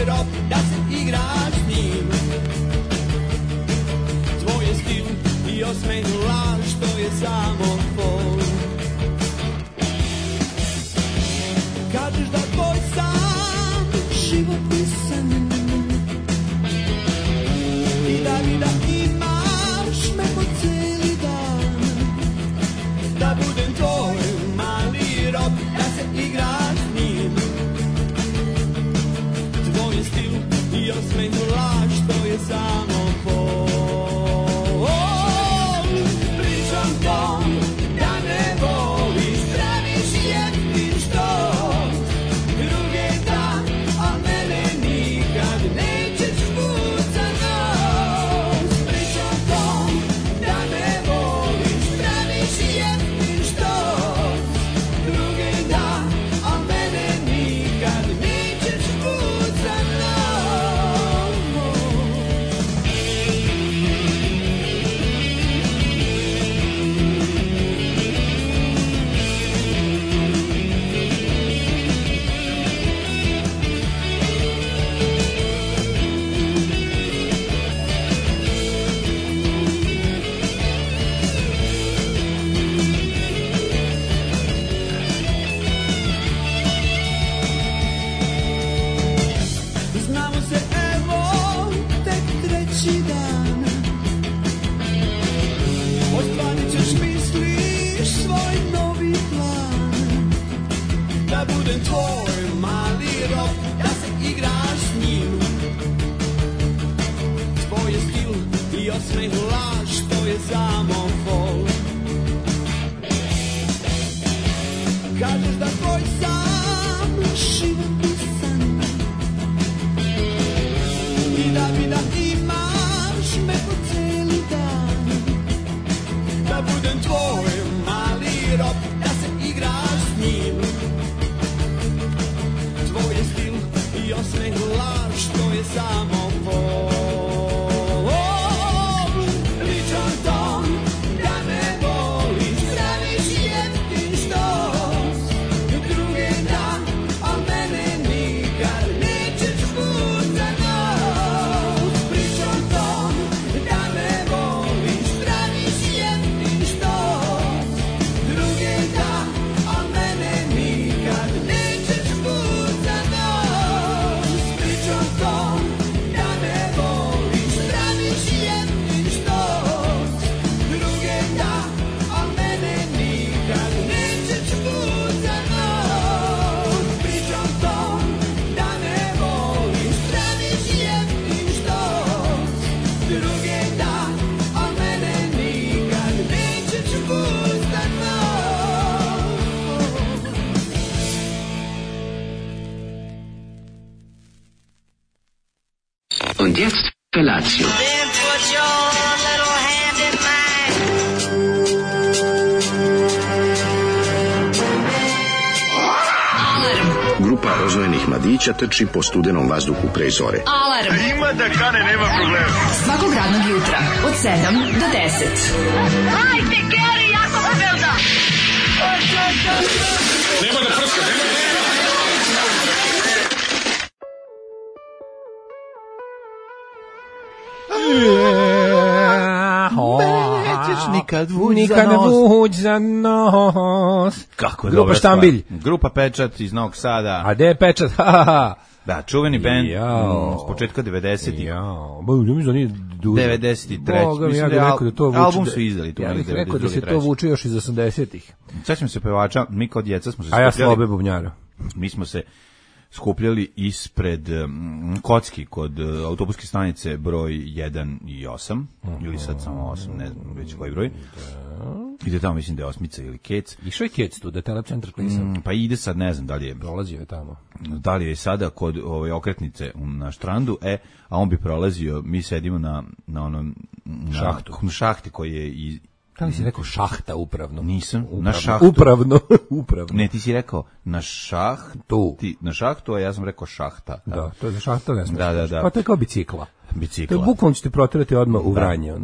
rob, da se igraš s njim. Tvoj je stil i osmeh laž, to je samo fol. Kažeš da tvoj sam život pisan i da mi da imaš me po cijeli dan, da budem tvoj mali rob, da se igraš s njim. Tvoj je stil i osmeh laž, to je samo fol. Pričam tom da ne voliš, praviš jeftin štos, druge da, a mene nikad nećeš put za nos. Pričam tom da ne voliš, praviš jeftin štos, druge da, a mene nikad nećeš put za nos. Znamo se evo tek treći dan, ostvarit ćeš misliš svoj novi plan, da budem tvoj mali rob, da se igraš s njim. Tvoj je stil i osmeh laž, to je samo fol. Kažeš da tvoj sam život pisan i da mi da imaš me po cijeli dan, da budem tvoj mali rob, da se igraš s njim. Tvoj je stil i osmeh laž, to je samo fol. Pričam tom da ne voliš, praviš jeftin štos, druge da, a mene nikad nećeš put za nos. Pričam tom da ne voliš, praviš jeftin štos, druge da, a mene nikad nećeš put za nos. Pričam tom da ne voliš, praviš jeftin štos, druge da, a mene nikad nećeš put za nos. Pričam tom da ne voliš, praviš jeftin štos, druge da, a mene nikad nećeš put za nos. Und jetzt Felatio. Then put your little hand in mine. Grupa rozvojenih mladića trči po studenom vazduhu pre zore. Alarm. Ima da kane, nema problema. Svakog radnog jutra, od 7 do 10. Hajde, Geri, jako se velda. Nema da prska, nema da... Nikad vuć za nos. Kako je Grupa dobra Štambilj. stvar. Grupa Pečat iz Novog Sada. A gde je Pečat? Da, čuveni bend Jao. s početka 90-ih. Jao, ba, mislim da nije duže. 93. Boga mi, Mislim ja da bih je rekao da to vuče. album su izdali tu Ja bih negde rekao da se 92., to vuče još iz 80-ih. Sećam se pevača, mi kao djeca smo se A ja skupljali. Slobe Bubnjara. Mi smo se skupljali ispred Kocki kod autobuske stanice broj 1 i 8, ili sad samo 8, ne znam već koji broj. Ide tamo, mislim da je Osmica ili Kec. Išao je Kec tu, da je Telecentar Klisa. Pa ide sad, ne znam da li je Prolazio je tamo. da li je sada kod ove okretnice na Štrandu, a on bi prolazio, mi sedimo na onom Šahtu. na šahti koji je i Kako si rekao šahta upravno? Nisam, upravno. na šahtu. Upravno. Ne, ti si rekao na šahtu, na šahtu, a ja sam rekao šahta. Da, to je za šahta, ne smiješ. Da. Pa to je kao bicikla. Bicikla. To je bukvalno ćete protirati odmah u Vranje.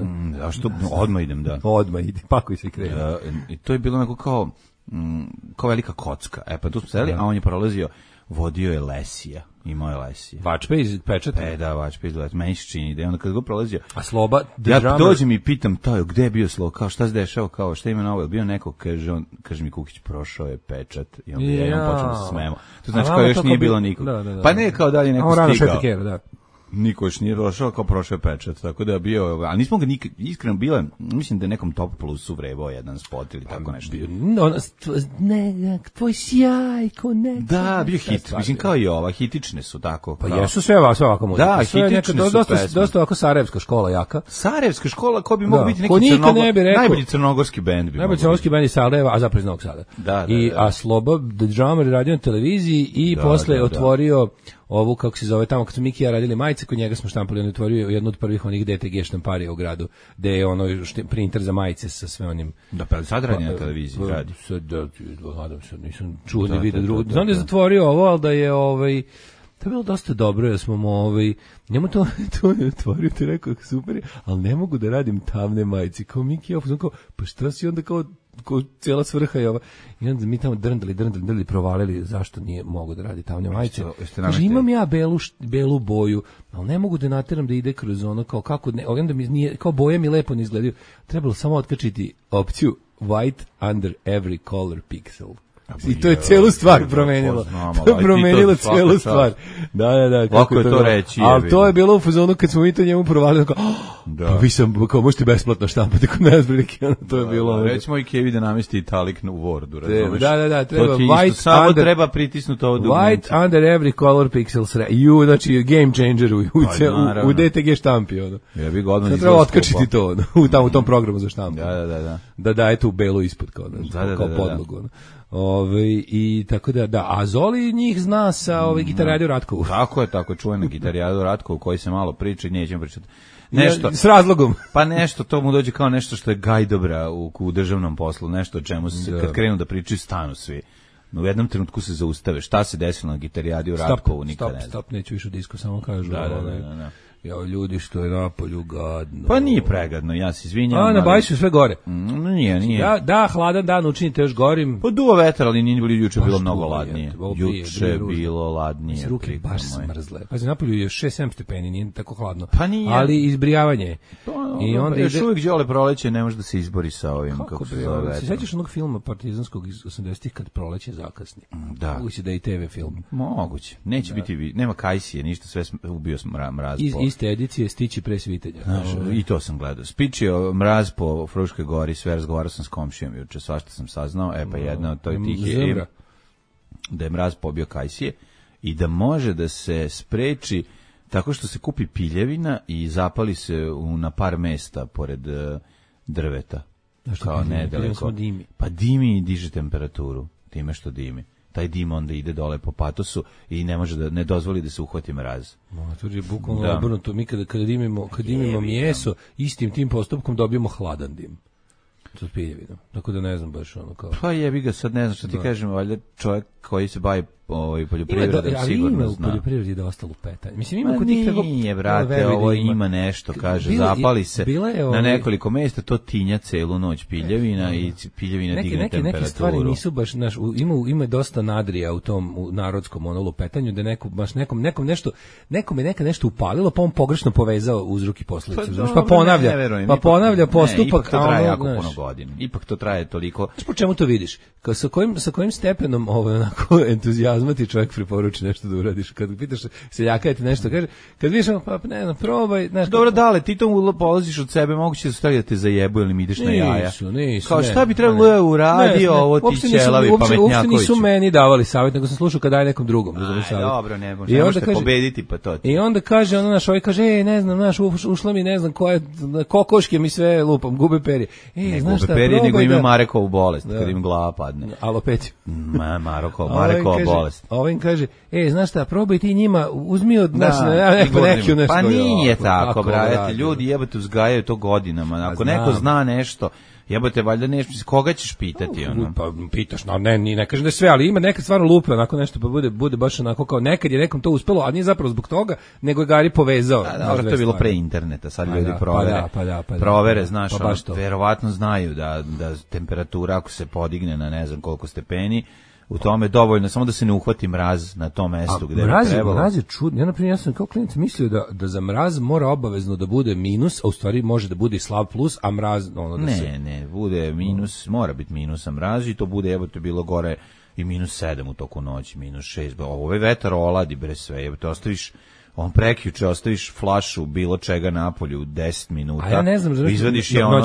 A što? Odmah idem, da. Odmah idi, pakuj se i krenu. I to je bilo onako kao velika kocka. Pa tu smo sedeli, a on je prolazio vodio je Lesija. Imao je Lesija. Vačpe iz Pečata. Da, Vačpe iz Lesija. Meni se čini da je onda kad go prolazio. A Sloba, ja dođem i pitam Tojo, gde je bio Sloba, kao šta se dešava, kao šta ima novo, bio neko, kaže mi Kukić, prošao je Pečat. I onda jednom počnem da se smemo. To znači kao još nije bilo nikog. Pa ne, kao dalje neko stigao. Da. Niko još nije došao, kao prošao je Pečat, tako da je bio, ali nismo ga nikad, iskreno bilo, mislim da je nekom Top Plusu vrebao jedan spot ili tako nešto. Ne, tvoj sjaj, ko ne. Da, bio hit, mislim kao i ova, hitične su tako. Pa jesu sve ovako muzika. Da, hitične su pesme. Dosta ovako sarajevska škola jaka. Sarajevska škola, ko bi mogu biti neki najbolji crnogorski bend. Najbolji crnogorski bend iz Sarajeva, a zapravo iz Novog Sada. A Sloba, The Drummer, radio na televiziji i posle otvorio ovu, kako se zove, tamo kad su Miki i ja radili majice, kod njega smo štampali, on je otvorio jednu od prvih onih DTG štamparija u gradu, gde je ono printer za majice sa sve onim... Da, pa sad radi na televiziji, radi. Nadam se, nisam čuo ni vidio drugo. Znam da je zatvorio ovo, ali da je, to je bilo dosta dobro, jer smo njemu to je otvorio, ti rekao, super, ali ne mogu da radim tamne majice, kao Miki, kao, pa šta si onda kao cijela svrha je ova. I onda mi tamo drndali, provalili zašto nije mogu da radi tamne majice. Kaže, imam ja belu boju, ali ne mogu da nateram da ide kroz ono, kao kako, onda mi nije, kao boje mi lepo ne izgledaju. Trebalo samo otkačiti opciju white under every color pixel. I to je celu stvar promenilo. To je promenilo celu stvar. Da. Kako je to reći? Ali to je bilo u fazonu kad smo mi to njemu provalili, kao, pa vi sam, kao možete besplatno štampati kod nas, to je bilo. Recimo i Kevi da namesti italik u Wordu, razumeš? Da, treba white samo under, treba pritisnuti ovo dugmence. White under every color pixel, znači game changer u DTG štampi. Ja bih ga odmah treba otkačiti to u tom programu za štampu. Da daje tu belu ispod kao podlogu. I tako da, a Zoli njih zna sa Gitarijadu Ratkovu. Tako je, čuvena Gitarijadu Ratkovu koji se malo priča i nećemo pričati. Nešto, s razlogom. Pa nešto, to mu dođe kao nešto što je gajdobra u državnom poslu, nešto o čemu se kad krenu da pričaju stanu svi. U jednom trenutku se zaustave. Šta se desilo na Gitarijadu Ratkovu, nikad ne znam. Stop, neću više disko, samo kažu. Da. Ja, ljudi što je napolju gadno. Pa nije pregadno, ja se izvinjam. A, na Bajsu sve gore. Nije. Da, hladan dan učinite još gorim. Pa duo vetar, ali nije bilo juče bilo mnogo ladnije. Juče je bilo ladnije. Ruke baš smrzle. Pazi, napolju je 6-7 stepeni, nije tako hladno. Pa nije. Ali izbrijavanje je. I onda još uvijek đole proleće, ne može da se izbori sa ovim. Kako se zove vetar. Se sjećaš onog filma partizanskog iz 80-ih kad proleće zakasni? Da. Moguće da je i TV film. Moguće. Neće biti, nema Kajsije, ništa, sve ubio mraz. Iste edicije Stići pre svitenja. I to sam gledao. Spičio mraz po Fruškoj gori, sve razgovarao sam s komšijom juče, svašta sam saznao, pa jedna od tih je da je mraz pobio Kajsije i da može da se spreči tako što se kupi piljevina i zapali se na par mesta pored drveta. Kao nedaleko. Pa dimi i diže temperaturu, time što dimi. Taj dim onda ide dole po patosu i ne dozvoli da se uhvati mraz. To je bukvalno obrnuto. Mi kada dimimo mjeso, istim tim postupkom dobijemo hladan dim. To je piljevinom. Tako da ne znam baš ono kao... Pa jebi ga, sad ne znam što ti kažem, valjda čovjek koji se bavi poljoprivredom sigurno zna. Ali ima u poljoprivredi da ostalo petanje. Mislim, ima kod tih tako... Nije, brate, ovo ima nešto, kaže, zapali se na nekoliko mjesta, to tinja celu noć piljevina i piljevina digne temperaturu. Neke stvari nisu baš, ima dosta nadrija u tom narodskom lupetanju, da nekom je neka nešto upalilo, pa on pogrešno povezao uzrok i posljedicu. Pa ponavlja postupak. Ipak to traje jako puno godina. Ipak to traje toliko. Znaš po čemu to vidiš? Sa kojim stepenom onako entuzijazma ti čovjek preporuči nešto da uradiš? Kad pitaš seljaka ti nešto kaže, kad vidiš pa ne znam, probaj, znaš. Dobro, dale, ti to polaziš od sebe, moguće da stvari da te zajebu ili mi ideš na jaja. Nisu. Kao šta bi trebalo da uradio ovo ti ćelavi pametnjaković? Uopšte nisu meni davali savjet, nego sam slušao kad daje nekom drugom. Dobro, ne možete pobediti pa to. I onda kaže ono naš, ovaj kaže, ne znam, naš ušla mi ne znam koja kokoške mi sve lupam, gube perje. Znaš šta, perje, nego ima Marekovu bolest, kad im glava padne. Alopeciju. Marekova bolest. Ovaj im kaže, znaš šta, probaj ti njima, uzmi od nas neki nešto. Pa nije tako, brate, ljudi jebate uzgajaju to godinama. Ako neko zna nešto, jebote, valjda nešto, koga ćeš pitati ono? Pa pitaš, ne kažem da je sve, ali ima nekad stvarno lupa, onako nešto pa bude baš onako kao nekad je nekom to uspelo, a nije zapravo zbog toga, nego je Gari povezao. Dobro, to je bilo pre interneta, sad ljudi provere. Provere, znaš, verovatno znaju da temperatura ako se podigne na ne znam koliko stepeni, u tome dovoljno, samo da se ne uhvati mraz na tom mestu gde bi trebalo. Mraz je čudno. Ja, naprimjer, ja sam kao klinac mislio da za mraz mora obavezno da bude minus, a u stvari može da bude slab plus, a mraz ono da se... Ne, bude minus, mora biti minus, a mraz i to bude, evo te bilo gore i -7 u toku noći, -6. Ovo je vetar oladi bre sve, evo te ostaviš prekjuče ostaviš flašu bilo čega napolju u 10 minuta. A ja ne znam, izvadiš je ono,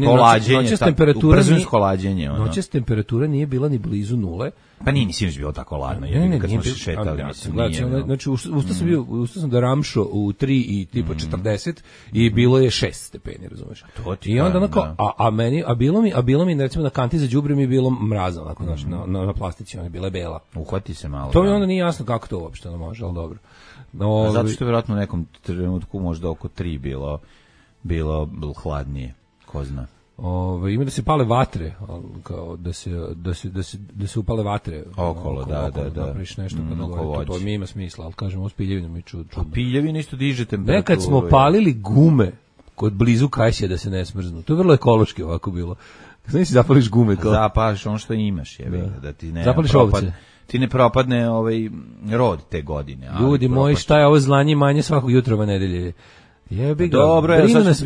kolađenje, kolađenje. Noćas temperatura nije bila ni blizu nule. Pa nije ni sinoć bilo tako ladno, kad smo se šetali. Znači, ustao sam da ramšo u 3 i tipa 40 i bilo je 6 stepeni, razumeš? I onda onako, a bilo mi, recimo, na kanti za đubre mi je bilo mrazno, onako, znači, na plastici, ona je bila bela. Uhvati se malo. To mi onda nije jasno kako to uopšte može, ali dobro. Zato što je vjerojatno u nekom trenutku možda oko 3 bilo hladnije, ko zna. Ima da se pale vatre, kao da se upale vatre okolo, da. Napraviš nešto to mi ima smisla, ali kažem, ovo s piljevinom je čudno. A piljevina isto diže temperaturu. Nekad smo palili gume kod blizu Kajsija da se ne smrznu. To je vrlo ekološki ovako bilo. Znači si zapališ gume kao... Zapališ ono što imaš, da ti ne... Zapališ ovce. Ti ne propadne rod te godine. Ljudi moji, šta je ovo zlanje manje svakog jutra ove nedelje? Jebi ga, dobro,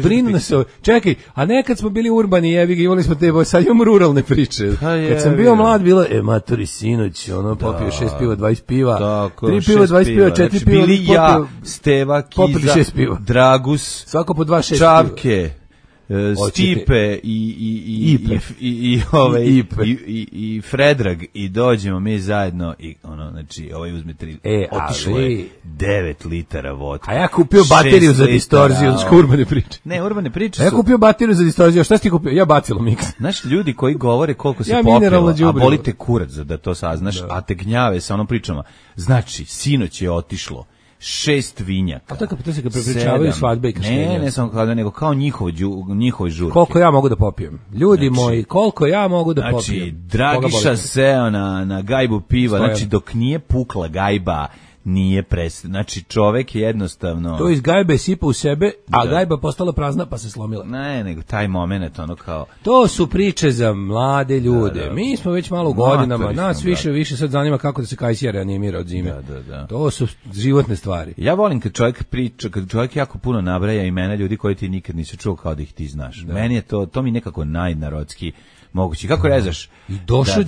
brinu nas. Čekaj, a nekad smo bili urbani, jebi ga, imali smo te, sad imamo ruralne priče. Kad sam bio mlad, bilo, matori sinoć, popio 6 piva, 20 piva, 3 piva, 20 piva, 4 piva. Bili ja, Steva, Kiza, Dragus, svako po 2, 6 Čavke, Stipe i Fredrag i dođemo mi zajedno i znači uzme 3, otišlo je 9 litara vodka. A ja kupio bateriju za distorziju, urbane priče. Ne, urbane priče su. Ja kupio bateriju za distorziju, šta si ti kupio? Ja bacilo miks. Znaš, ljudi koji govore koliko se popilo, a bolite kurac da to saznaš, a te gnjave sa onom pričama. Znači, sinoć je otišlo 6 vinjaka. A to se kad prepričavaju svadbe i krštenja. Ne samo kada, nego kao njihovoj žurke. Koliko ja mogu da popijem? Ljudi moji, koliko ja mogu da popijem? Znači, Dragiša seo na gajbu piva, znači dok nije pukla gajba, nije znači čovek je jednostavno... To iz gajbe sipa u sebe, a gajba postala prazna pa se slomila. Ne, nego taj moment, kao... To su priče za mlade ljude. Mi smo već malo u godinama, nas više sad zanima kako da se Kajsija reanimira od zime. To su životne stvari. Ja volim kad čovjek priča, kad čovjek jako puno nabraja imena ljudi koji ti nikad nisi čuo kao da ih ti znaš. Meni je to mi nekako najnarodski mogući. Kako rezaš? I došao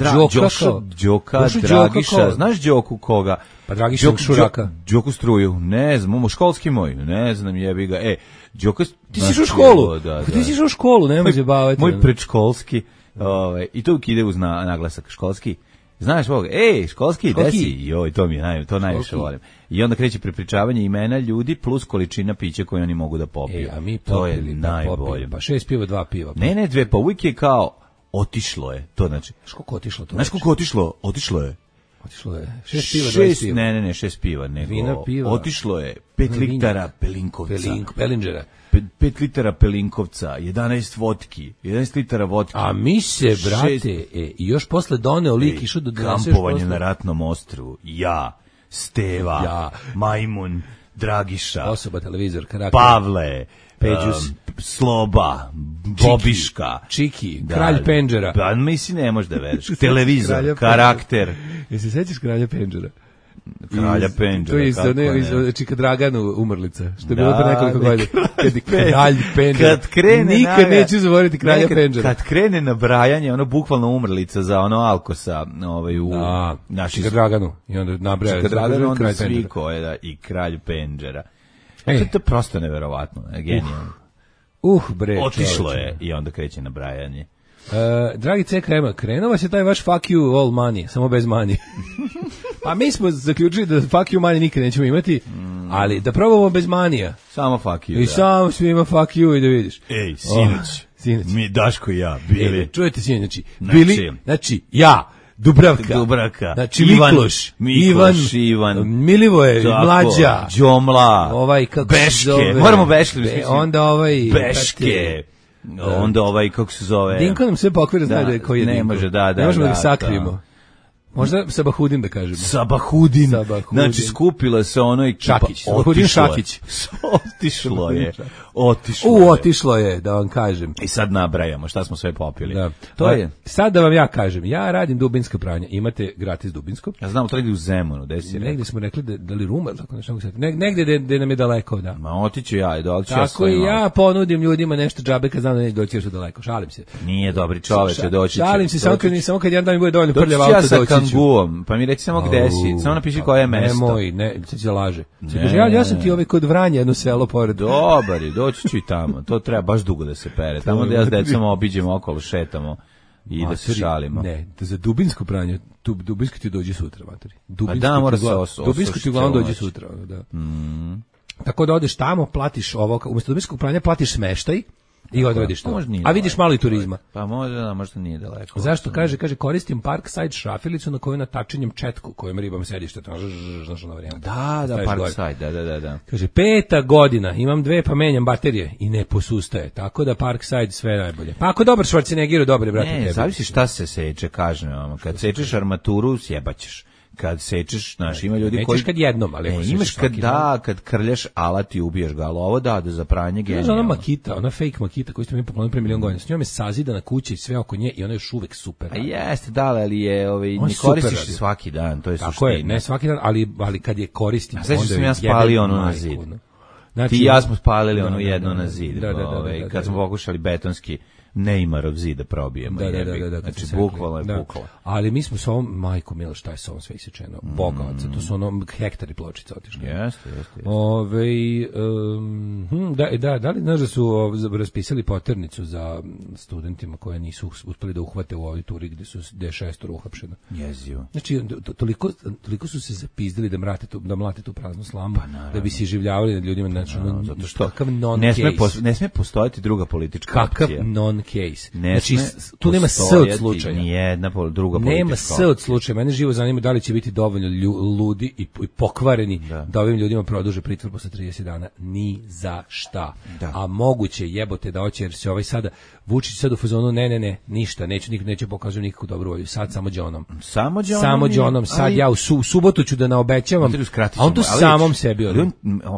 Đoka, Dragiša, znaš Đoku koga? Pa Dragiša Šuraka. Đoku Struju, ne znam, školski moj, ne znam, jebi ga. Đoka... Ti si u školu? Ti si u školu, nemoj se baviti. Moj predškolski, i to ide uz naglasak, školski. Znaš ovog, školski, desi, joj, to najviše volim. I onda kreće prepričavanje imena ljudi plus količina pića koje oni mogu da popiju. A mi to je najbolje. Pa 6 piva, 2 piva. Ne, 2, pa uvijek je kao otišlo je, to znači. Znaš koliko otišlo to? Znaš koliko otišlo? Otišlo je. Otišlo je 6 piva, 20 piva. Ne, 6 piva, nego vina, piva. Otišlo je 5 litara Pelinkovca. Pelinđera. 5 litara Pelinkovca, 11 vodki, 11 litara vodki. A mi se, brate, i još posle doneo lik išao da doneseš kampovanje na ratnom ostrvu. Ja, Steva, Majmun, Dragiša, osoba, televizor, karakter, Pavle, Peđus, Sloba, Bobiška, Čiki, Kralj Pendžera. Pa mislim ne možeš da veriš. Televizor, karakter. Jesi se sećaš Kralja Pendžera? Kralja Pendžera. To je isto, iz Čika Draganu umrlica, što je bilo pre nekoliko godina. Kralj Pendžera. Nikad neću zaboraviti Kralja Pendžera. Kad krene nabrajanje, ono bukvalno umrlica za ono Alkosa, u naši Čika Draganu. I onda nabraja. Čika Draganu, onda svi koje, i Kralj Pendžera. To je prosto neverovatno, genijalno. Bre. Otišlo je i onda kreće nabrajanje. Dragi CKM, krenuo vas je taj vaš fuck you all money, samo bez money. Pa mi smo zaključili da fuck you money nikad nećemo imati, ali da probamo bez manija. Samo fuck you, I samo svima fuck you i da vidiš. Ej, sinoć. Mi, Daško i ja, bili. Čujete sinoć, bili, znači, ja, Dubravka, znači Mikloš, Ivan, Milivoje, Mlađa, Đomla, Beške, moramo Beške, onda Beške, onda kako se zove, Dinko nam sve pokvira, zna da je koji je Dinko, ne može, da, ne možemo da sakrijemo. Možda Sabahudin da kažemo. Sabahudin. Znači skupila se ono i Šakić. Sabahudin Šakić. Otišlo je. Otišlo je, da vam kažem. I sad nabrajamo šta smo sve popili. Da. To je. Sad da vam ja kažem, ja radim dubinska pranja. Imate gratis dubinsko. Ja znam, to negdje u Zemunu, gde si negdje smo rekli da li Ruma, tako nešto. Negdje gde nam je daleko, da. Ma otiću ja, doći ja. Tako i ja ponudim ljudima nešto džabe kad znam da neće doći još daleko. Šalim se. Nije dobri čoveče, doći će. Šalim se, samo kad jedan dan mi bude dovoljno prljav auto, doći ću. Ja sa kanguom, pa mi reci samo gde si, samo napiši koje je mesto. Nemoj, ne, sad će laže. Ja sam ti kod Vranja, jedno selo pored. Dobar je, doći ću i tamo. To treba baš dugo da se pere. Tamo da ja s decom obiđemo okolo, šetamo i da se šalimo. Ne, za dubinsko pranje, dubinsko ti dođe sutra, materi. Dubinsko ti uglavnom dođe sutra, da. Tako da odeš tamo, platiš ovo, umjesto dubinskog pranja platiš smeštaj i odradiš to. A vidiš malo i turizma. Pa možda nije daleko. Zašto? Kaže koristim Parkside šrafilicu na koju natačenjem četku kojom ribam sedište. Znaš ona varijanta. Da, Parkside, da. Kaže, 5. godina, imam 2 pa menjam baterije i ne posustaje. Tako da Parkside sve najbolje. Pa ako dobar Schwarzeneggeru, dobar je, brate, tebi. Ne, zavisi šta se seče, kažem vam. Kad sečeš armaturu, sjebaćeš. Kad sečeš, znaš, ima ljudi koji... Nećeš kad jednom, ali... imaš kad krljaš alat i ubiješ ga, ali ovo da za pranje genijalno. Znaš, ona makita, ona fake makita koju ste mi poklonili pre milion godina, s njom je sazidana kuća i sve oko nje i ona je još uvek super. A jeste, da, ali je, ne koristiš svaki dan, to je suština. Tako je, ne svaki dan, ali kad je koristim, onda je jebe majku. Ja spalio ono na zid. Znači, ti i ja smo spalili ono jedno na zid, kad smo pokušali betonski Neymarov zid da probijemo. Da. Znači, bukvalno je bukvalno. Ali mi smo s ovom, majko milo, šta je s ovom sve isečeno? Bogovaca, to su ono hektari pločica otišli. Jeste. Da li znaš da su raspisali poternicu za studentima koje nisu uspeli da uhvate u ovoj turi gde je 6 uhapšeno? Jezivo. Znači, toliko su se zapizdili da mlate tu praznu slamu, da bi se iživljavali nad ljudima. Znači, zato što ne sme postojati druga politička opcija. Kakav non-case. Znači, tu nema s od slučaja. Nijedna druga politička nema s od slučaja. Mene živo zanima da li će biti dovoljno ludi i pokvareni da ovim ljudima produže pritvor posle 30 dana. Ni za šta. A moguće jebote da hoće, jer se ovaj sada Vučić sad u fazonu ne, ništa, neće pokazati nikakvu dobru volju. Sad samo džonom. Samo džonom. Sad ja u subotu ću da naobećavam, a on tu samom sebi odem.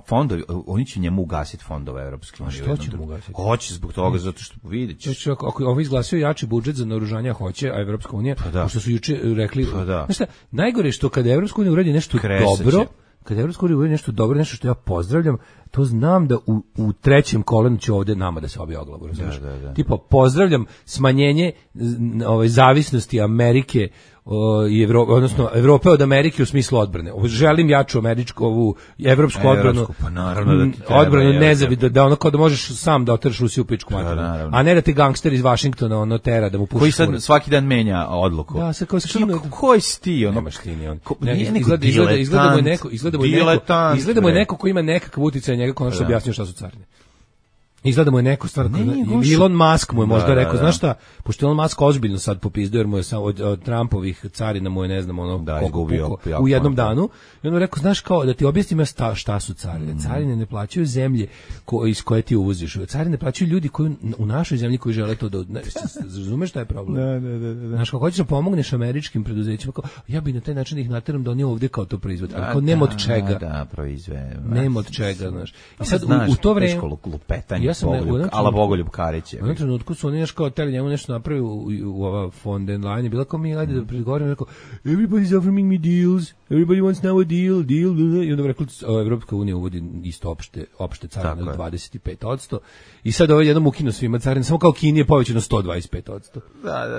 Fondovi, oni će njemu ugasiti fondove Evropske unije. Što će mu ugasiti? Hoće zbog toga, zato što vidjet ćeš. Ako ovo izglasio jači budžet za naoružanje, hoće, a Evropska unija, što su juče rekli, znaš šta, najgore je što kada Evropska unija uradi nešto dobro, kada Evropska unija uradi nešto dobro, nešto što ja pozdravljam, to znam da u trećem kolenu će ovde nama da se obije o glavu. Tipo, pozdravljam smanjenje zavisnosti Amerike i odnosno Evrope od Amerike u smislu odbrane. Želim jaču ovu evropsku odbranu. Pa naravno da ti treba, odbranu nezavisno, da ono kao da možeš sam da oteraš Rusiju u pičku materinu. A ne da ti gangster iz Vašingtona ono tera da mu puši. Koji sad svaki dan menja odluku. Da, sad kao skinu. Koji si ti ono? Nemaš ti ni on. Izgleda mu je neko ko ima nekakav uticaj na njega, ko što objasnio šta su carine. Izgleda mu je neko stvar, Elon Musk mu je možda rekao, znaš šta, pošto Elon Musk ozbiljno sad popizdao, jer mu je od Trumpovih carina mu je, ne znam, u jednom danu, i on mu rekao, znaš kao, da ti objasnim šta su carine. Carine ne plaćaju zemlje iz koje ti uvoziš, carine plaćaju ljudi koji u našoj zemlji koji žele to da... Razumeš šta je problem? Da. Znaš, kako hoćeš da pomogneš američkim preduzećima, kao, ja bi na taj način ih nateram da oni ovdje kao to proizvode, ali kao nema od čega. Nema od čega, znaš. I sad u to vreme... Ala Bogoljub Karić je. U jednom trenutku su oni nešto teli njemu nešto napravi u ova von den Leyen je bila kao mi, ajde da pregovorimo, rekao, everybody's offering me deals, everybody wants now a deal, i onda bi rekli, Evropska unija uvodi isto opšte carine od 25%, i sad ovo jednom ukinu svima carine, samo kao Kini je povećano 125%.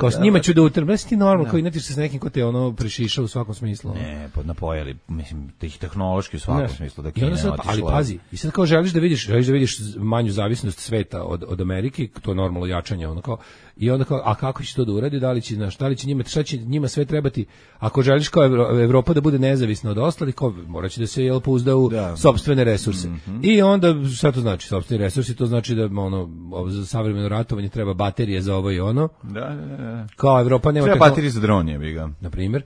Kao s njima ću da utrem, ti normalno, kao inatiš se s nekim ko te ono prešiša u svakom smislu. Ne, napojali, mislim, tih tehnološki u svakom smislu da Kina otišla. Ali pazi, i sad kao želiš da vidiš manju zavisnost sveta od Amerike, to je normalno jačanje, ono kao, i onda kao, a kako će to da uradi, da li će njima, šta će njima sve trebati, ako želiš kao Evropa da bude nezavisna od ostalih, kao moraće da se pouzda u sopstvene resurse. I onda, šta to znači, sopstveni resursi, to znači da za savremeno ratovanje treba baterije za ovo i ono. Kao Evropa nema treba baterije za dron, je ga. Na primjer,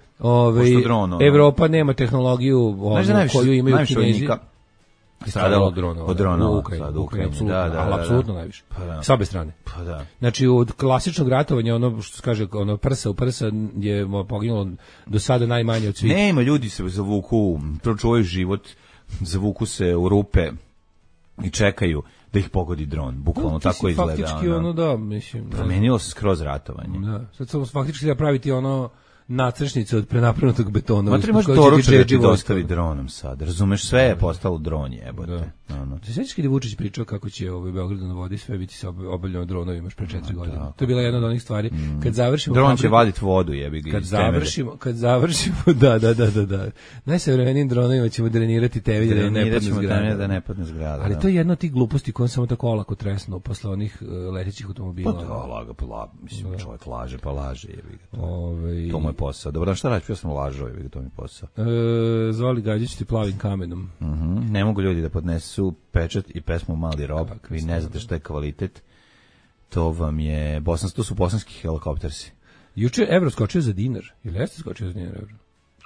Evropa nema tehnologiju koju imaju Kinezi. stradalo od dronova u Ukrajini, apsolutno, da, apsolutno najviše. Pa da. S obe strane. Pa da. Znači, od klasičnog ratovanja, ono što se kaže, ono prsa u prsa je poginulo do sada najmanje od svih. Nema, ljudi se zavuku, pročuvaju život, zavuku se u rupe i čekaju da ih pogodi dron. Bukvalno tako izgleda. Faktički ono da, mislim. Promenilo se skroz ratovanje. Da, sad samo faktički da praviti ono nacršnice od prenapravnutog betona. Ma trebaš doručak da ti dostavi dronom sad. Razumeš, sve je postalo dron, jebote. Se sećaš kad je Vučić pričao kako će Beogradu na vodi sve biti obavljeno dronovima još pre 4 godine. To je bila jedna od onih stvari. Kad završimo dron će vaditi vodu, jebi ga. Kad završimo, da. Najsavremenijim dronovima ćemo drenirati temelje da ne padne zgrada. Ali to je jedna od tih gluposti koja samo tako olako tresno posle onih letećih automobila. Pa da, mislim, čovjek laže, pa laže, jebi ga. To mu je posao. Dobro, šta radiš, ja sam lažao, jebi ga, to mi je posao. Zvali Gađić ti plavim kamenom. Ne mogu ljudi da podnesu pečat i pesmu Mali rob, vi ne znate šta je kvalitet. To vam je, to su bosanski helikoptersi. Juče evro skočio za dinar, ili jeste skočio za dinar evro?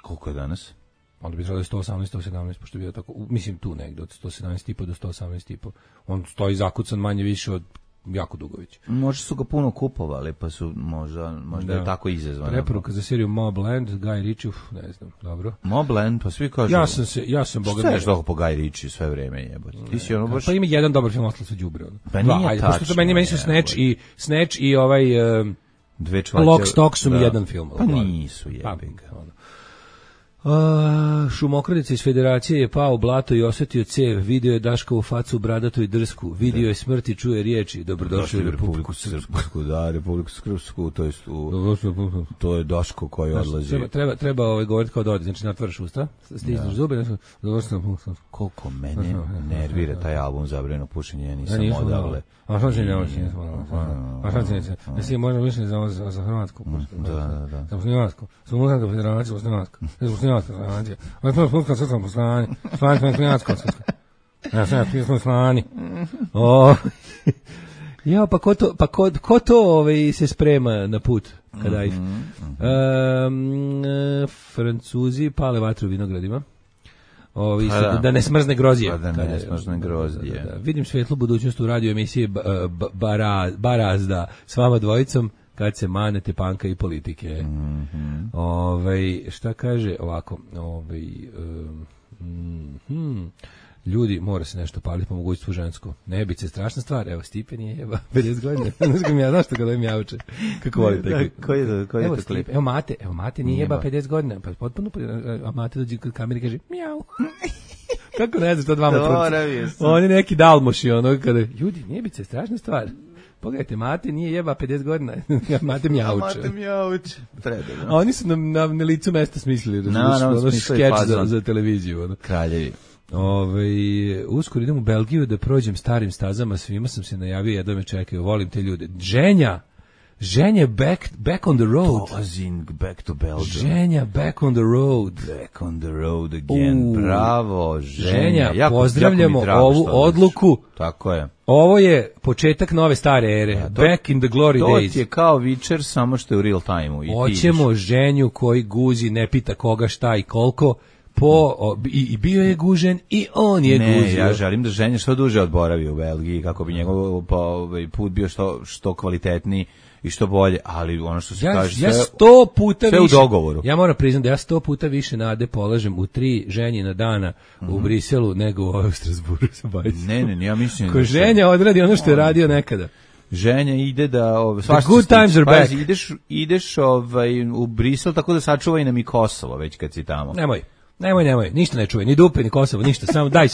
Koliko je danas? Onda bi trebalo 118, 117, pošto je bio tako, mislim tu negdje, od 117,5 do 118,5. On stoji zakucan manje više od jako dugo već. Možda su ga puno kupovali, pa su možda je tako izazvano. Preporuka za seriju Mobland, Guy Ritchie, ne znam, dobro. Mobland, pa svi kažu. Ja sam boga. Šta je što po Guy Ritchie sve vreme jebote? Ti si ono baš. Pa ima jedan dobar film, ostalo su đubre. Pa nije tačno. Pošto meni su Snatch i ovaj dve člače. Lock, Stock su mi jedan film. Pa nisu jebik. Šumokradica iz Federacije je pao u blato i osjetio cev, vidio je Daškovu facu bradatu i drsku, vidio je smrt i čuje riječi, dobrodošli u Republiku Srpsku. Da, Republiku Srpsku, to je Daško koji odlazi. Treba govoriti kao da odi, znači natvaraš usta, stisneš zube, koliko mene nervira taj album Zabranjeno pušenje, nisam odavle. A što će nisam odavle? A što će nisam? Jesi možda mišljeni za Hrvatsku? Da. Za Muslimansku. Za Muslimansku federaciju, Muslimansku. Za Muslimansku federaciju. Ovo je to Srpska srpska poslanje. Slanje smo Muslimansko srpska. Ja sam smo slani. Ja, pa ko to se sprema na put kada ide? Francuzi pale vatru u vinogradima. Da ne smrzne grozdje. Da ne smrzne grozdje. Vidim svetlu budućnost u radio emisije Barazda s vama dvojicom kad se manete panka i politike. Šta kaže ovako? Ljudi, mora se nešto paliti po mogućstvu žensko. Nebice je strašna stvar. Evo, Stipe nije jeba 50 godina. Znaš što kada im javče? Kako voli tako? Koji je to klip? Evo Mate nije jeba 50 godina. Pa potpuno, a Mate dođe kod kamere i kaže mjau. Kako ne znaš to dvama truci? On je neki dalmoši, ono kada, ljudi, nebice je strašna stvar. Pogledajte, Mate nije jeba 50 godina. Mate mjauče. A oni su na licu mesta smislili. Ono skeč za televiziju. Kraljevi. Uskoro idem u Belgiju da prođem starim stazama, svima sam se najavio, jedva me čekaju, volim te ljude. Ženja back on the road. Back to Belgium. Ženja back on the road. Back on the road again. Bravo, Ženja. Pozdravljamo ovu odluku. Tako je. Ovo je početak nove stare ere. Back in the glory days. To ti je kao Witcher, samo što je u real time-u. Hoćemo Ženju koji guzi, ne pita koga, šta i koliko. I bio je gužen i on je guzio. Ne, ja želim da Ženja što duže odboravi u Belgiji, kako bi njegov put bio što kvalitetniji i što bolje, ali ono što se kaže ja 100 puta sve više, u dogovoru. Ja moram priznati da ja 100 puta više nade polažem u 3 Ženjina dana u Briselu nego u Strasburu. Ne, ja mislim ko Ženja odradi ono što je radio nekada. Ženja ide da the good times are back. Ideš u Brisel tako da sačuva i nam i Kosovo već kad si tamo. Nemoj, ništa ne čuje, ni dupe, ni Kosovo, ništa, samo daj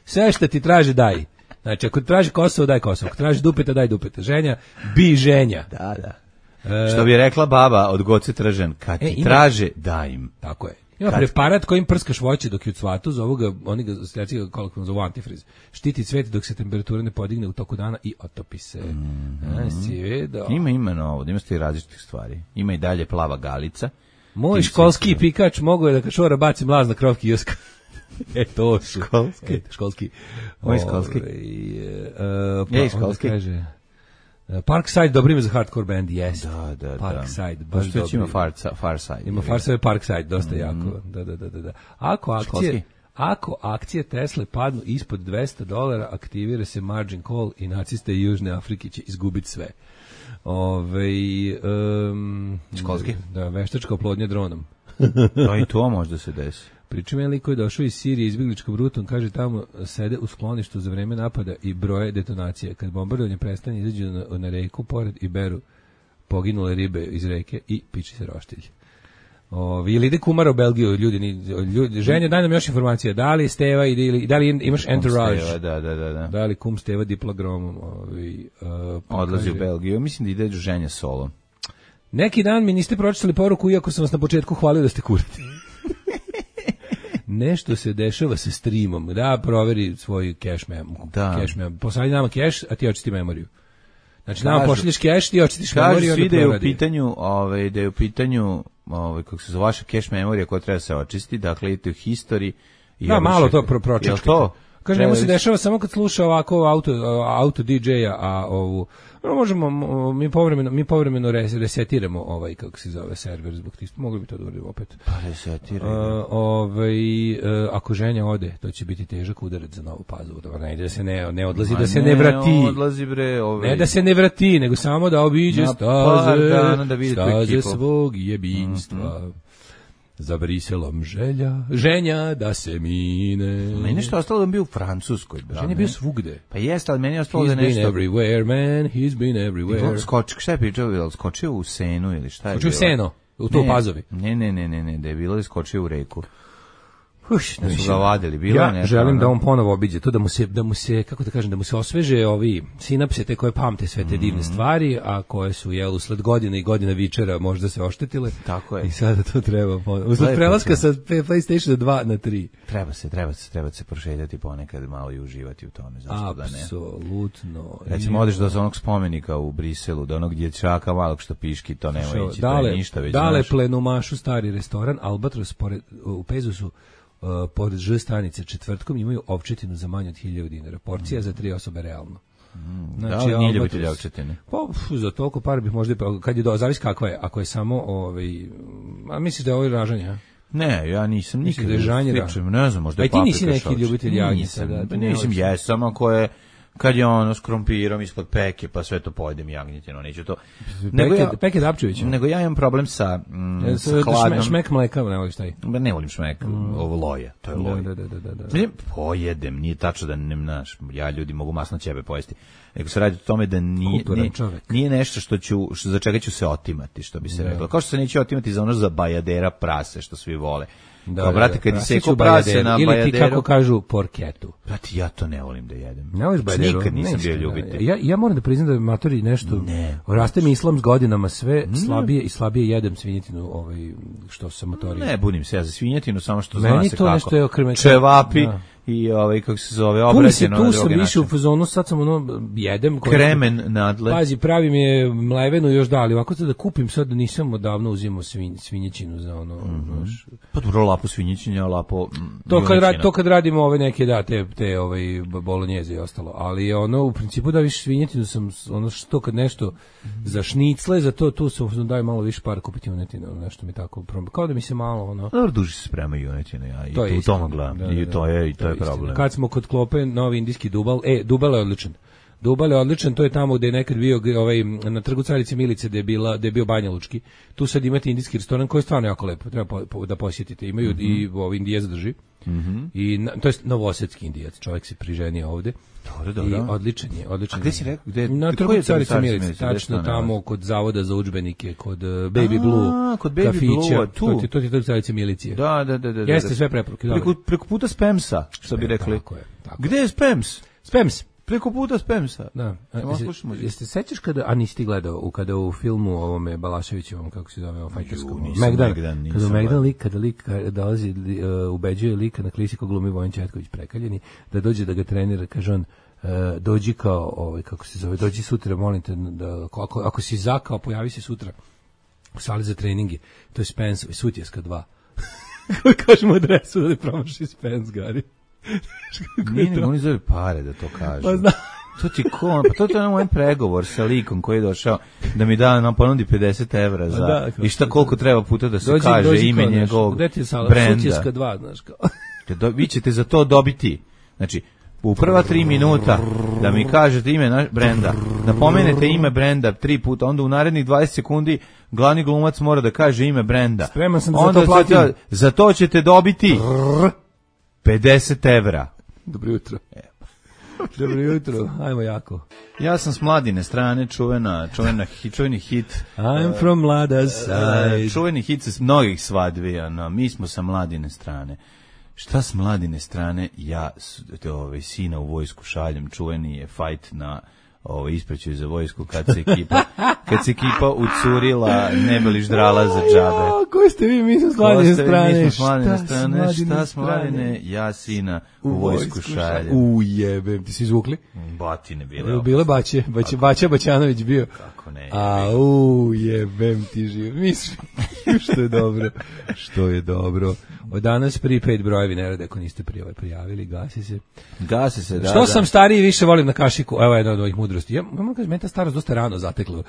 sve šta ti traži, daj. Znači, ako traži Kosovo, daj Kosovo, ako traži dupeta, daj dupeta. Ženja, bi Ženja. Da. Što bi rekla baba od Goce Tržan, kad ti traže, daj im. Tako je. Ima preparat kojim prskaš voće dok je u cvatu, oni ga kolokvijalno zovu antifriz. Štiti cvet dok se temperatura ne podigne u toku dana i otopi se. Ima novo, ima ste i različitih stvari. Ima i dalje plava galica. Moj školski pikač mogo je da kačora baci mlaz na krov kioska. To su. Školski. Moj školski. Školski. Kaže, Parkside, dobro ime za hardcore band, yes. Da. Parkside, baš dobro. Ima Farside. Ima Farside, Parkside, dosta jako. Da. Ako akcije... Ako akcije Tesle padnu ispod $200, aktivira se margin call i naciste Južne Afrike će izgubiti sve. Školski? Da, veštačka oplodnja dronom. To i to možda se desi. Pričam je liko je došao iz Sirije izbjegličkom rutom, kaže tamo sede u skloništu za vreme napada i broje detonacije. Kad bombardovanje prestane, izađu na reku pored i beru poginule ribe iz reke i piči se roštilj. Ili ide kumara u Belgiju, ljudi ženja, daj nam još informacije, da li Steva ili da li imaš entourage? Steva, da. Da li kum Steva diplogromom? Odlazi u Belgiju, mislim da ide ženja solo. Neki dan mi niste pročitali poruku, iako sam vas na početku hvalio da ste kurati. Nešto se dešava sa streamom. Da, proveri svoj cache mem. Poslali nama cache, a ti očisti memoriju. Znači, nama pošalješ cache, ti očitiš memoriju, onda da je u pitanju kako se zove vaša cache memorija koja treba se očisti, dakle idete u history i malo to pročeškite. to? Kaže, njemu se dešava samo kad sluša ovako auto DJ-a, a ovu možemo, mi povremeno resetiramo kako se zove server zbog tih, mogli bi to da uradimo opet. Pa resetiramo. Ako ženja ode, to će biti težak udarac za Novu Pazovu. Ne ide da se ne odlazi, da se ne vrati. Ne da se ne vrati, nego samo da obiđe staze svog jebinstva. Za Briselom ženja da se mine. Meni nešto ostalo da bio u Francuskoj. Ženja je bio svugde. Pa jeste, ali meni je ostalo da nešto... He's been everywhere, man, he's been everywhere. Šta je pričao, skočio u Senu ili šta je bilo? Skočio u Seno, u to Pazovi. Ne, da je bilo da skočio u reku. Da su ga vadili, bilo ja nešto. Želim da on ponovo obiđe to, da mu se, kako da kažem, da mu se osveže ovi sinapse te koje pamte sve te divne stvari, a koje su usled godina i godina vičera možda se oštetile. Tako je. I sada to treba ponovo. Usled prelaska sa PlayStation 2 na 3. Treba se prošetati ponekad malo i uživati u tome, zašto da ne? Apsolutno. Recimo, odeš do onog spomenika u Briselu, do onog dječaka malog što piški, to nema ići, to je ništa već. Dale plenumašu stari restoran, Albatros u Pezusu, pored Ž stanice četvrtkom imaju ovčetinu za manje od 1000 dinara. Porcija za 3 osobe realno. Znači, da li nije ljubitelj ovčetine? Pa, za toliko par bih možda, kad je zavisi kakva je, ako je samo, a misliš da je ovo ražanje, a? Ne, ja nisam nikad. Da je žanjera. Ne znam, možda je paprika. A ti nisi neki ljubitelj jagnjeta? Nisam, jesam, ako je kad je ono s krompirom ispod peke, pa sve to pojedem jagnjetino, neću to. Peke Dapčević. Nego ja imam problem sa hladnom. Šmek mleka, ne voliš taj? Ne volim šmek, ovo loja, to je loj. Da. Pojedem, nije tačno da ne znaš, ja ljudi mogu masno ćebe pojesti. Nego se radi o tome da nije nešto za čega ću se otimati, što bi se reklo. Kao što se neće otimati za ono za bajadera prase, što svi vole. Kao, brate, kad ti seko prase na bajaderu... Ili ti, kako kažu, porketu. Brate, ja to ne volim da jedem. Ne voliš bajaderu? Nikad nisam bio ljubitelj. Ja moram da priznam da je matori nešto... Raste mi islam s godinama, sve slabije i slabije jedem svinjetinu, što sam motorio. Ne, budim se ja za svinjetinu, samo što zna se kako. Nešto je čevapi i kako se zove, obrađeno na drugi način. Tu sam više u fazonu, sad sam jedem. Kremen nadle. Pazi, pravim je mlevenu još da, ali ovako da kupim sad, nisam odavno uzimao svinjećinu za ono. Pa dobro, lapo svinjećinja, lapo to kad radimo ove neke, te bolonjeze i ostalo, ali u principu da više svinjetinu sam, što kad nešto za šnicle, za to, tu sam daju malo više para kupiti junetinu, nešto mi tako, kao da mi se malo, Dobro, duže se sprema junetinu, ja i u tom gledam, i to je problem. Kad smo kod klope, novi indijski Dubal, Dubal je odličan. Dubal je odličan, to je tamo gde je nekad bio na trgu Carice Milice gde je bio Banja Lučki. Tu sad imate indijski restoran koji je stvarno jako lepo, treba da posjetite. Imaju i Indijac drži. I to je novosadski Indijac, čovjek se priženio ovde. Dobro. I odličan je. A gde si rekao? Na trgu Carice Milice, tačno tamo kod Zavoda za udžbenike, kod Baby Blue, kod Baby Blue, tu. To je trg Carice Milice. Da. Jeste sve preporuke. Preko puta Spamsa, što bi rekli. Tako je. Gde je Spams? Spams. Preko puta Spamsa. Da. Jeste sećaš kada nisi gledao kada u filmu ovome Balaševićevom, kako se zove, fajterskom Megdan, kada Megdan lik dolazi, ubeđuje lika na klisi ko glumi Vojin Četković prekaljeni, da dođe da ga trenira, kaže on, dođi kao kako se zove, dođi sutra, molim te, da ako si zakao, pojavi se sutra u sali za treninge. To je Spence, Sutjeska 2. Kažemo adresu da ne promaši Spence, Gari. Nije, oni zove pare da to kažu. Pa znam. To ti ko, pa to je moj pregovor sa likom koji je došao da mi nam ponudi 50 evra za i šta koliko treba puta da se kaže ime njegovog brenda. Sutjeska 2, znaš kao. Vi ćete za to dobiti, znači, u prva 3 minuta da mi kažete ime brenda, da pomenete ime brenda 3 puta, onda u narednih 20 sekundi glavni glumac mora da kaže ime brenda. Spreman sam za to platim. Za to ćete dobiti 50 evra. Dobro jutro. Dobro jutro, ajmo jako. Ja sam s Mladine strane, čuveni hit. I'm from Mlada side. Čuveni hit sa mnogih svadbi, mi smo sa Mladine strane. Šta s Mladine strane, ja sina u vojsku šaljem, čuveni je fajt na ispraćaju za vojsku kad se ekipa ucurila, ne bi li ždrala za džabe. Koji ste vi, mi smo s Mladine strane? Šta s Mladine, ja sina u vojsku šaljem. Ujebem, ti si izvukli? Batine bile. Bile Baća Baćanović bio. Kako ne. Ujebem ti živ. Mislim, što je dobro. Od danas prepaid brojevi ne rade ako niste prijavili, gasi se. Da. Što sam stariji više volim na kašiku, evo jedna od ovih mudrosti. Ja moram kažem, meni ta starost dosta rano zatekla.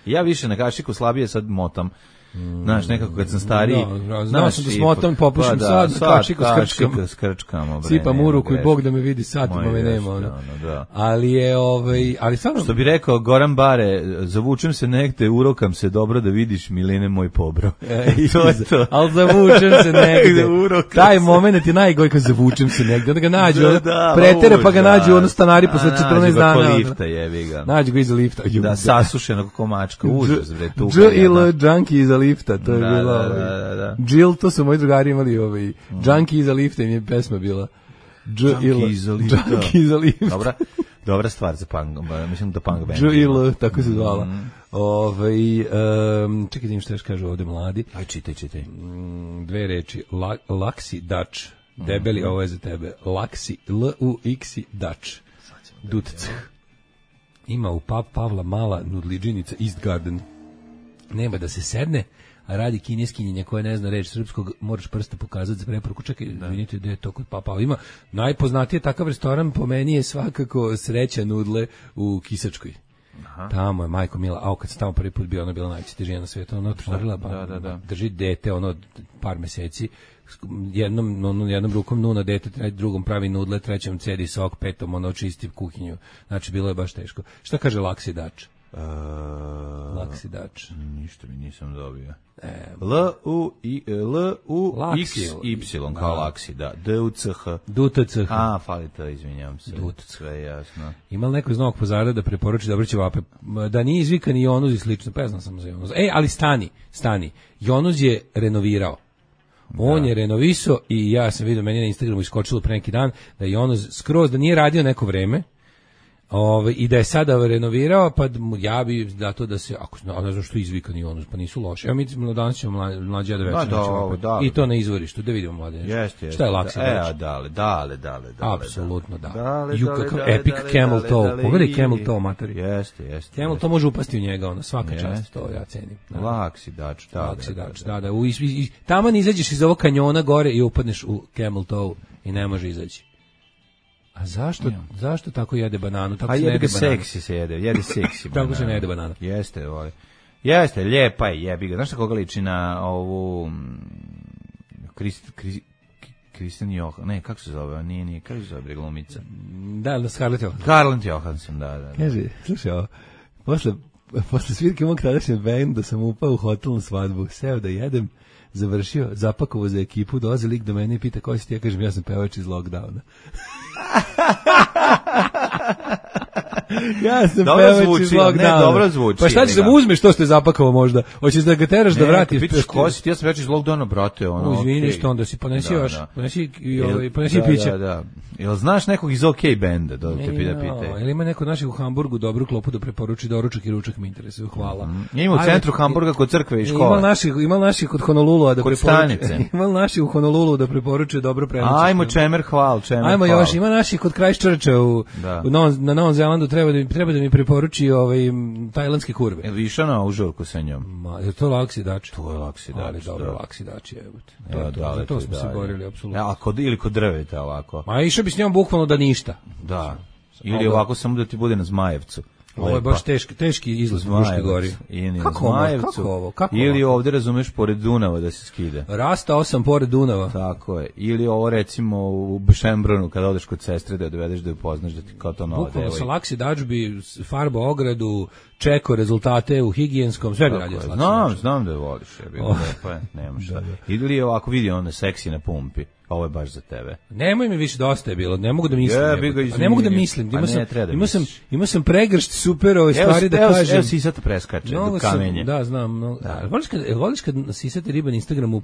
Ja više na kašiku, slabije sad motam. Znaš, nekako kad sam stariji... Znao sam da smotam, popušim sad na kašiku skrčkamo. Sipam u ruku i Bog da me vidi satima me nema. Ali je, ali stvarno... Što bi rekao Goran Bare, zavučem se negde, urokam se dobro da vidiš Milene moj pobro. To je to. Ali zavučem se negde. Taj moment je najgoj kad zavučem se negde. Onda ga nađu, pretere pa ga nađu ono stanari posle 14 dana. Nađu ga ko lifta, jebi ga. Nađu ga iza lifta. Da, sasušenog komačka, užas, bre, tu. Junkie iza lifta, to je bilo Jill, to su moji drugari imali Junkie iza lifta im je pesma bila Junkie iza lifta. Dobra stvar za punk, mislim da punk band. Jill, tako se zvala. Čekaj da im što još kažu ovde mladi. Aj, čitaj. 2 reči, Laksi Dutch, debeli, ovo je za tebe, Laksi, L-U-X-I Dutch, Dutc. Ima u pub Pavla mala nudliđinica East Garden. Nema da se sedne, a radi kineskinjenja koja ne zna reč srpskog, moraš prsta pokazati za preporuku. Čekaj, vidite gde je to kod Papa. Ima najpoznatiji takav restoran po meni je svakako Sreća nudle u Kisačkoj. Tamo je majko mila, kad sam tamo prvi put bio, ona je bila najveća žena na svijetu, ona otvorila, drži dete, par meseci, jednom rukom nuna dete, drugom pravi nudle, trećem cedi sok, petom očisti kuhinju. Znači, bilo je baš teško. Šta kaže Laksi Dač? Laksi Dač. Ništa mi nisam dobio. L-U-X-Y kao Laksi, da. D-U-C-H. D-U-T-C-H. Fali to, izvinjam se. Sve jasno. Ima li neko iz Novog Pazara da preporuči dobre ćevape? Da nije izvikan i Jonuz i slično, pa ja znam samo za Jonuz. Ali stani. Jonuz je renovirao. On je renovisao i ja sam vidio, meni na Instagramu iskočilo pre neki dan da je Jonuz skroz, da nije radio neko vreme, i da je sada renovirao, pa ja bi dato da se, ne znam što izvikan i ono, pa nisu loše. Evo mi danas ćemo mlađe da večer. I to na izvorištu, da vidimo mlađe. Šta je Laksi Dač? Dale. Apsolutno da. Epic Camel Toe. Pogledaj Camel Toe, materi. Jeste. Camel Toe može upasti u njega, svaka čast, to ja cenim. Laksi Dač, da. Taman izađeš iz ovog kanjona gore i upadneš u Camel Toe i ne može izaći. A zašto tako jede bananu? Tako se ne jede banana. Seksi se jede seksi banana. Tako se ne jede banana. Jeste, lijepa je, jebi ga. Znaš koga liči na ovu Kristen Johansson, ne, kako se zove, nije, kako se zove glumica? Da, Scarlett Johansson. Scarlett Johansson, da. Kaže, slušaj ovo, posle svirke mog tadašnjeg benda sam upao u hotel na svadbu, seo da jedem, završio, zapakovao za ekipu, dolazi lik do mene i pita koji si ti, ja kažem, ja sam pevač iz lockdowna. Ja sam pevač iz lockdowna. Dobro zvuči. Pa šta ćeš da mu uzmeš to što je zapakovao možda? Hoćeš da ga teraš da vratiš? Pitaš ko si, ja sam pevač iz lockdowna, brate. Izvini što onda si ponesi još, ponesi pića. Da. Jel znaš nekog iz OK benda, da te pita? Jel ima neko naših u Hamburgu dobru klopu da preporuči doručak i ručak, mi interesuje, hvala. Ima u centru Hamburga kod crkve i škole. Ima naših kod Honolulua da preporuče. Ima naših u Honolulu da preporuče dobro prenoće. Ajmo čemer hval. Ajmo još, ima naših kod Christchurcha na Novom Zelandu, treba da mi preporuči tajlandske kurve. Jel išao na ovu žurku sa njom? Je to Laksi Dač? To je Laksi Dač. Ali dobro, Laksi Dač je. Za to smo se borili, apsolutno. Ili kod drveta ovako. Ma išao bi s njom bukvalno da ništa. Da. Ili ovako samo da ti bude na Zmajevcu. Ovo je baš teški izlaz u Fruškoj gori. Kako ovo? Ili ovde, razumeš, pored Dunava da se skida. Rastao sam pored Dunava. Tako je. Ili ovo, recimo, u Šembrunu, kada odeš kod sestre da je dovedeš da ju poznaš, da ti kao to nova devojka. Bukvalno sa laksi dađbi, farba ogradu, čeko rezultate u higijenskom, sve bi radio slačno. Znam da je voliš. Lepo je, nema šta. Ili ovako vidi ono seksi na pumpi. Ovo je baš za tebe. Nemoj mi više, dosta je bilo. Ne mogu da mislim. Ne mogu da mislim. Imao sam pregršt super ove stvari da kažem. Evo Sisata preskače do kamenje. Da, znam. Voliš kad Sisate riba na Instagramu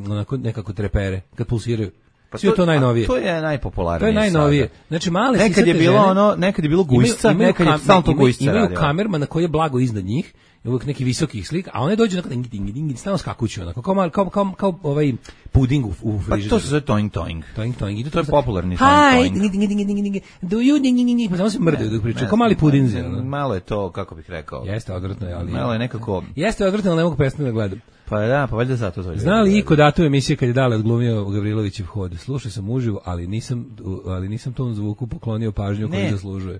onako nekako trepere, kad pulsiraju? Pa sve to najnovije. To je najpopularnije. To je najnovije. Znači male nekad je bilo nekad je bilo gujsca, nekad je stalno to gujsca radio. Imaju kamerman na koji je blago iznad njih. Uvijek neki visokih slika, a one dođu onako ding, stalno skakuću, onako, kao ovaj puding u frižideru. Pa to se zove toing. Toing. To je popularni toing. Hi, do you ding, pa samo se mrdaju dok pričaju, kao mali pudinzi. Malo je to, kako bih rekao. Jeste odvratno, ali... Malo je nekako... Jeste odvratno, ali ne mogu prestati da gledam. Pa da, pa valjda zato to. Zna li iko datu emisije kad je Dale odglumio Gavrilovićev hod? Slušao sam uživo, ali nisam tom zvuku poklonio pažnju koju zaslužuje.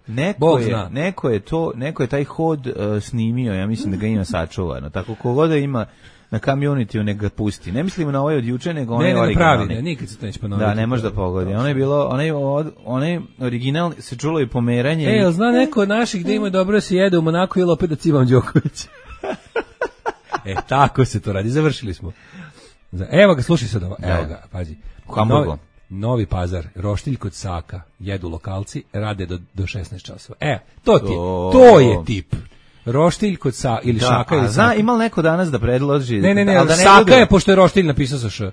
Neko je taj hod snimio, ja mislim da ga ima sačuvano. Tako kogod da ima na community neka ga pusti. Ne mislim na ovaj od juče, nego onaj originalni. Ne, nikad se to neće ponoviti. Da, ne može da pogodi. Ono je bilo, onaj original se čulo i pomeranje. Zna neko od naših da ima dobro se jede u Monaku ili opet da cimam Đoković. Tako se to radi, završili smo. Evo ga, slušaj sad ovo, evo ga, pazi. Novi Pazar, roštilj kod Saka, jedu lokalci, rade do 16 časova. To je tip. Roštilj kod Saka ili Šaka ili Saka. Ima li neko danas da predloži? Ne, Saka je, pošto je roštilj napisao sa Š.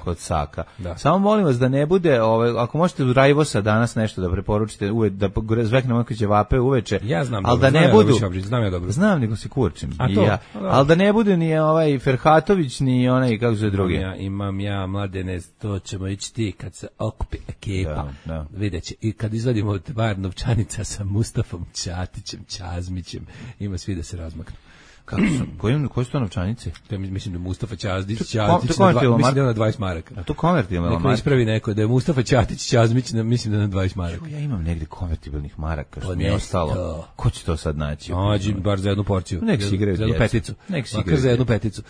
Kod Saka. Samo molim vas da ne bude, ako možete u Rajvosa danas nešto da preporučite, da zveknemo neke ćevape uveče. Ja znam, ali da ne budu. Znam ja dobro. Znam, nego se kurčim. Ali da ne bude ni ovaj Ferhatović, ni onaj, kako se drugi. Imam ja, Mladene, to ćemo ići ti kad se okupi ekipa. Vidjet će. I kad izvadimo bar novčanica sa Mustafom Ćatićem, Ćazmićem, ima svi da se razmaknu. Koje su to novčanice? To je, mislim da Mustafa Ćazmić, mislim da je na 20 maraka. A to konvertibilna maraka? Neko ispravi neko da je Mustafa Ćatić, Ćazmić, mislim da je na 20 maraka. Ja imam negdje konvertibilnih maraka, što mi je ostalo. Ko će to sad naći? Nađi bar za jednu porciju. Nek si igraju za jednu peticu. Makar za jednu peticu.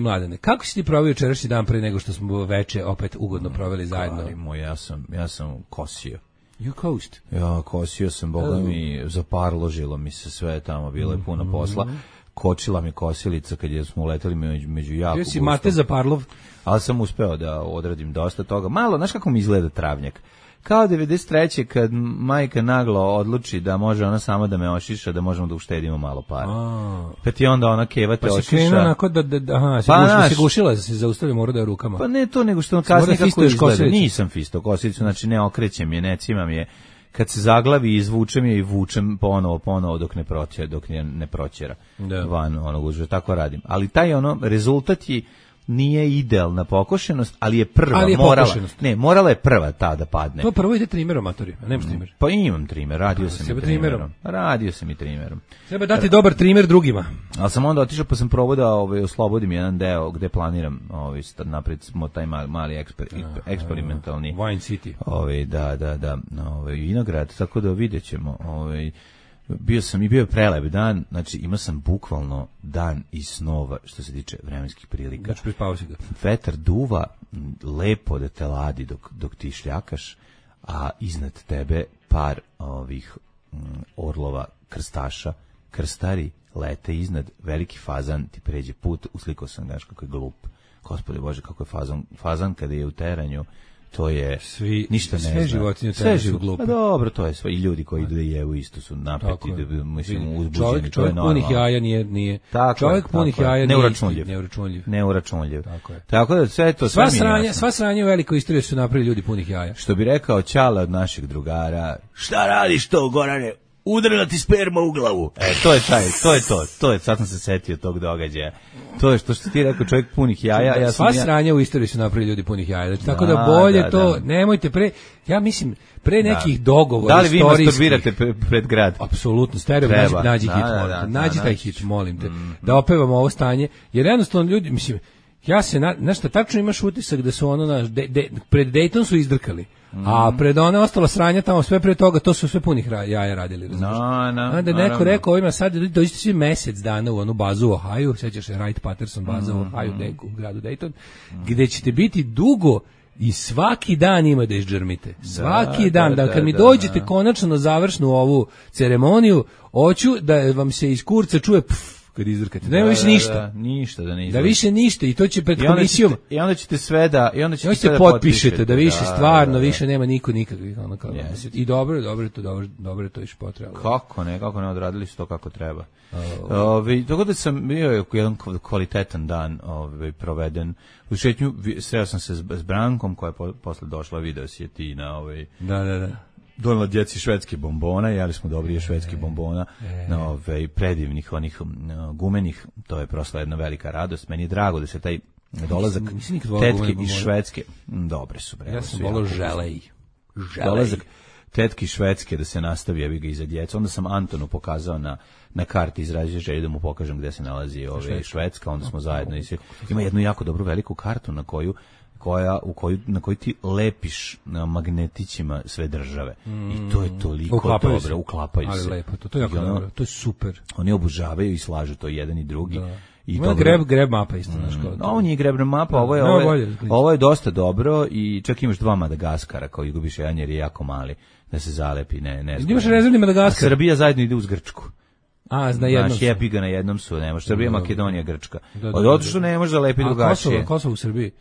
Mladene, kako si ti proveo jučerašnji dan pre nego što smo veče opet ugodno proveli zajedno? Ja sam kosio. You coast. Ja, kosio sam, boga mi, zaparložilo mi se sve tamo, bilo je puno posla. Kočila mi kosilica kad smo uleteli među jako gusto. Si Mate Zaparlov? Ali sam uspeo da odradim dosta toga. Malo, znaš kako mi izgleda travnjak? Kao 93. kad majka naglo odluči da može ona sama da me ošiša, da možemo da uštedimo malo para. Pa ti onda ona keva te ošiša. Pa si krenuo onako se gušila, se zaustavio, mora da je rukama. Pa ne to, nego što on kasnije kako izgleda. Nisam fisto kosilicu, znači ne okrećem je, ne cimam je. Kad se zaglavi, izvučem je i vučem ponovo dok ne proćera van onog uža. Tako radim. Ali taj rezultat je nije idealna pokošenost, ali je prva, morala je prva ta da padne. To prvo ide trimerom, matori, a nemaš trimer. Pa imam trimer, radio sam i trimerom. Treba dati dobar trimer drugima. Ali sam onda otišao pa sam probao da oslobodim jedan deo gde planiram napred smo taj mali eksperimentalni Wine City. Vinograd, tako da vidjet ćemo. Bio je prelep dan, znači imao sam bukvalno dan iz snova što se tiče vremenskih prilika. Znači prispavao si ga. Vetar duva lepo da te ladi dok ti šljakaš, a iznad tebe par ovih orlova krstaša, krstari lete iznad, veliki fazan ti pređe put, uslikao sam gaš kako je glup. Gospode Bože, kako je fazan kada je u teranju. To je ništa ne zna. Sve životinje su glupe. Pa dobro, to je sve. I ljudi koji idu da jevu isto su napeti, uzbuđeni. Čovjek punih jaja nije. Čovjek punih jaja neuračunljiv. Tako da sve to sva sranja u velikoj istoriji su napravili ljudi punih jaja. Što bi rekao Ćala od našeg drugara, šta radiš to, Gorane? Udarila ti sperma u glavu. To je, sad sam se setio tog događaja. To je što ti rekao, čovjek punih jaja. Sva sranja u istoriji su napravili ljudi punih jaja. Tako da bolje to, nemojte ja mislim, pre nekih dogovora da li vi masturbirate pred grad? Apsolutno, stereo, nađi hit, molim te. Nađi taj hit, molim te. Da opevamo ovo stanje, jer jednostavno ljudi, mislim, ja se, znaš šta, tačno imaš utisak da su pred Dayton su izdrkali. A pred one ostalo sranja tamo sve pre toga, to su sve punih jaja radili, razumiješ? Onda neko rekao ovima sad dođite svi mesec dana u onu bazu u Ohio, sećaš se Wright Patterson baza u Ohio, u gradu Dayton, gde ćete biti dugo i svaki dan ima da izđermite. Svaki dan. Da kad mi dođete konačno na završnu ovu ceremoniju, hoću da vam se iz kurca čuje kad izrkate. Nema više ništa. Ništa da ne izrkate. Da više ništa i to će pred komisijom. I onda ćete sve da potpišete da više stvarno više nema niko nikakvih ono kao. I dobro je to još potrebno. Kako ne odradili su to kako treba. Tako da sam bio jedan kvalitetan dan proveden. U šetnju sreo sam se s Brankom koja je posle došla, video si je ti na Da. Donela djeci švedske bombona, jeli smo dobrije švedske bombona, predivnih onih gumenih, to je prosto jedna velika radost. Meni je drago da se taj dolazak tetke iz Švedske, dobre su. Ja sam volao želej. Dolazak tetke iz Švedske da se nastavi, jebi ga iza djeca. Onda sam Antonu pokazao na karti, izrazio želju da mu pokažem gde se nalazi Švedska, onda smo zajedno. Ima jednu jako dobru veliku kartu na kojoj ti lepiš na magnetićima sve države. I to je toliko dobro, uklapaju se. Ali lepo, to je jako dobro, to je super. Oni obožavaju i slažu to jedan i drugi. Da. I grab mapa isto, znaš kao. Ovo nije grab mapa, ovo je dosta dobro i čak imaš 2 Madagaskara koji gubiš jedan jer je jako mali da se zalepi, ne. Imaš rezervni Madagaskar. Srbija zajedno ide uz Grčku. Na jednom su. Jepi ga na jednom su, nemaš Srbija, Makedonija, Grčka. Od što ne može zalepiti drugačije. Kosovo u Srbiji?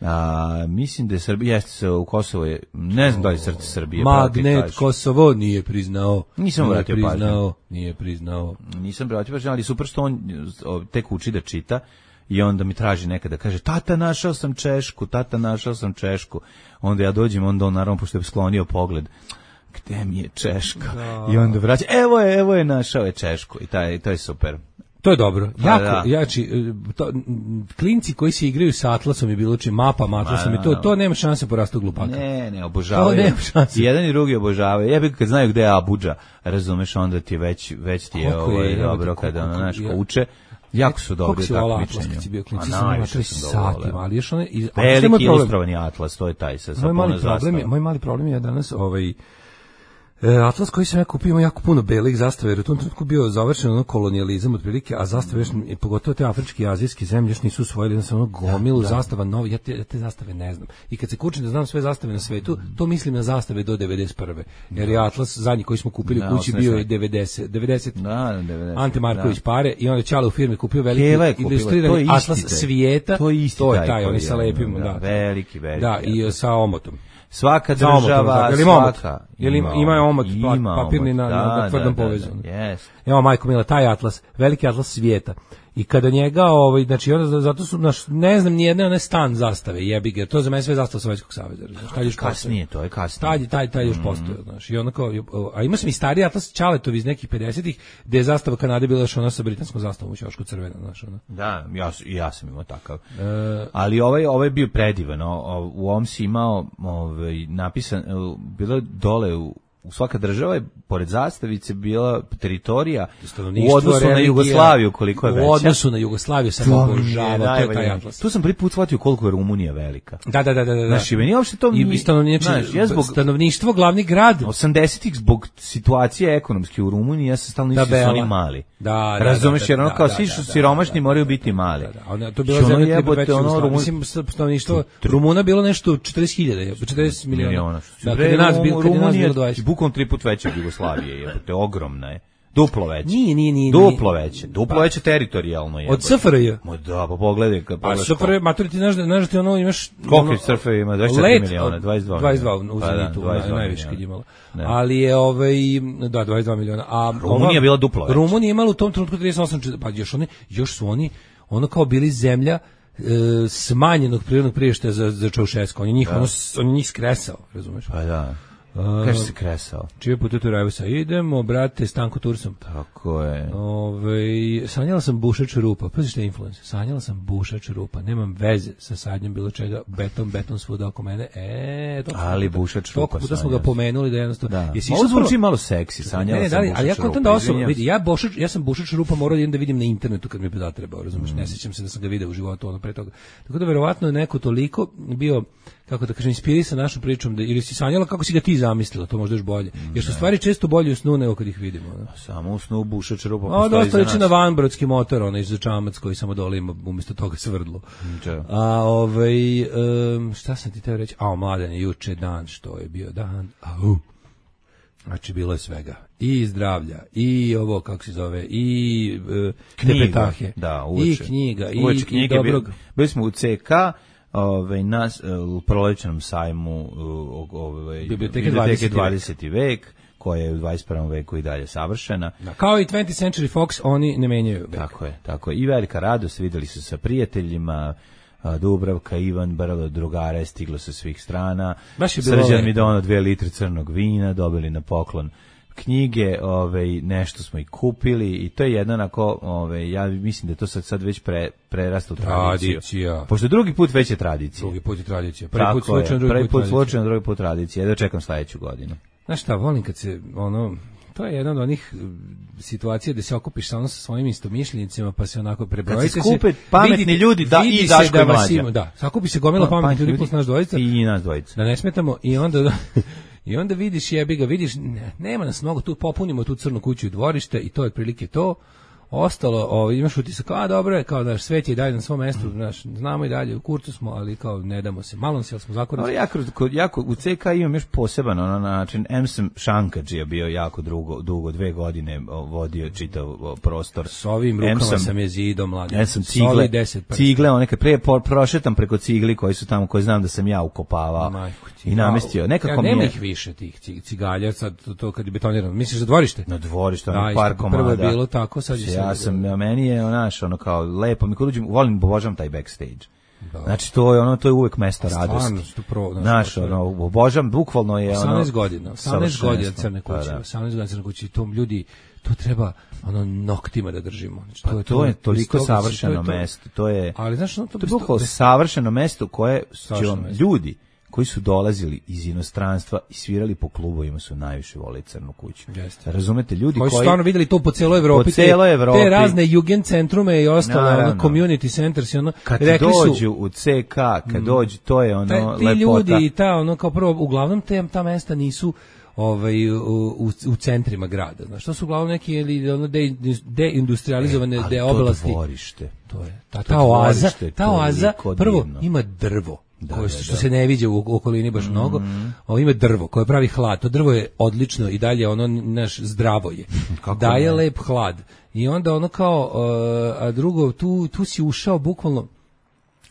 Mislim da je Srbija, jeste u Kosovo je, ne znam da li srce Srbije. Magnet Kosovo nije priznao. Nisam vratio pažnju. Nije priznao. Nisam vratio pažnju, ali super što on tek uči da čita i onda mi traži nekada, kaže, tata našao sam Češku. Onda ja dođem, onda on naravno, pošto je sklonio pogled, gde mi je Češka? I onda vraća, evo je našao je Češku i to je super. To je dobro. Klinci koji se igraju sa Atlasom i bilo čim mapama Atlasom i to nema šanse porasti glupaka. Ne, obožavaju. To nema šanse. Jedan i drugi obožavaju. Jebi kad znaju gde je Abuđa, razumeš, onda ti već ti je dobro kada ono naš uče. Jako su dobri takmičenja. Kako si bio klinci, sam satima, ali još one... Veliki ilustrovani Atlas, to je taj sa puno zastava. Moj mali problem je danas Atlas koji sam ja kupio ima jako puno belih zastava, jer u tom trenutku bio završen kolonijalizam otprilike, a zastave još, pogotovo te afričke i azijske zemlje još nisu usvojili, da sam gomilu zastava novi, ja te zastave ne znam. I kad se kučim da znam sve zastave na svetu, to mislim na zastave do 91. Jer je Atlas zadnji koji smo kupili u kući bio je 90. Ante Marković pare i onda Ćale u firmi kupio veliki ilustrirani Atlas svijeta, to je taj, oni sa lepim, veliki. Da, i sa omotom. Svaka država, svaka. Ima omot papirni na tvrdom povezanu. Evo, majko mila, taj Atlas, veliki Atlas svijeta. I kada njega, znači, onda, zato su, ne znam, nijedne one stan zastave, jebi ga, to za mene sve zastava Sovjetskog saveza. Kasnije, to je kasnije. Taj još postoje, znaš, i onda kao, a ima sam i stariji Atlas Ćaletovi iz nekih 50-ih, gde je zastava Kanade bila još ona sa britanskom zastavom u ćošku crvena, znaš, ona. Da, ja sam imao takav. Ali ovaj je bio predivan, u ovom si imao napisan, bilo je dole u svaka država je pored zastavice bila teritorija u odnosu na Jugoslaviju koliko je veća. U odnosu na Jugoslaviju sam obožavao, to je taj Atlas. Tu sam prvi put shvatio koliko je Rumunija velika. Da. Znači, meni uopšte to stanovništvo, glavni grad. 80-ih zbog situacije ekonomske u Rumuniji, ja sam stalno mislio da su oni mali. Razumeš, jer ono kao svi su siromašni moraju biti mali. To je bila zemlja mislim, stanovništvo Rumuna bilo nešto 40.000, 40 miliona. Da, kad je nas bilo 20. Bukom 3 puta veća od Jugoslavije, jebote, ogromna je. Duplo veće. Nije. Duplo veće teritorijalno je. Od SFRJ? Da, pa pogledaj. SFRJ, maturi, ti znaš da ono imaš... Koliko je SFRJ ima? 24 miliona, 22 u Zenitu, najviše kad je imala. Ali je, 22 miliona. Rumunija je bila duplo veća. Rumunija je imala u tom trenutku 38, pa još su oni, ono kao bili zemlja smanjenog prirodnog priraštaja za Čaušesku. On je njih skresao, razumeš? Pa da. Kaže se kresao. Čije putuju Rajvosa? Idemo, brate, Stanko Tursom. Tako je. Sanjala sam bušač rupa. Pazi što je influencer. Sanjala sam bušač rupa. Nemam veze sa sadnjom bilo čega. Beton svuda oko mene. Ali bušač rupa. Toliko puta smo ga pomenuli da jednostavno... Ovo zvuči malo seksi. Sanjala sam bušač rupa. Ali ja kontam da osobno, vidi, ja sam bušač rupa morao da vidim na internetu kad mi je zatrebao, razumiješ? Ne sjećam se da sam ga video u životu ono pre toga. Tako da verovatno je neko toliko bio, kako da kažem, inspirisan našom pričom, da, ili si sanjala kako si ga ti zamislila, to možda još bolje. Jer su stvari često bolje u snu nego kad ih vidimo. Da. Samo u snu bušač rupa postoji za nas. Dosta liči na vanbrodski motor, onaj za čamac koji samo dole ima umjesto toga svrdlo. A šta sam ti teo reći? Mladen, juče dan, što je bio dan. Znači, bilo je svega. I zdravlja, i ovo, kako se zove, i tepetahe, i knjiga, i dobrog. Bili smo u CK, u prolećenom sajmu Biblioteke 20. vek, koja je u 21. veku i dalje savršena. Kao i 20th Century Fox, oni ne menjaju vek. Tako je. I velika radost, videli su sa prijateljima, Dubravka, Ivan, Brlo, drugare, stiglo sa svih strana. Srđan mi donao 2 litre crnog vina, dobili na poklon knjige, nešto smo i kupili i to je jedno onako, ja mislim da je to sad već prerastalo tradiciju. Tradicija. Pošto drugi put već je tradicija. Drugi put je tradicija. Prvi put slučajno, drugi put tradicija. Jedno čekam sledeću godinu. Znaš šta, volim kad se, to je jedna od onih situacija da se okupiš sa svojim istomišljenicima, pa se onako prebrojite se. Kad se skupe pametni ljudi, i Daško i Mlađa. Da, sakupi se gomila pametni ljudi plus naš dvojica. I nas dvojica. Da ne smetamo i onda vidiš, vidiš, nema nas mnogo, tu popunimo tu crnu kuću i dvorište i to je otprilike to. Ostalo, imaš utisak, dobro je, kao daš, svet je i dalje na svom mestu, znamo i dalje, u kurcu smo, ali kao ne damo se, malo se, ali smo zakoniti. Jako, u CK imam još poseban način, sam Šankađija bio jako dugo, 2 godine vodio čitav prostor. S ovim rukama sam je zidom, mladim. Sam cigle, kad prije prošetam preko cigli koji su tamo, koje znam da sam ja ukopavao i namestio. Nema ih više tih cigalja, sad to kad je betonirano. Misliš za dvorište? Na dvorište, par komada. Prvo je bilo tako, sad je meni je kao lepo, mi kod uđem, obožavam taj backstage. Da. Znači to je uvek mesto radosti. Obožavam, bukvalno je 18 godina crne kuće, 18 godina crne kuće, tom ljudi to treba noktima da držimo. Znači, to je toliko savršeno mesto. To je, ali znaš, to je bukvalno savršeno mesto koje će vam ljudi koji su dolazili iz inostranstva i svirali po klubovima su najviše voleli Crnu kuću. Jeste. Razumete, ljudi koji su stvarno videli to po celoj Evropi, te razne Jugendcentrume i ostalo, community centers i kad dođu u CK, kad dođu, to je lepota. Ti ljudi i kao prvo, uglavnom ta mesta nisu u centrima grada. Znaš, to su uglavnom neki deindustrializovane oblasti. Dvorište. To je. Ta oaza prvo ima drvo. Što se ne viđa u okolini baš mnogo, ima drvo koje pravi hlad, to drvo je odlično i dalje zdravo je, daje lep hlad i onda kao, a drugo, tu si ušao bukvalno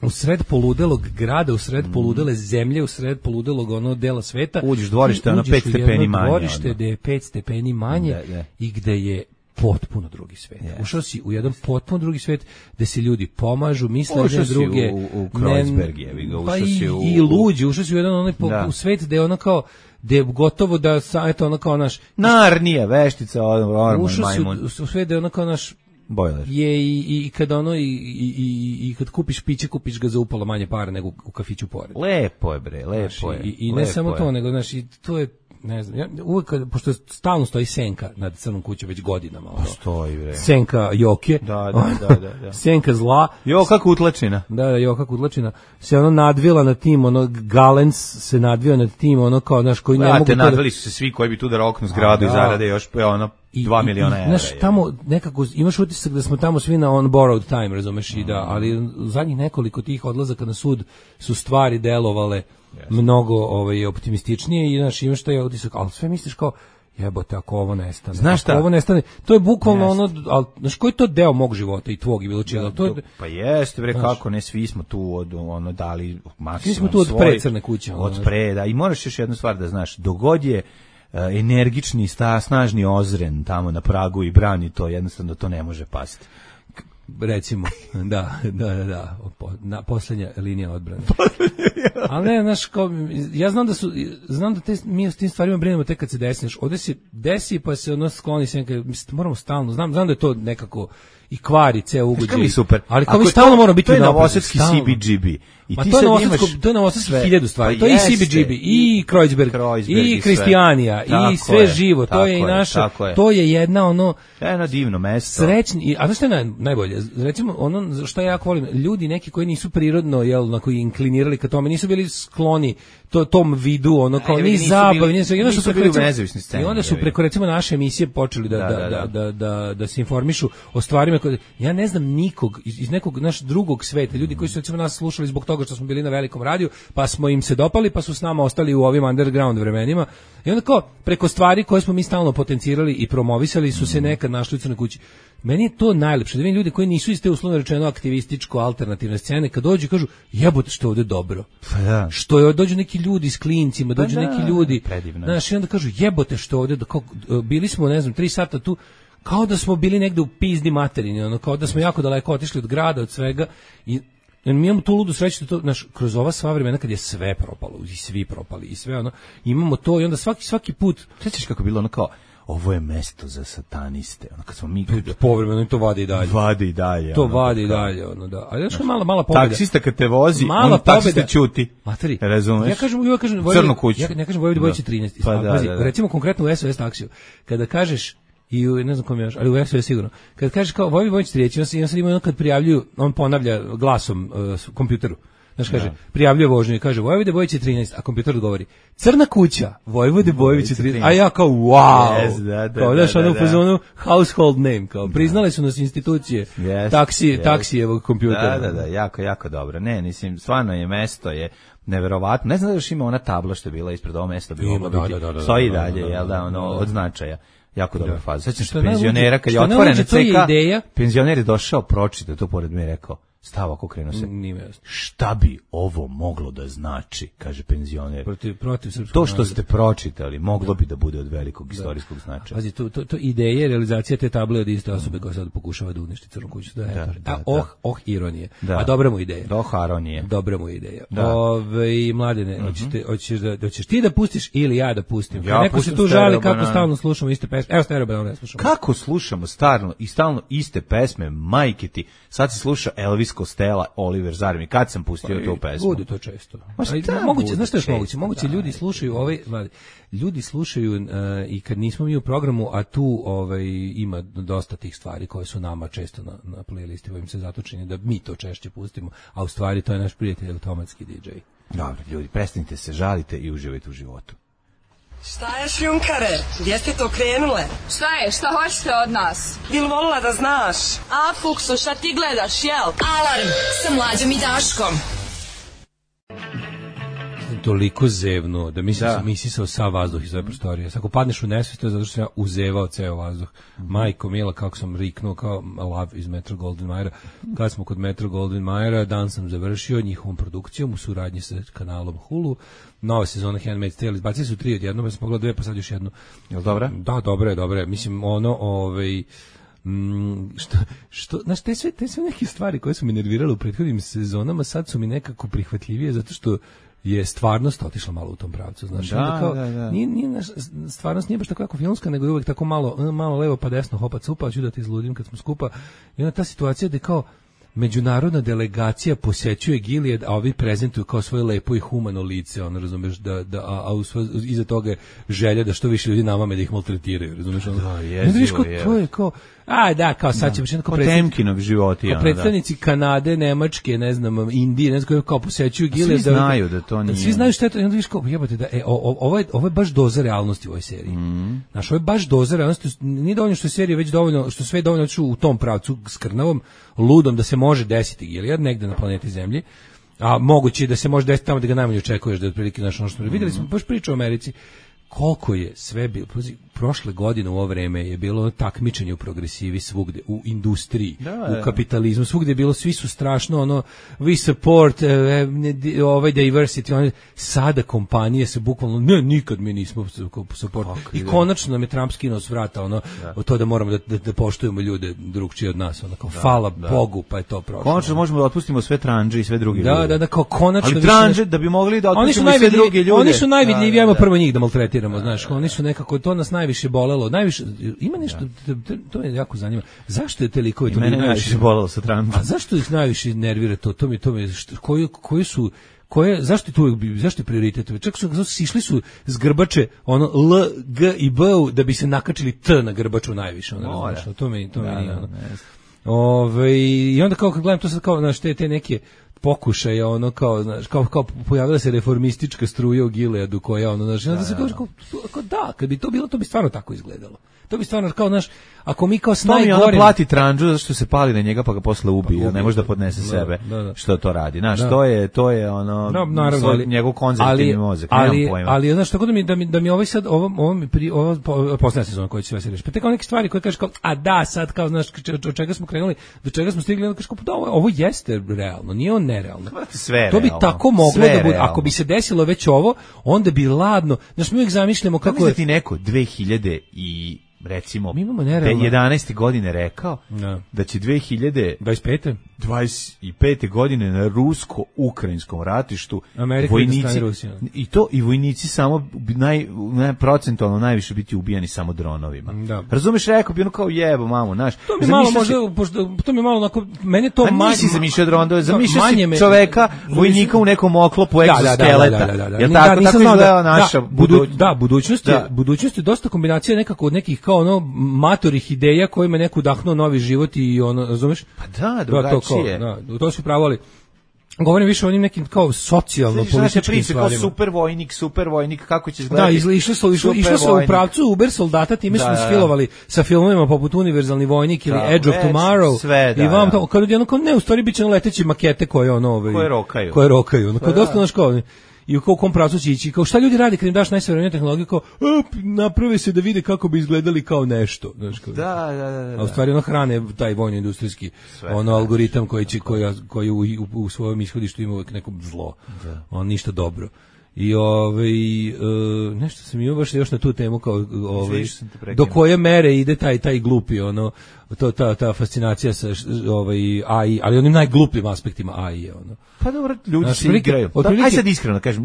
u sred poludelog grada, u sred poludele zemlje, u sred poludelog dela sveta. Uđeš dvorište, 5 stepeni manje. Dvorište gde je 5 stepeni manje i gde je potpuno drugi svet. Ušao si u jedan potpuno drugi svet gde se ljudi pomažu, misle jedne druge. U Kreuzberg i luđi, ušao si u jedan u svet gde je gde je gotovo da naš Narnija, veštica, ušao si u svet gde je naš bojler. Je i kad i kad kupiš piće, kupiš ga za upola manje para nego u kafiću pored. Lepo je bre, lepo je. I ne samo to, nego i to je, ne znam, uvijek, pošto stalno stoji senka nad Crnom kućom već godinama. Stoji, bre. Senka Joke. Da. Senka zla. Kako utlačina. Da, kako utlačina. Se nadvila nad tim, Galens se nadvio nad tim, kao, koji ne mogu... Nadvili su se svi koji bi tu da roknu zgradu i zarade još, 2 miliona evra. Znaš, tamo nekako, imaš utisak da smo tamo svi na on borrowed time, razumeš, ali u zadnjih nekoliko tih odlazaka na sud su stvari delovale mnogo optimističnije i imaš taj utisak, ali sve misliš kao, jebote, ako ovo nestane. Znaš šta? Ovo nestane, to je bukvalno ali, znaš, koji je to deo mog života i tvog i bilo čega? Pa jeste, bre, kako ne, svi smo tu dali maksimum. Svi smo tu od pre Crne kuće. Od pre, da, i moraš još jednu stvar da znaš, dogod je energični, snažni Ozren tamo na pragu i brani to, jednostavno to ne može pasti. Recimo, da, posljednja linija odbrane. Ali ne, znaš, ja znam da mi s tim stvarima brinemo tek kad se desi, ovdje se desi pa se skloni se, moramo stalno, znam da je to nekako i kvari ceo ugođaj. Super. Ali kao mi stalno moramo biti napred. To je novosadski CBGB. I ti sad imaš... To je novosadski 1000 stvari. To je i CBGB, i Kreuzberg, i Kristijanija, i sve živo. To je i naša, to je jedna jedno divno mesto. Srećni, a znaš što je najbolje? recimo ono što ja jako volim, ljudi neki koji nisu prirodno koji inklinirali ka tome, nisu bili skloni tom vidu, ono kao ni zabavi, nisu bili u nezavisnoj sceni. I onda su preko recimo naše emisije počeli da se informišu o stvarima koje ja ne znam nikog iz nekog naš drugog sveta, ljudi koji su recimo nas slušali zbog toga što smo bili na velikom radiju, pa smo im se dopali, pa su s nama ostali u ovim underground vremenima. I onda kao preko stvari koje smo mi stalno potencirali i promovisali su se nekad našli u Crnoj kući. Meni je to najlepše, da vidim ljudi koji nisu iste uslovno rečeno aktivističko alternativne scene, kad dođu i kažu jebote što je ovde dobro. Što je dođu neki ljudi s klincima, dođu neki ljudi, znaš, i onda kažu jebote što je ovde, bili smo, ne znam, 3 sata tu, kao da smo bili negde u pizdi materini, ono, kao da smo jako daleko otišli od grada, od svega, i mi imamo tu ludu sreću da to, znaš, kroz ova sva vremena kad je sve propalo i svi propali i sve ono, imamo to i onda svaki put, sećaš kako je bilo ono kao ovo je mesto za sataniste, ono kad smo mi povremeno to vadi i dalje. To ono, vadi i dalje, ono da. A još mala pobeda. Taksista kad te vozi, on taksista ćuti. Materi. Razumeš? Ja kažem Crnu kuću. Ja ne kažem Vojvodi Bojić 13. Pa, recimo konkretno u SOS taksiju. Kada kažeš i ne znam kom je još, ali u SOS sigurno. Kad kažeš kao Vojvodi Bojić 13, ja sad imam kad prijavljuju, on ponavlja glasom kompjuteru. Znaš, kaže, prijavljuje vožnju i kaže Vojvode Bojić 13, a kompjuter odgovori Crna kuća, Vojvode Bojić 13, a ja kao wow, kao daš ono u fazonu household name, kao priznali su nas institucije taksijevog kompjutera. Da, jako dobro. Ne, mislim, stvarno je mesto, je neverovatno. Ne znam da još ima ona tabla što je bila ispred ovo mesto, stoji i dalje, jel da, ono, od značaja. Jako dobra faza. Sećam se penzionera kad je otvorena CK, penzioner je došao, pročitao to pored me i rekao stav ako krenuo se. Šta bi ovo moglo da znači, kaže penzioner. Protiv srpskog to što ste pročitali moglo bi da bude od velikog istorijskog značaja. Pazi, to ideje, realizacija te table od iste osobe koja sad pokušava da uništi Crnu kuću. Ironije. A dobra mu ideja. Dobra mu ideja. Mladene, hoćeš ti da pustiš ili ja da pustim? Neko se tu žali kako stalno slušamo iste pesme. Evo Stereo Banana slušamo. Kako slušamo stalno iste pesme, majke ti. Sad se sluša Elvis Costello, Oliver Zarmi. Kad sam pustio tu pesmu? Bude to često. Moguće, znaš što je moguće? Ljudi slušaju ljudi slušaju i kad nismo mi u programu, a tu ima dosta tih stvari koje su nama često na playlisti, ovim se zatočeni da mi to češće pustimo, a u stvari to je naš prijatelj automatski DJ. Dobro, ljudi, prestanite se, žalite i uživajte u životu. Šta je šljunkare? Gdje ste to krenule? Šta je? Šta hoćete od nas? Bil volila da znaš? A, Fuksu, šta ti gledaš, jel? Alarm sa Mlađom i Daškom. Toliko zevno da misisao sav vazduh iz ove prostorije. Ako padneš u nesvijest, to je zato što sam ja uzevao ceo vazduh. Majko mila, kako sam riknuo kao lav iz Metro Goldwyn Mayera. Kad smo kod Metro Goldwyn Mayera, dan sam završio njihovom produkcijom u suradnji sa kanalom Hulu. Nova sezona Handmaid's Tale, izbacili su 3 odjednom, ja sam pogledao 2, pa sad još jednu. Jel dobra? Da, dobra je. Mislim, znaš, te sve neke stvari koje su mi nervirale u prethodnim sezonama, sad su mi nekako prihvatljivije, zato što je stvarnost otišla malo u tom pravcu, znaš, da. Nije stvarnost nije baš tako jako filmska, nego je uvek tako malo levo pa desno, hopa cupa, ću da te izludim kad smo skupa. I onda ta situacija da kao međunarodna delegacija posećuje Gilead, a ovi prezentuju kao svoje lepo i humano lice, ono, razumeš, iza toga je želja da što više ljudi namame da ih maltretiraju, razumeš, ono. Da, jezivo je. To je kao, kao sad će kao Potemkinov životi, kao predstavnici Kanade, Nemačke, ne znam, Indije, ne znam, kao posećuju Gilead. Svi znaju da to nije. Svi znaju šta je to, i onda viš kao, jebate, da, ovo je baš doza realnosti u ovoj seriji. Znaš, ovo je baš doza realnosti, nije dovoljno što je serija već dovoljno, što sve dovoljno u tom pravcu skrnavom, ludom da se može desiti Gilead negde na planeti Zemlji, a moguće da se može desiti tamo da ga najmanje očekuješ, da je otprilike naš ono što videli smo baš priču o Americi. Koliko je sve bilo, prošle godine u ovo vreme je bilo takmičenje u progresivi svugde, u industriji, u kapitalizmu, svugde je bilo, svi su strašno, ono, we support diversity, sada kompanije se bukvalno, nikad mi nismo support, i konačno nam je Trump skinuo s vrata, ono, to da moramo da poštujemo ljude drugčije od nas, ono, kao, hvala Bogu, pa je to prošlo. Konačno možemo da otpustimo sve tranđe i sve druge ljude. Da, kao konačno. Ali tranđe, da bi mogli da otpustimo sve druge ljude. Oni su najvidljiviji, ajmo prvo njih da maltretiramo, znaš, oni su nekako, to nas najviše bolelo, ima nešto, to me jako zanima, zašto je te likove to najviše bolelo sa Trumpom? A zašto ih najviše nervira to mi zašto je prioritet? Čak su sišli su s grbače, ono, L, G i B, da bi se nakačili T na grbaču najviše, ono, to mi nije, ono. I onda kao kad gledam to sad kao, znaš, te neke pokušaje, ono kao, znaš, kao pojavila se reformistička struja u Gileadu koja, ono, znaš, onda se kao da, kad bi to bilo, to bi stvarno tako izgledalo. To bi stvarno, kao, znaš, ako mi kao s najgorim... To mi ona plati tranđu zato što se pali na njega pa ga posle ubije, ne može da podnese sebe što to radi. Znaš, to je ono, njegov konzervativni mozak, nemam pojma. Ali, znaš, tako da mi ovaj sad, ovo posljedna sezona koja će sve se reći, pa te kao neke stvari koje kažeš kao, a da, sad kao, znaš, od čega smo krenuli, do čega smo stigli, onda kažeš kao, da, ovo jeste realno, nije on nerealno. Sve to bi tako moglo da bude, ako bi se desilo već ovo, onda bi ladno, znaš, mi uvijek zamišljamo kako je... ti neko 2000 i recimo 11. godine rekao da će 2025. godine na rusko-ukrajinskom ratištu vojnici i vojnici samo procentualno najviše biti ubijani samo dronovima. Razumeš, rekao bi ono kao jebo mamu, znaš. To mi malo onako, mene to manje... Nisi zamišljao dronove, zamišljao si čoveka, vojnika u nekom oklopu egzoskeleta. Jel tako izgleda naša budućnost je dosta kombinacija nekako od nekih kao ono matorih ideja kojima je neko udahnuo novi život i ono, razumeš? Pa da, drugačije. To su pravo, ali govorim više o onim nekim kao socijalno-političkim stvarima. Super vojnik, kako će izgledati? Da, išlo se u pravcu Uber soldata, time smo ispilovali sa filmovima poput Univerzalni vojnik ili Edge of Tomorrow. I vam to, kad jedno kao, ne, u stvari bit će leteći makete koje ono... Koje rokaju. Kao dosta naš kao... I u kom pravcu će ići, kao šta ljudi radi kad im daš najsavremeniju tehnologiju, kao naprave se da vide kako bi izgledali kao nešto. Znaš, kao, a u stvari ono hrane taj vojno-industrijski algoritam koji u svojom ishodištu ima uvijek neko zlo, on ništa dobro. I nešto sam imao baš još na tu temu kao do koje mere ide taj glupi ono ta fascinacija sa AI, ali onim najglupljim aspektima AI je ono. Pa dobro, ljudi se igraju. Aj sad iskreno kažem,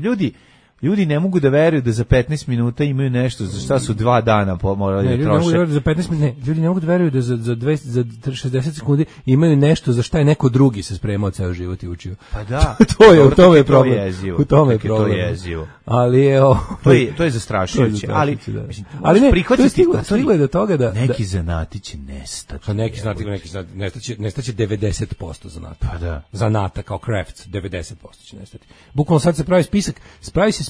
ljudi ne mogu da veruju da za 15 minuta imaju nešto za šta su 2 dana morali da troše. Ljudi ne mogu da veruju da za 60 sekundi imaju nešto za šta je neko drugi se spremao ceo život i učio. Pa da. U tome je problem. U tome je problem. To je jezivo. Ali je to je zastrašujuće, ali ne, prihvatiti stiglo je do toga da neki zanati će nestati. Pa neki nestaće 90% zanata. Pa da. Zanata kao crafts 90% će nestati. Bukvalno sad se pravi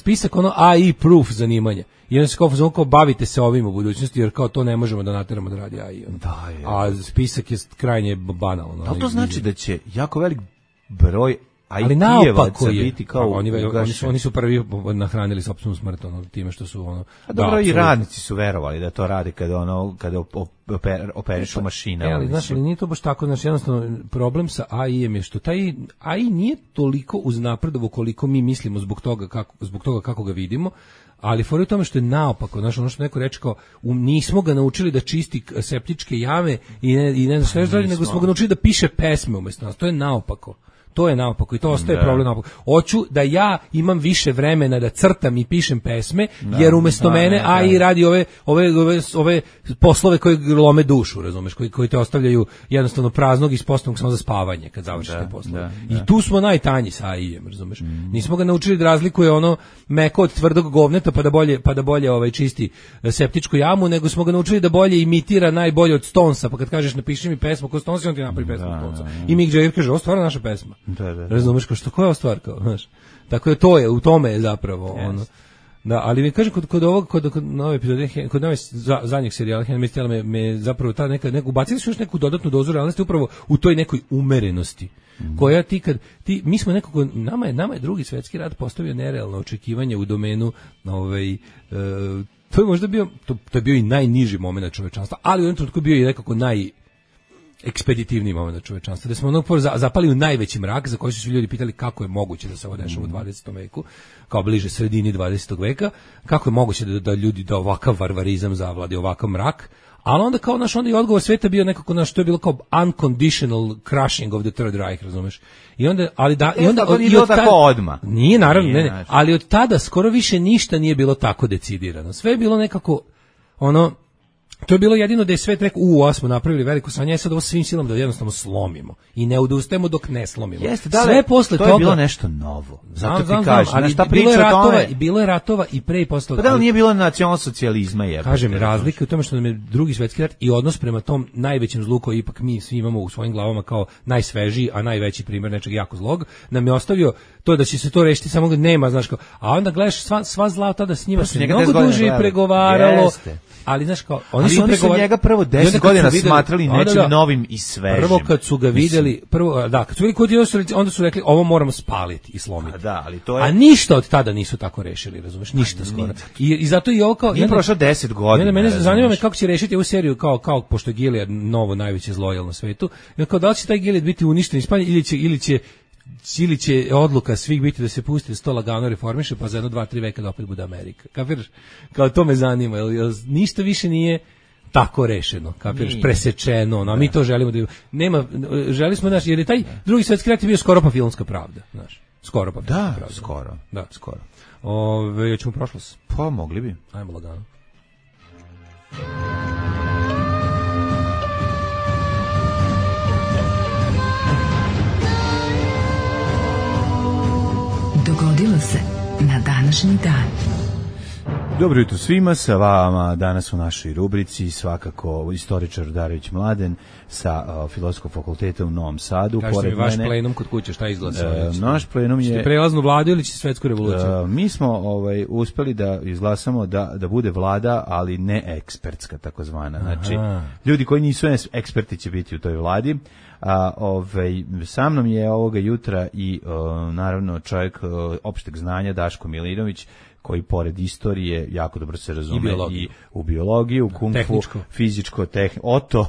spisak ono AI proof zanimanja. I onda se kao bavite se ovim u budućnosti, jer kao to ne možemo da nateramo da radi AI. A spisak je krajnje banalan. Ali to znači da će jako velik broj IT-evaca biti kao oni su prvi nahranili sopstvenu smrt time što su ono. A dobro, i radnici su verovali da to rade kada operišu mašine. Ali znaš, nije to baš tako, znači jednostavno problem sa AI-em je što taj AI nije toliko uznapredovo koliko mi mislimo zbog toga kako ga vidimo. Ali fora je u tome što je naopako, znaš, ono što neko reče kao, nismo ga naučili da čisti septičke jame i ne znam sve dalje, nego smo ga naučili da piše pesme umjesto nas. To je naopako. I to ostaje problem naopako. Hoću da ja imam više vremena da crtam i pišem pesme, jer umjesto mene AI radi ove poslove koji lome dušu, razumeš, koji te ostavljaju jednostavno praznog i sposobnog samo za spavanje kad završiš te poslove. I tu smo najtanji sa AI-em, razumeš. Nismo ga naučili da razlikuje ono meko od tvrdog govneta pa da bolje čisti septičku jamu, nego smo ga naučili da bolje imitira najbolje od Stonesa, pa kad kažeš napiši mi pesmu kod Stonesa, on ti napravi pesmu od Stonesa. I Mick Jagger kaže, ovo stvarno naša pesma. Razumeš, kao što koja je stvar, kao, znaš. Tako je to je, u tome je zapravo ono. Da, ali mi kaže kod nove epizode, kod nove zadnjeg serijala Handmaid's Tale me zapravo ta ubacili su još neku dodatnu dozu realnosti upravo u toj nekoj umerenosti. Koja mi smo nekako, nama je Drugi svjetski rat postavio nerealno očekivanje u domenu to je možda bio, to je bio i najniži moment čovečanstva, ali u jednom trenutku bio i nekako ekspeditivniji moment čovečanstva, da smo zapali u najveći mrak za koji su svi ljudi pitali kako je moguće da se ovo dešava u 20. veku, kao bliže sredini 20. veka, kako je moguće da ovakav varvarizam zavladi, ovakav mrak, ali onda kao onda i odgovor sveta bio nekako to je bilo kao unconditional crushing of the Third Reich, razumeš? I onda nije naravno, ne, ali od tada skoro više ništa nije bilo tako decidirano. Sve je bilo nekako To je bilo jedino da je svet rekao, smo napravili veliko sranje, sad ovo svim silama da jednostavno slomimo i ne odustajemo dok ne slomimo. Jeste, sve posle to toga je bilo nešto novo. Zato ti znam, kažeš, ali šta bilo je priča o ratova, tome? i bilo je ratova i pre i posle. Pa da li nije bilo nacionalsocijalizma je? Kažem, razlika je u tome što nam je Drugi svetski rat i odnos prema tom najvećem zlu koji ipak mi svi imamo u svojim glavama kao najsvežiji, a najveći primjer nečeg jako zlog, nam je ostavio to da će se to rešiti samo nema, znaš kao, a onda gledaš sva zla tada s njima se mnogo duže pregovaralo. Ali znaš kao, oni su njega prvo 10 godina smatrali nečim novim i svežim. Prvo kad su ga videli, kad su videli onda su rekli ovo moramo spaliti i slomiti. Ali to je... A ništa od tada nisu tako rešili, razumeš? Ništa skoro. I zato i ovo kao... Nije prošlo 10 godina. Mene zanima me kako će rešiti ovu seriju kao pošto je Gilead novo najveće zlo na svetu. I kao da li će taj Gilead biti uništen Španiji ili će odluka svih biti da se pusti da se to lagano reformiše, pa za 1, 2, 3 veka da opet bude Amerika. Kapiraš? Kao to me zanima, jer ništa više nije tako rešeno, kapiraš, presečeno, a mi to želimo da nema, želi smo, znaš, jer je taj Drugi svetski rat je bio skoro pa filmska pravda, znaš, skoro pa filmska pravda. Skoro. Hoćemo prošlost? Pa mogli bi. Ajmo lagano. Dogodilo se na današnji dan. Dobro jutro svima, sa vama danas u našoj rubrici svakako istoričar Darević Mladen sa Filozofskog fakulteta u Novom Sadu. Kažete mi vaš plenum kod kuće, šta izglasa? Naš plenum je... Ste prelaznu vladu ili će svetsku revoluciju? Mi smo uspeli da izglasamo da bude vlada, ali ne ekspertska takozvana. Znači, ljudi koji nisu eksperti će biti u toj vladi. Sa mnom je ovoga jutra i naravno čovjek opšteg znanja Daško Milinović, koji pored istorije jako dobro se razume i u biologiju, kung fu, fizičko, potom,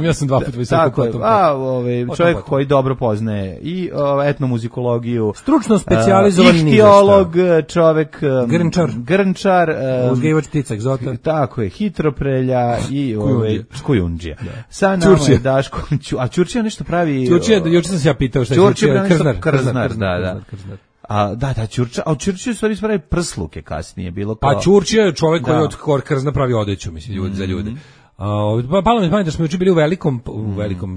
ja sam 2 puta visoko potom. Čovjek koji dobro poznaje i etnomuzikologiju, stručno specijalizovani ihtiolog, čovjek grnčar, uzgajivač ptica egzota. Tako je, hitroprelja i kujundžija. Sa nama je Daško, a Ćurčija nešto pravi. Ćurčija, juče sam se ja pitao šta je Ćurčija, krznar. Da, Ćurčija, a u Ćurčiju stvari spravi prsluke kasnije, bilo kao... Pa Ćurčija je čovjek koji od krzna pravi odeću, mislim, ljudi za ljude. Palo mi pamet da smo juče bili u velikom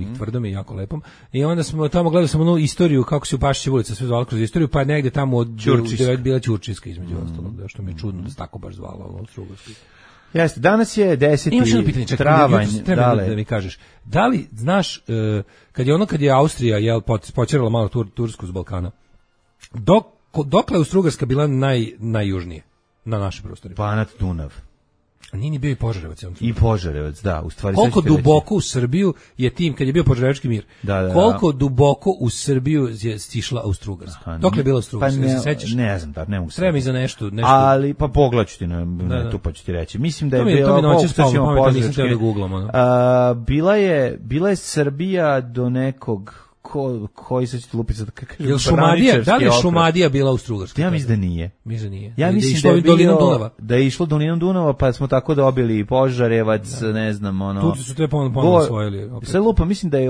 i tvrdom i jako lepom, i onda smo tamo gledali smo onu istoriju kako se u Pašićev ulica sve zvalo kroz istoriju, pa je negde tamo od bila Ćurčijska između ostalog, da što mi je čudno da se tako baš zvalo ovo Strugarski. Jeste, danas je 10. travanj. Da mi kažeš, da li znaš, kad je Austrija počerala malo Tursku s Balkana, dokle je Austrougarska bila najjužnije na našoj prostori? Banat, Dunav. A nije ni bio i Požarevac. I Požarevac, da. U stvari, koliko duboko u Srbiju je tim, kad je bio Požarevački mir, koliko duboko u Srbiju je stišla Austrougarska? Dokle je bila Austrougarska? Pa ne znam, ne mogu se. Treba mi za nešto. Ali, pa pogledat ću ti na netu, pa ću ti reći. Mislim da je bila je Srbija do nekog koji se ćete lupiti sad kažem, da li je Šumadija bila u Strugarskoj? Ja mislim da nije. Ja mislim da je išlo dolinom Dunava, pa smo tako dobili i Požarevac, ne znam, ono... Tu su te ponovno osvojili. Sad lupa, mislim da je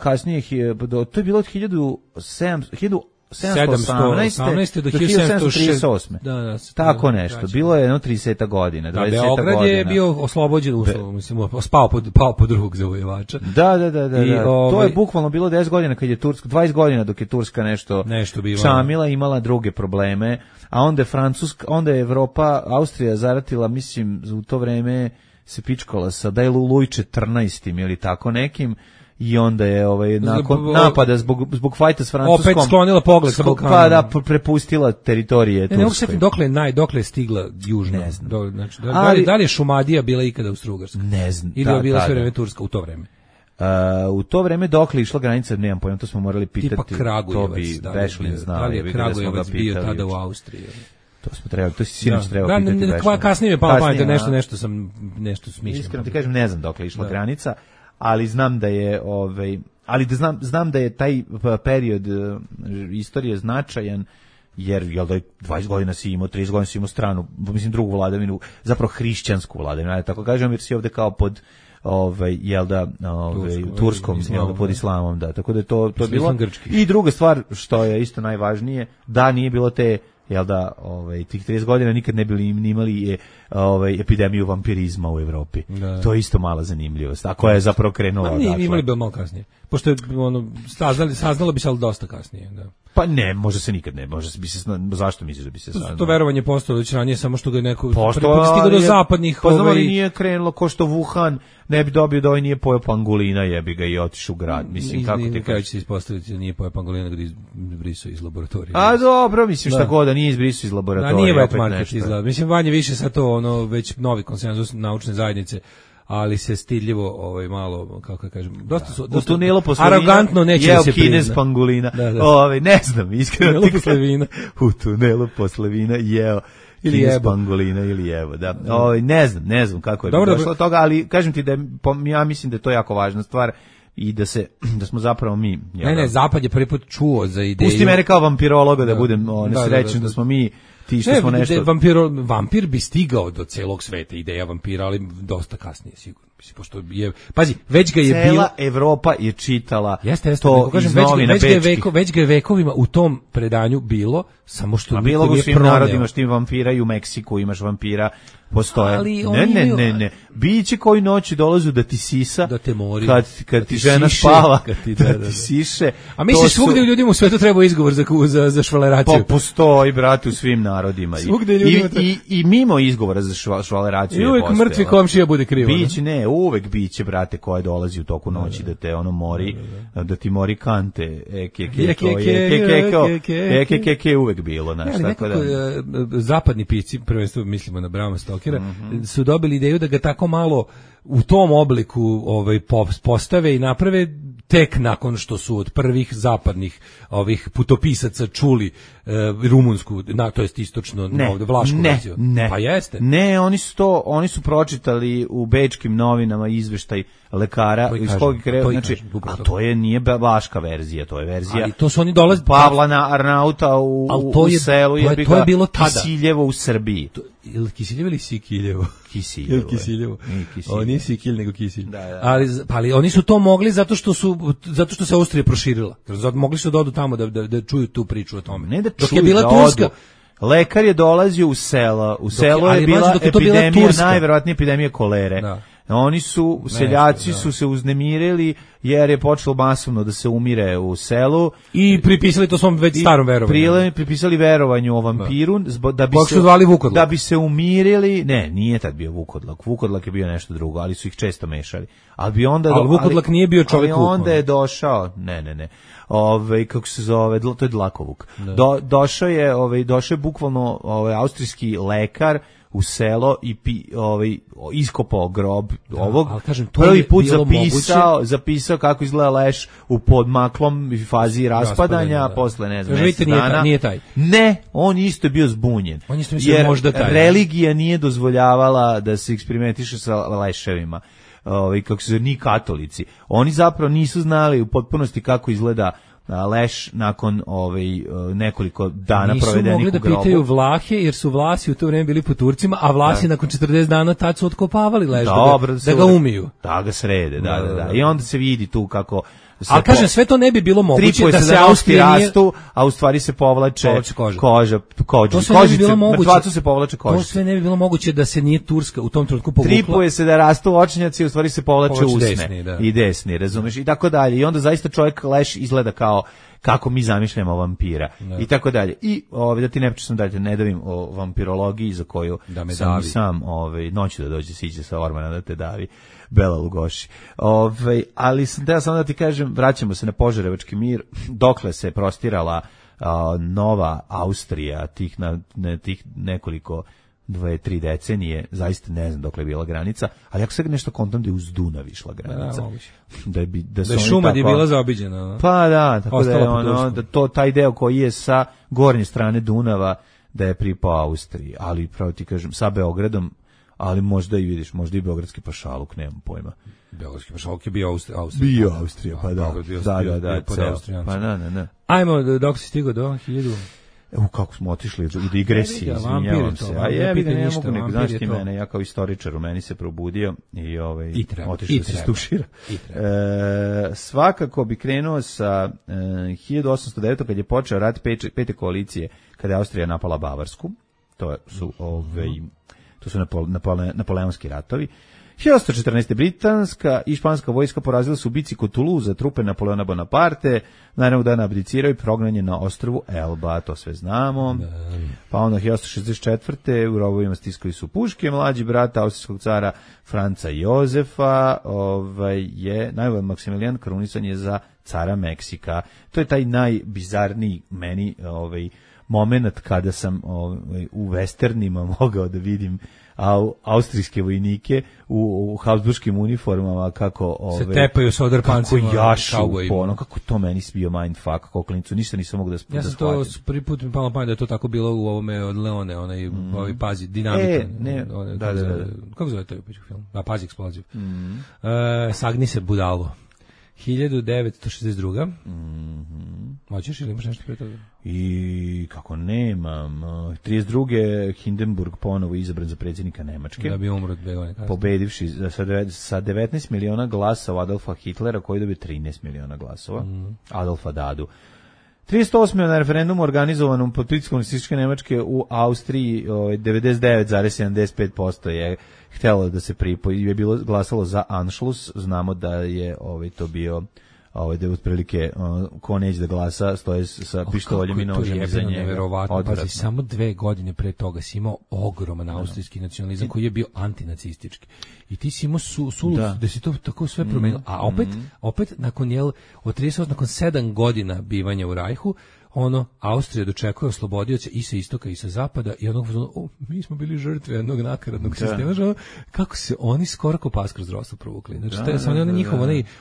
kasnije, to je bilo od 1718 do 1738. Tako nešto. Bilo je 30 godina, 20 godina. Beograd je bio oslobođen uslov, mislim, pao pod drugog zavojevača. Da. To je bukvalno bilo 10 godina kad je Turska, 20 godina dok je Turska nešto šamila, imala druge probleme, a onda je Evropa, Austrija zaratila, mislim, u to vreme se pičkala sa da je Luj 14. ili tako nekim. I onda je nakon napada zbog fajta s Francuskom opet sklonila pogled sa Balkana. Pa da prepustila teritorije Turskoj. Ne mogu se dokle je stigla južno. Ne znam. Znači, da li je Šumadija bila ikada u Strugarskoj? Ne znam. Ili je bila sve vreme Turska u to vreme? U to vreme dokle išla granica, nemam pojma, to smo morali pitati. Tipa Kragujevac. To bi Vešlin znao. Da li je Kragujevac bio tada u Austriji? To smo trebali, to si sinoć trebao pitati Vešlina. Kasnije mi je palo pamet, nešto smišljam. Iskreno ti kažem, ne znam dokle išla granica. Ali znam da je znam da je taj period istorije značajan, jer jel da 20 godina si imao, 30 godina si imao stranu, mislim drugu vladavinu, zapravo hrišćansku vladavinu, ja tako kažem, jer si ovde kao pod turskom, pod islamom, da, tako da to je bilo. I druga stvar što je isto najvažnije, da nije bilo te jel da, tih 30 godina nikad ne bili imali epidemiju vampirizma u Evropi. Da. To je isto mala zanimljivost. A koja je zapravo krenula odatle. Imali bi malo kasnije. Pošto je saznalo bi se, ali dosta kasnije. Da. Pa ne, može se nikad ne, može bi se, zašto misliš da bi se saznalo? To verovanje postojalo već ranije, samo što ga je neko stigao do zapadnih... Pa znamo li nije krenulo ko što Wuhan ne bi dobio da nije pojeo pangolina, jebi ga i otišao u grad. Mislim, kako ti kažeš? Će se ispostaviti da nije pojeo pangolina, da izbrisao iz laboratorija. A dobro, mislim šta god, da nije izbrisao iz laboratorija. Da, nije wet market izgleda. Mislim, vanje više sad to, već novi konsenzus naučne zajednice, ali se stidljivo malo, kako da kažem, dosta su u tunelu posle arogantno neće da se prizna. Kinez pangolina. Ne znam, iskreno u tunelu posle vina jeo Kinez pangolina ili evo, da. Ne znam kako je došlo do toga, ali kažem ti da ja mislim da je to jako važna stvar i da smo zapravo mi. Ne, Zapad je prvi put čuo za ideju. Pusti mene kao vampirologa da budem nesrećan da smo mi ti što smo nešto... Vampir bi stigao do celog sveta, ideja vampira, ali dosta kasnije sigurno. Pošto je, pazi, već ga je bilo... Cela Evropa je čitala to iz novina bečkih. Već ga je vekovima u tom predanju bilo, samo što niko nije proneo. A bilo u svim narodima, što ima vampira i u Meksiku imaš vampira, postoje. Ne. Biće koji noći dolazu da ti sisa, da te mori, kad ti žena spava, da ti siše. A misliš svugde ljudima u svetu treba izgovor za švaleraciju? Pa postoji, brate, u svim narodima. I mimo izgovora za švaleraciju. I uvijek mrtvi komšija bude krivo. Uvek biće, brate, koje dolazi u toku noći da te mori, da ti mori kante, uvek bilo, znaš, tako da. Zapadni pisci, prvenstveno mislimo na Brama Stokera, su dobili ideju da ga tako malo u tom obliku postave i naprave tek nakon što su od prvih zapadnih ovih putopisaca čuli rumunsku, to jest istočno vlašku verziju. Pa jeste. Ne, oni su pročitali u bečkim novinama izveštaj lekara iz kog znači, a to nije vlaška verzija, to je verzija. Ali to su oni dolaze Pavla Arnauta u selu to je bilo tada. Kisiljevo u Srbiji. Ili Kisiljevo ili Sikiljevo? Kisiljevo. Ovo nije Sikilj, nego Kisilj. Ali oni su to mogli zato što se Austrija proširila. Mogli su da odu tamo da čuju tu priču o tome. Ne da čuju, da odu. Lekar je dolazio u selo. U selu je bila epidemija, najverovatnije epidemija kolere. Da. Seljaci su se uznemirili jer je počelo masovno da se umire u selu. I pripisali to svom već starom verovanju. Pripisali verovanju o vampiru da bi se umirili. Ne, nije tad bio Vukodlak. Vukodlak je bio nešto drugo, ali su ih često mešali. Ali Vukodlak nije bio čovjek Vuk. Onda je došao, ne. Kako se zove, to je Dlakovuk. Došao je bukvalno austrijski lekar u selo i iskopao grob ovog. Kažem, prvi put zapisao kako izgleda leš u podmaklom fazi raspadanja, posle ne znam, mjesec dana. Nije taj. Ne, on isto je bio zbunjen. Jer religija nije dozvoljavala da se eksperimentiše sa leševima. Kako se zove, ni katolici. Oni zapravo nisu znali u potpunosti kako izgleda leš nakon nekoliko dana provedenih u grobu. Nisu mogli da pitaju Vlahe, jer su Vlasi u to vrijeme bili po Turcima, a Vlasi nakon 40 dana tad su otkopavali leš da ga umiju. Da ga srede, da. I onda se vidi tu kako... Ali kažem, sve to ne bi bilo moguće da se Austrija rastu, a u stvari se povlače koža. To sve ne bi bilo moguće. Mrtvacu se povlače koža. To sve ne bi bilo moguće da se nije Turska u tom trenutku povukla. Tripuje se da rastu očnjaci, u stvari se povlače usne i desni, razumeš, i tako dalje. I onda zaista čovjek leš izgleda kao kako mi zamišljamo vampira i tako dalje. I da ti ne pričam dalje, ne davim o vampirologiji za koju sam noću da dođe siđe sa Ormana da te davi. Bela Lugoši. Ali sam teo samo da ti kažem, vraćamo se na Požarevački mir, dokle se prostirala nova Austrija tih nekoliko 2-3 decenije, zaista ne znam dokle je bila granica, ali ako sad nešto kontam da je uz Dunav išla granica. Da je Šumadija je bila zaobiđena. Pa da, tako da je taj deo koji je sa gornje strane Dunava da je pripao Austriji, ali pravo ti kažem, sa Beogradom, ali možda i vidiš, možda i beogradski pašaluk, nemam pojma. Beogradski pašaluk je bio Austrija. Bio Austrija, pa da. Da. Pa da. Ajmo, dok si stigao do Kako smo otišli u digresiji, izvinjavam se. A jebi ga, ne mogu nego, znaš ti mene, ja kao istoričar u meni se probudio i otišao da se stušira. Svakako bi krenuo sa 1809. kad je počeo rat pete koalicije, kada je Austrija napala Bavarsku. To su napoleonski ratovi. 1814. britanska i španska vojska porazila su u bici kod Toulouse trupe Napoleona Bonaparte, naravno dana abdiciraju i prognanje na ostrvu Elba, to sve znamo. Pa onda 1864. u rovovima stiskali su puške, mlađi brat austrijskog cara Franca Jozefa je najbolji Maksimilijan krunisan je za cara Meksika. To je taj najbizarniji meni moment kada sam u westernima mogao da vidim austrijske vojnike u habsburškim uniformama kako se tepaju sa odrapancima, kako jašu, kako to meni bio mindfuck, kako klinicu, ništa nisam mogu da shvatim. Ja sam to prvi put mi palo pamet da je to tako bilo u ovome od Leone, onaj pazi, dinamika. Kako zove to film? Pazi, eksploziv. Sagni se budalo. 1962. Hoćeš ili imaš nešto pre toga? I kako nemam. 32. Hindenburg ponovo izabran za predsjednika Nemačke. Da bi umro 2 godine kasnije. Pobedivši sa 19 miliona glasova Adolfa Hitlera, koji dobio 13 miliona glasova. Adolfa Dadu. 38. na referendumu organizovanom pod pritiskom nacističke Nemačke u Austriji 99,75% je htjelo da se pripoji, je bilo glasalo za Anschluss. Znamo da je to bio da je otprilike ko neće da glasa stoje sa pištoljem i nožem iza njega. Neverovatno. Pazi, samo 2 godine pre toga si imao ogroman austrijski nacionalizam koji je bio antinacistički. I ti si imao da si to tako sve promenilo. A opet nakon od 38, nakon 7 godina bivanja u Rajhu, Austrija dočekuje oslobodioce i sa istoka i sa zapada i mi smo bili žrtve jednog nakaradnog sistema, kako se oni skoro ko pas kroz drostu provukli. Znači,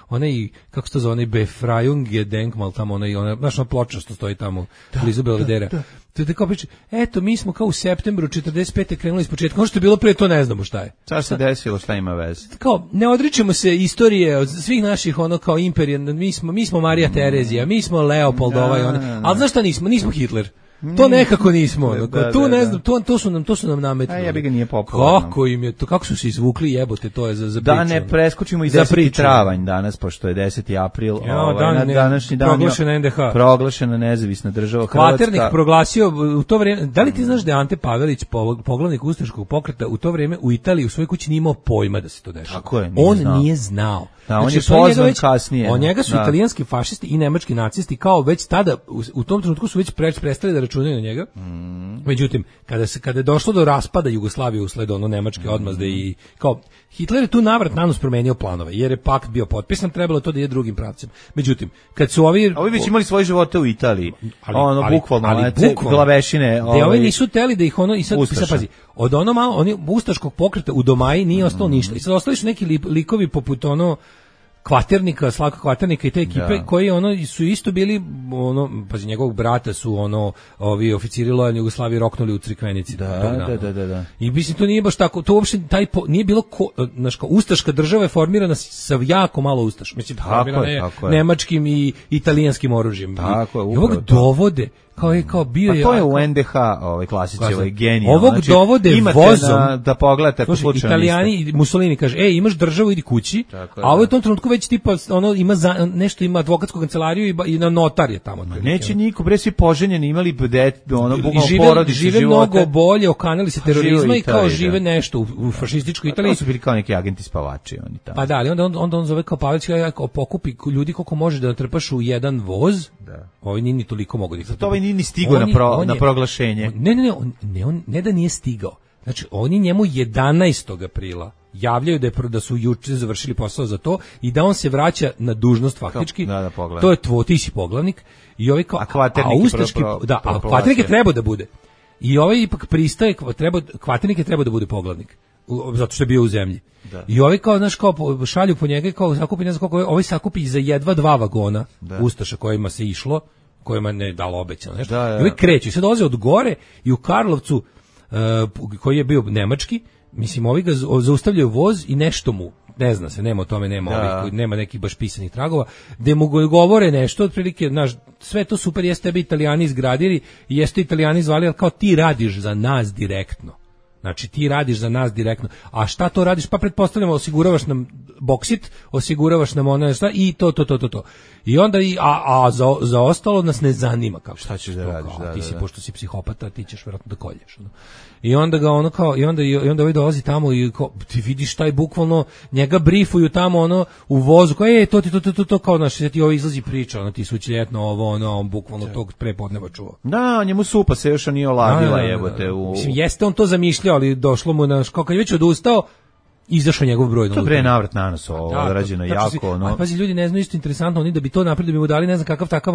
onaj, kako se to zove, onaj Befreiungsgedenkmal tamo, znaš, ploča što stoji tamo blizu Belvedera. To je tako priča, eto, mi smo kao u septembru 45. krenuli iz početka, ono što je bilo pre, to ne znamo šta je. Šta se desilo, šta ima veze? Kao, ne odričemo se istorije od svih naših, kao imperija, mi smo Marija Terezija, mi smo Leopold ali znaš šta nismo Hitler. To nekako nismo. Tu ne znam, to su nam nametnuli. Ja bi ga nije popularno. Kako im je to, kako su se izvukli, jebote, to je za priču. Da ne preskočimo i 10. travanj danas, pošto je 10. april, na današnji dan proglašena NDH. Proglašena nezavisna država Hrvatska. Kvaternik proglasio u to vrijeme, da li ti znaš da je Ante Pavelić, poglavnik ustaškog pokreta, u to vrijeme u Italiji u svojoj kući nije imao pojma da se to dešava. Nije znao. Da, on je pozvan kasnije. Njega su italijanski fašisti i nemački nacisti kao već tada, u tom trenutku su već prestali da računaju na njega. Međutim, kada je došlo do raspada Jugoslavije usled nemačke odmazde i kao Hitler je tu navrat nanos promenio planove, jer je pakt bio potpisan, trebalo to da ide drugim pravcem. Međutim, kad su ovi već imali svoje živote u Italiji, bukvalno glavešine. Ovi nisu teli da ih i sad pazi, od oni ustaškog pokreta u Domaji nije ostalo ništa. I sad ostali su neki likovi poput Kvaternika, Slavka Kvaternika i te ekipe koji su isto bili pazi, njegovog brata su ovi oficiri lojalni Jugoslavije roknuli u Crikvenici. Da. I mislim to nije baš tako, to uopšte nije bilo ustaška država je formirana sa jako malo ustaša. Mislim formirana je nemačkim i italijanskim oružjem. Tako je, i ovog dovode kao bio je. Pa to je u NDH, klasici, genij. Ovog dovode vozom da pogledate slučajno. Italijani i Mussolini kaže: "Ej, imaš državu, idi kući." A ovo je u tom trenutku već tipa ima nešto, ima advokatsku kancelariju i na notar je tamo. Neće niko, bre, svi poženjeni, imali bukvalno porodične žive mnogo bolje, okanali se terorizma i kao žive nešto u fašističkoj Italiji. To su bili kao neki agenti spavači oni tamo. Pa da, ali onda on zove kao Pavelić, pokupi ljudi koliko može da natrpaš u jedan voz. Ovi ni toliko mogu da. Zato ovaj nije ni stigao na proglašenje. Ne da nije stigao. Znači, oni njemu 11. aprila javljaju da su juče završili posao za to i da on se vraća na dužnost faktički. To je ti si poglavnik. I ovaj kao, a Kvaternik je trebao da bude. I ovaj ipak pristaje, Kvaternik je trebao da bude poglavnik. Zato što je bio u zemlji. I ovi kao, znaš, kao šalju po njega, kao sakupi, ne znam koliko, ovaj sakupi za jedva 2 vagona ustaša kojima se išlo, kojima ne dalo obećano nešto. I ovi kreću i sad dolaze od gore i u Karlovcu, koji je bio nemački, mislim, ovi ga zaustavljaju voz i nešto mu ne zna se, nema o tome, nema nekih baš pisanih tragova, gde mu govore nešto, otprilike, znaš, sve to super, jeste tebi Italijani izgradili i jeste Italijani zvali, ali kao ti radiš za nas direktno. Znači ti radiš za nas direktno. A šta to radiš? Pa pretpostavljamo osiguravaš nam boksit, osiguravaš nam ono šta i to. I onda za ostalo nas ne zanima kako šta ćeš da radiš. Ti si pošto si psihopata, ti ćeš verovatno da kolješ. I onda ga ono kao i onda ovaj dolazi tamo i kao, ti vidiš taj bukvalno njega brifuju tamo u vozu. Kao to kao naš ti ovo izlazi priča, ti su ljetno on bukvalno tog prepodneva čuo. Da, njemu supa se još nije oladila jebote. Mislim jeste on to zamišljao, ali došlo mu na kad je već odustao, izašao njegov broj. To bre navrat na nos odrađeno jako. A pazi, ljudi ne znaju isto interesantno, oni da bi to napravili, da bi mu dali ne znam kakav takav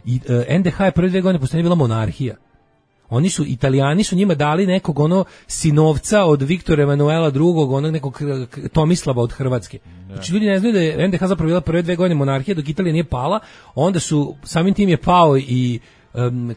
i NDH je prve 2 godine postoje bila monarhija. Italijani su njima dali nekog sinovca od Viktora Emanuela II, nekog Tomislava od Hrvatske. Znači ljudi ne znaju da je NDH zapravo bila prve 2 godine monarhija dok Italija nije pala, onda su, samim tim je pao i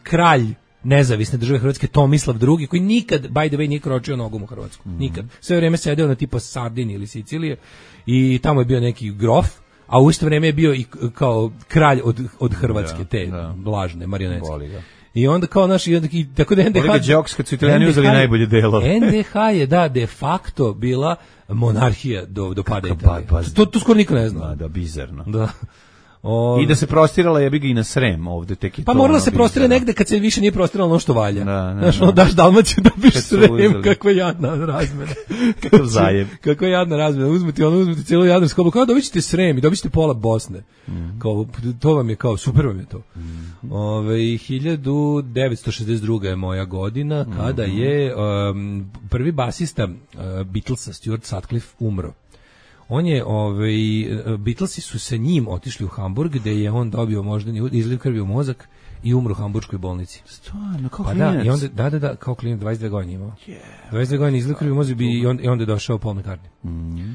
kralj nezavisne države Hrvatske Tomislav II, koji nikad, by the way, nije kročio nogom u Hrvatsku. Nikad. Sve vreme sedeo na tipa Sardini ili Sicilije i tamo je bio neki grof, a u isto vreme je bio i kao kralj od Hrvatske, te lažne marionetske. I onda kao i tako da NDH Đoks kad su Italijani uzeli najbolje delo. NDH je de facto bila monarhija do pada Italije. To skoro niko ne zna. Da, bizarno. Da. I da se prostirala jebi ga i na Srem ovde tek i pa morala se prostire negde kad se više nije prostiralo ono što valja. Znaš, daš Dalmaciju da biš Srem, kakva jadna razmena. Kakav zajem. Kakva jadna razmena. Uzmete cijelu Jadransku oblu, kao dobićete Srem i dobićete pola Bosne. Kao, to vam je kao, super vam je to. 1962. je moja godina, kada je prvi basista Beatlesa, Stuart Sutcliffe, umro. On je, Beatlesi su sa njim otišli u Hamburg, gde je on dobio moždani izliv krvi u mozak i umro u hamburškoj bolnici. Stvarno, kao klinac? I onda, da, kao klinac, 22 godine imao. 22 godine izliv krvi u mozak i onda je došao Paul McCartney.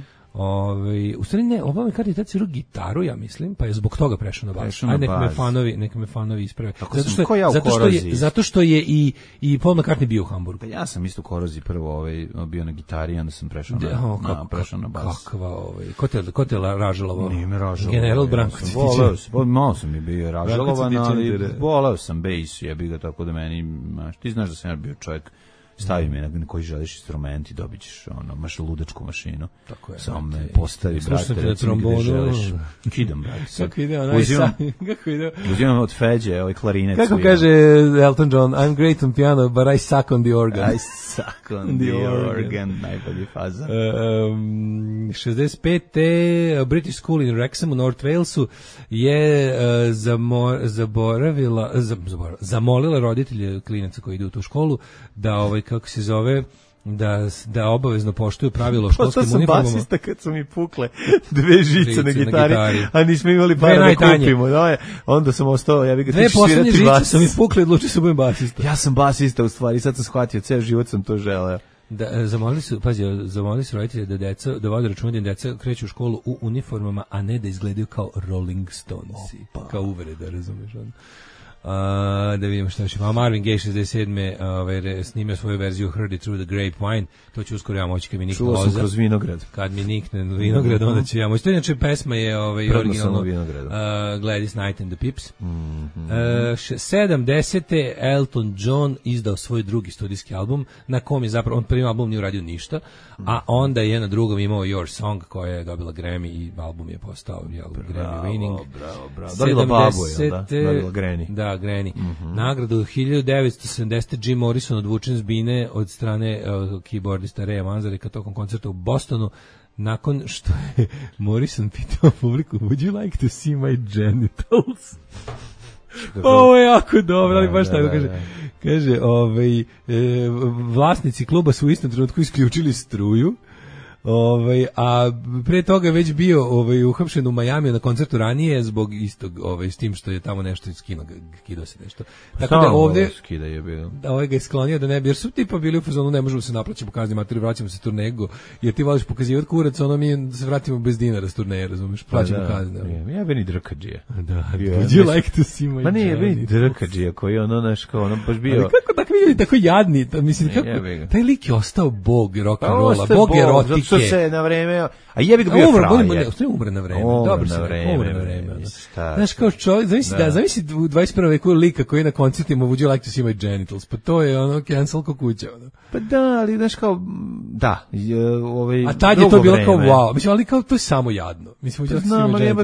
U stvari ne, Paul McCartney tad svirao gitaru, ja mislim, pa je zbog toga prešao na bas. Ajde, neka me fanovi isprave. Zato što je i Paul McCartney bio u Hamburgu. Ja sam isto u Koroziji prvo bio na gitari, onda sam prešao na bas. Kakva, ko te ražalovao? Nije me ražalovao. General Branko. Malo sam mi bio ražalovan, ali volao sam bejs, jebi ga, tako da meni, ti znaš da sam ja bio čovjek, stavi me na koji želiš instrument i dobit ćeš maš ludačku mašinu. Tako je. Samo me postavi, brate, recimo gde želiš. Kidam, brate. Kako ide uzimam od Feđe, klarinet. Kako kaže Elton John, I'm great on piano, but I suck on the organ. I suck on the organ. Najbolji faza. 65. British School in Wrexham u North Walesu je zamolila roditelje klinaca koji idu u tu školu da kako se zove, da obavezno poštuju pravilo o školskim uniformama. To sam basista kad su mi pukle 2 žice na gitari, a nismo imali para da kupimo. Onda sam ostao, ja bih ga tići svirati bas. 2 posljednje žice sam mi pukle, odlučio sam budem basista. Ja sam basista u stvari, sad sam shvatio, ceo život sam to želeo. Zamolili su roditelje da vode računa da deca kreću u školu u uniformama, a ne da izgledaju kao Rolling Stonesi. Kao uvreda, razumiješ ono. Da vidimo šta još. Marvin Gaye 67. Snimio svoju verziju Heard It Through the Grapevine. To ću uskoro ja moći kad mi nikne loza. Čuo sam kroz vinograd. Kad mi nikne vinograd, onda ću ja moći. To inače pesma je originalno Gladys Knight and the Pips. 70. Elton John izdao svoj drugi studijski album, na kom je zapravo, on prvi album nije uradio ništa, a onda je na drugom imao Your Song, koja je dobila Grammy i album je postao Grammy winning. Bravo. Dobila babu, jel da? Dobila Granny. Da, Granny. Nagradu 1970. Jim Morrison odvučen s bine od strane keyboardista Raya Manzareka tokom koncerta u Bostonu, nakon što je Morrison pitao publiku, would you like to see my genitals? Ovo je jako dobro, ali baš tako kaže. Kaže, vlasnici kluba su u istom trenutku isključili struju, a pre toga je već bio uhapšen u Majamiju na koncertu ranije zbog istog, s tim što je tamo nešto skidao se nešto. Tako da ovde ga je sklonio da ne bi, jer su tipa bili u fazonu, ne možemo se naplaćati po kazni materiju, vraćamo se turnego, jer ti voliš pokazivati kurac, mi se vratimo bez dinara s turneje, razumiješ, plaćamo kazne. Ja beni drkađija. Da, would you like to see my... Pa nije, beni drkađija koji baš bio... Ali kako tako vidjeli, tako jadni, mislim, kako, taj lik je ostao bog rock'n'rolla, bog erotike. što se na vreme, a jebi ga bio frajer. Umre na vreme. Umre Dobro na se vreme. umre na vreme. Znaš, kao čovjek, zamisli u 21. veku lika koji na koncertima would you like to see my genitals, pa to je ono cancel ko kuća. Ono. Pa da, ali znaš kao, da. A tad je to bilo kao wow, mislim, ali kao to je samo jadno. Mislim, znam, ali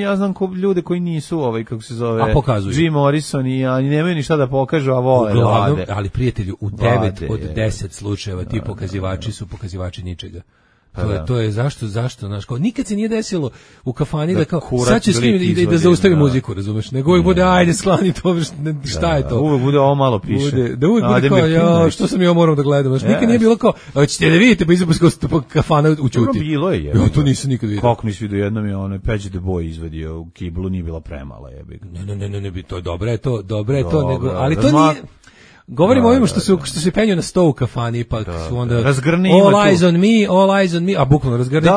ja znam ljude koji nisu, kako se zove, Jim Morrison i nemaju ništa da pokažu, a vole da vade. Ali prijatelju, u 9 od 10 slučajeva ti pokazivači su pokazivači ničega. To je zašto, znaš, kao nikad se nije desilo u kafani da kao sad će s njim i da zaustavi muziku, razumeš, nego uvijek bude ajde sklani to, šta je to? Uvijek bude ovo malo piše. Da uvijek bude kao, ja, što sam ja moram da gledam, znaš, nikad nije bilo kao, hoćete da vidite, pa izapuskao kafana u ćuti. Bilo je. Ja to nisam nikad vidio. Kako nisi vidio, jednom je onaj Peđe the Boy izvadio u kiblu, nije bila premala, jebi. Ne, to je dobro je to, nego, ali to nije... Govorimo o ovima što se penju na sto u kafani, ipak su onda razgrni all eyes on me, a bukvalno razgrni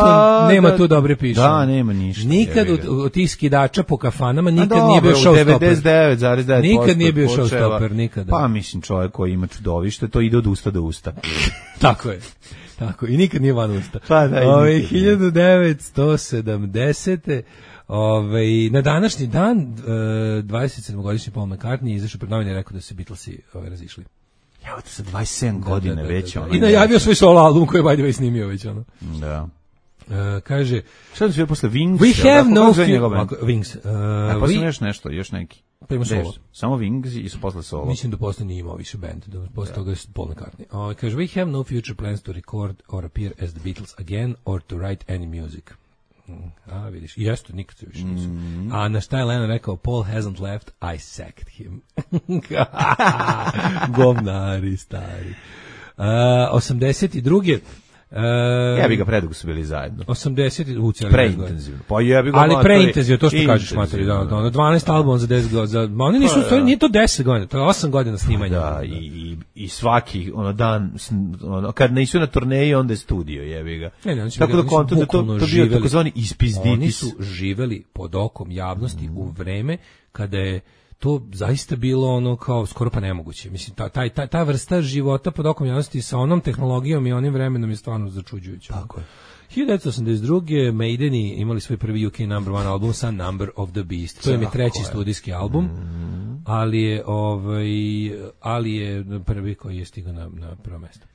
nema tu dobre piše. Da, nema ništa. Nikad od tih skidača po kafanama nikad nije bio showstopper. 99,9%. Nikad nije bio showstopper, nikada. Pa mislim čovjek koji ima čudovište, to ide od usta do usta. Tako je. Tako, i nikad nije van usta. Pa da, 1970. Na današnji dan 27-godišnji Paul McCartney izašao pred novine i rekao da se Beatlesi razišli. Evo te sa 27 godina već. I najavio svoj solo album koji je by the way snimio već. Da. Kaže... Šta da su posle Wings? We have no Wings. Pa sam još neki. Pa ima solo. Samo Wings i su posle solo. Mislim da posle nije imao više band, da posle toga je Paul McCartney. Kaže, we have no future plans to record or appear as the Beatles again or to write any music. A, vidiš, jeste, nikad se više nisu. A na šta je Lennon rekao, Paul hasn't left, I sacked him. Govnari, stari. 82. Ja bi ga predugo su bili zajedno. 80. Preintenzivno. Pa jebi ga ali preintenzivno, to što kažeš, materi, da, 12 albuma za 10 godina. Oni nisu, nije to 10 godina, to je 8 godina snimanja. Da, i svaki dan, kad nisu na turneji, onda je studio, jebi ga. Tako da konto da to bio takozvani ispizditis. Oni su živeli pod okom javnosti u vreme kada je to zaista bilo ono kao skoro pa nemoguće. Mislim, ta vrsta života pod okom javnosti sa onom tehnologijom i onim vremenom je stvarno začuđujuća. Tako je. 1982. Maideni imali svoj prvi UK number one album sa Number of the Beast. To je treći studijski album, ali je prvi koji je stigao na prvo mesto.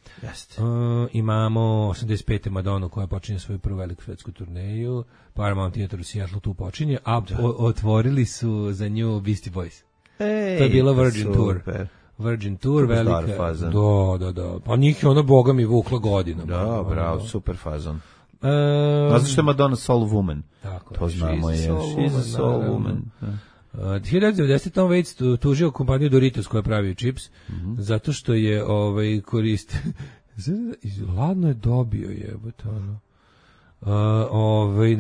Imamo 85. Madonu koja počinje svoju prvu veliku svetsku turneju. Paramount Theater u Seattle tu počinje, a otvorili su za nju Beastie Boys. To je bila Virgin Tour. Virgin Tour, velika. Da. Pa njih je ona, boga mi, vukla godinama. Da, bravo, super fazon. Znaš što je Madonna Soul Woman? Tako, to znamo je. She's a Soul Woman. 1990. Tom Waits tužio kompaniju Doritos koja pravi čips, zato što je korist... Ladno je dobio, jebote, ono.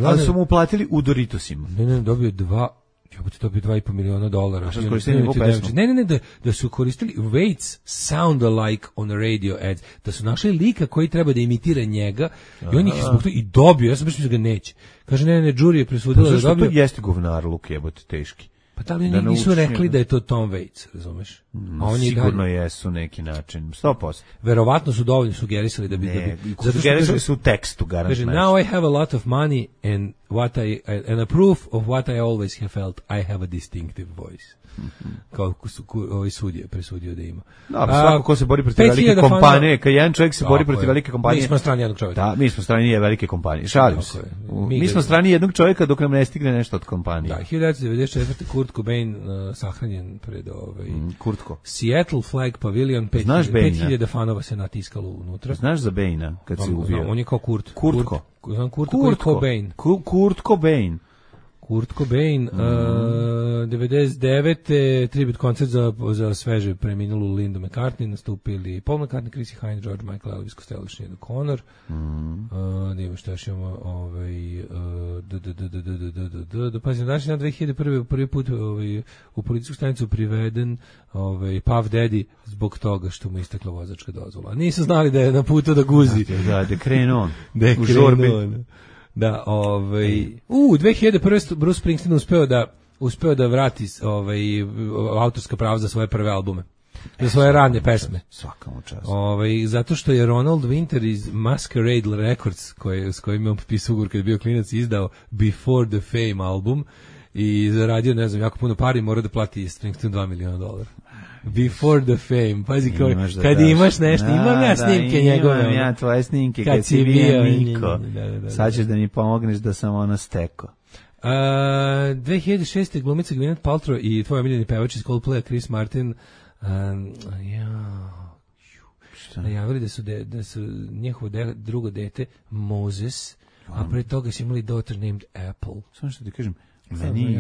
Ali su mu uplatili u Doritosima. Ne, dobio $2,5 miliona. A što su koristili njegovu pesmu? Ne, da su koristili Waits sound alike on radio ads, da su našli lika koji treba da imitira njega i on ih zbog toga i dobio, ja sam baš mislio da ga neće. Kaže, ne, jury je presudila da dobio. Pa to jeste govnar luk, jebote, teški. Pa da li nisu rekli da je to Tom Waits, razumeš? Sigurno jesu neki način, 100%. Verovatno su dovoljno sugerisali da bi... Sugerisali su u tekstu, garantno. Now I have a lot of money and a proof of what I always have felt, I have a distinctive voice. Kao sudije presudio da ima. Da, svako ko se bori protiv velike kompanije, kad jedan čovjek se bori protiv velike kompanije... Mi smo strani jednog čovjeka. Da, mi smo strani velike kompanije. Šalim se. Mi smo strani jednog čovjeka dok nam ne stigne nešto od kompanije. Da, 1994. Kurt Cobain sahranjen pred Kurtko. Seattle Flag Pavilion, 5000 fanova se natiskalo unutra. Znaš za Baina kad se ubio? On je kao Kurt. Kurtko. Kurt Cobain. Kurt Cobain. Kurt Cobain, 99. tribut koncert za sveže preminulu Lindu McCartney, nastupili Paul McCartney, Chrissy Hynde, George Michael, Elvis Costello, Sinead O'Connor. Da imamo što još imamo, pazi, na današnji dan 2001. prvi put u policijsku stanicu priveden Puff Daddy zbog toga što mu istekla vozačka dozvola. Nisu znali da je na putu da guzi. Da krenu on. U žurbi. Da, 2001. Bruce Springsteen uspeo da vrati autorska prava za svoje prve albume. za svoje rane pesme. Svaka mu čast. Zato što je Ronald Winter iz Masquerade Records, s kojim je on potpisao ugovor kad je bio klinac, izdao Before the Fame album i zaradio, ne znam, jako puno pari, mora da plati Springsteen $2 miliona. Before the Fame, pazi kao, kad imaš nešto, imam ja snimke njegove. Imam ja tvoje snimke kad si bio Niko. Sad ćeš da mi pomogneš da sam ono steko. 2006. glumica Gwyneth Paltrow i tvoj omiljeni pevač iz Coldplaya Chris Martin najavili da su njihovo drugo dete Moses, a pre toga su imali daughter named Apple. Samo što ti kažem,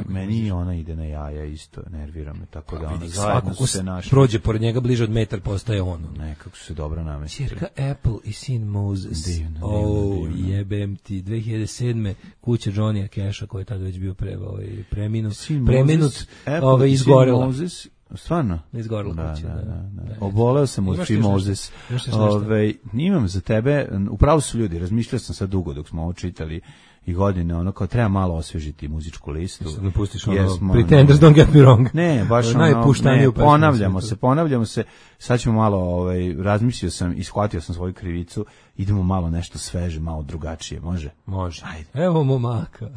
meni ona ide na jaja isto, nervira me, tako da ona zajedno su se našli. Prođe pored njega bliže od metar, postaje ono. Nekako su se dobro namestili. Čerka Apple i sin Moses. Divno. Jebem ti. 2007. kuća Johnny Casha, koji je tada već bio preminut, izgorela. Stvarno? Izgorela kuća. Da. Oboleo sam od Tim Moses. Imam za tebe, upravo su ljudi, razmišljao sam sad dugo dok smo ovo čitali i godine, ono kao treba malo osvežiti muzičku listu. Ne pustiš ono, Pretenders, don't get me wrong. Ne, baš ono, ponavljamo se, sad ćemo malo, razmislio sam i shvatio sam svoju krivicu, idemo malo nešto sveže, malo drugačije, može? Može. Ajde. Evo momaka.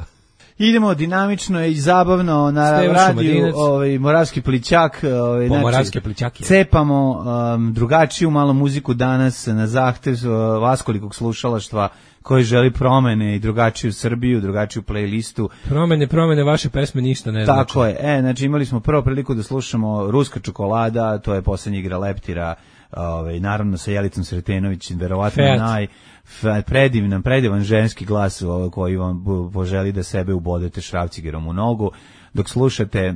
Idemo dinamično i zabavno na radiju, Moravski plićak, Moravski plićak je. Cepamo drugačiju malo muziku danas na zahtev vaskolikog slušalaštva koji želi promene i drugačiju Srbiju, drugačiju playlistu. Promene, vaše pesme ništa ne znači. Tako je, znači imali smo prvo priliku da slušamo Ruska čokolada, to je poslednja igra Leptira, naravno sa Jelicom Sretenović, verovatno predivan ženski glas koji vam poželi da sebe ubodete šrafcigerom u nogu, dok slušate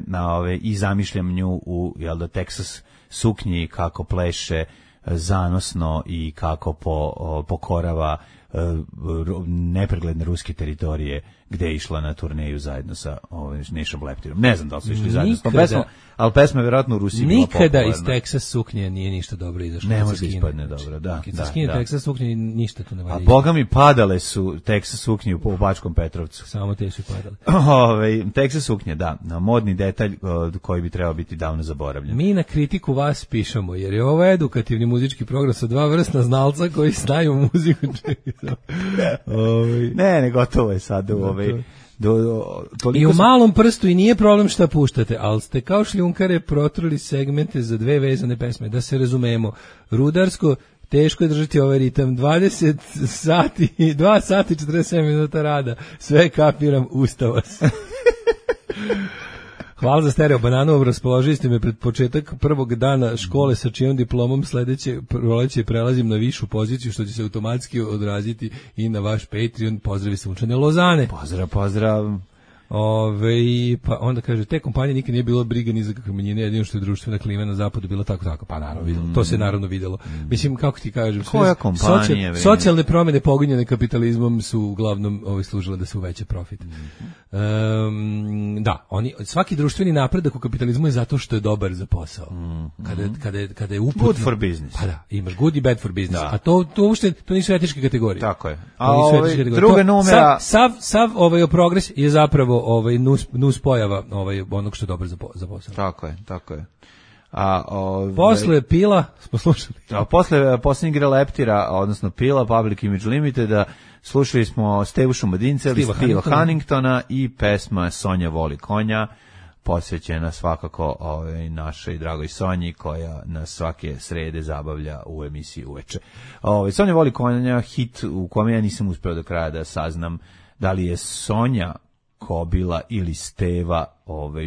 i zamišljam nju u Texas suknji kako pleše zanosno i kako pokorava nepregledne ruske teritorije gde je išla na turneju zajedno sa Nešom Leptirom. Ne znam da li su išli zajedno s tom pesmom, ali pesma je vjerojatno u Rusiji bila popularna. Nikada iz Texas suknje nije ništa dobro izašlo. Ne može ispadne dobro, da. Kad se skine Texas suknje, ništa tu ne valja. A boga mi padale su Texas suknje u Bačkom Petrovcu. Samo te su padale. Texas suknje, da, modni detalj koji bi trebao biti davno zaboravljen. Mi na kritiku vas pišemo, jer je ovo edukativni muzički program sa dva vrstna znalca koji znaju muziku. Ne, gotovo je sad i u malom prstu i nije problem šta puštate, ali ste kao šljunkare protruli segmente za dve vezane pesme. Da se razumemo, rudarsko, teško je držati ovaj ritam, 2 sati 47 minuta rada, sve kapiram, ustava se. Hvala za stereo bananu, raspoložili ste me pred početak prvog dana škole sa čijom diplomom, sledeće proleće prelazim na višu poziciju, što će se automatski odraziti i na vaš Patreon. Pozdravi Sunčane Lozane. Pozdrav. Pa onda kaže, te kompanije nikad nije bilo briga ni za kakve manjine, jedino što je društvena klima na zapadu bila tako, pa naravno videlo. To se naravno videlo. Mislim, kako ti kažem, koja kompanija? Socijalne promjene pogonjene kapitalizmom su uglavnom služile da se uveća profit. Da, svaki društveni napredak u kapitalizmu je zato što je dobar za posao. Kada je uputno, good for business. Pa da, imaš good i bad for business. Da. A to uopšte, to nisu etičke kategorije. Tako je. A druga numera... Sav progres je zapravo nus pojava onog što je dobro za posao. Tako je. Posle Pila smo slušali. Posle posljednjeg igra Leptira, odnosno Pila, Public Image Limited, slušali smo Stevu Šumadinca ili Steva Hanningtona i pesma Sonja voli konja, posvećena svakako našoj dragoj Sonji koja nas svake srede zabavlja u emisiji uveče. Sonja voli konja, hit u kome ja nisam uspeo do kraja da saznam da li je Sonja Kobila ili Steva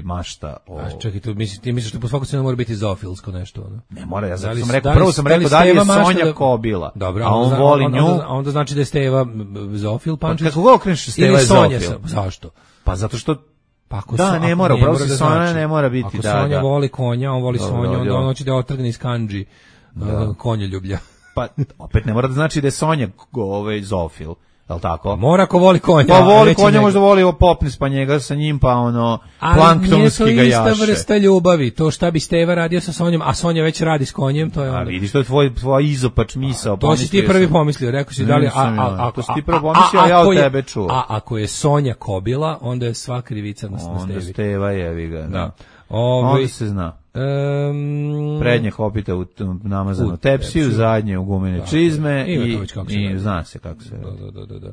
mašta čekaj, ti misliš da po svaku cenu mora biti zoofilsko nešto, ono? Ne mora, ja sam rekao, prvo sam rekao da li je Sonja Kobila, dobro, a on voli nju. Onda znači da je Steva zoofil, Pančić. Kako god okreneš, Steva je zoofil. Zašto? Pa zato što ne mora, upravo se Sonja ne mora biti. Ako Sonja voli konja, on voli Sonju, onda on hoće da otrgne iz kandži konjoljublja. Pa opet ne mora da znači da je Sonja zoofil. Jel tako? Mora ako voli konja. Pa voli konja, možda voli popnis pa njega sa njim, pa planktonski ga jaše. Ali nije to ista vrsta ljubavi. To šta bi Steva radio sa Sonjom, a Sonja već radi s konjem, to je onda. A vidiš, to je tvoj izopač misao. To si ti prvi pomislio, rekao si da li... To si ti prvi pomislio, a ja od tebe čuo. A ako je Sonja Kobila, onda je sva krivica na Stevi. Onda Steva jevi ga. Da. Onda se zna. Prednje hopite u namazanu tepsiju, zadnje u gumene čizme i zna se kako se... Da.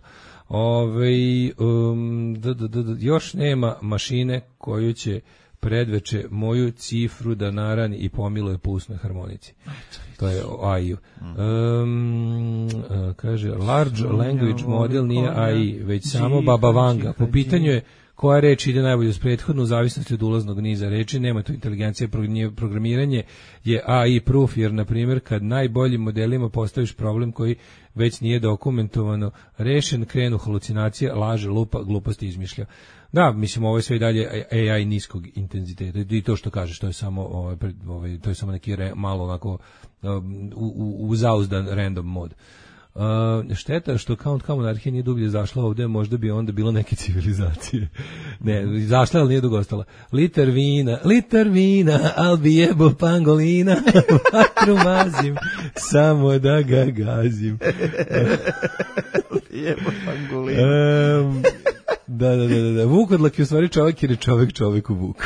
Još nema mašine koju će predveče moju cifru da narani i pomiluje po usnoj harmonici. To je AI. Kaže, large language model nije AI, već samo Baba Vanga. Po pitanju je koja reč ide najbolje uz prethodnu, u zavisnosti od ulaznog niza reči, nema tu inteligencija, programiranje je AI proof, jer, na primjer, kad najboljim modelima postaviš problem koji već nije dokumentovano rešen, krenu halucinacije, laže, lupa, gluposti izmišlja. Da, mislim, ovo je sve i dalje AI niskog intenziteta i to što kažeš, to je samo, to je samo neki malo onako uzauzdan random mod. Šteta što Count monarhija nije dublje zašla ovde, možda bi onda bilo neke civilizacije. Ne, zašla, ali nije dugo ostala. Liter vina, al bi jebo pangolina, vatru mazim, samo da ga gazim. Jebo pangolina. Da. Vukodlak je u stvari čovjek jer je čovjeku vuk.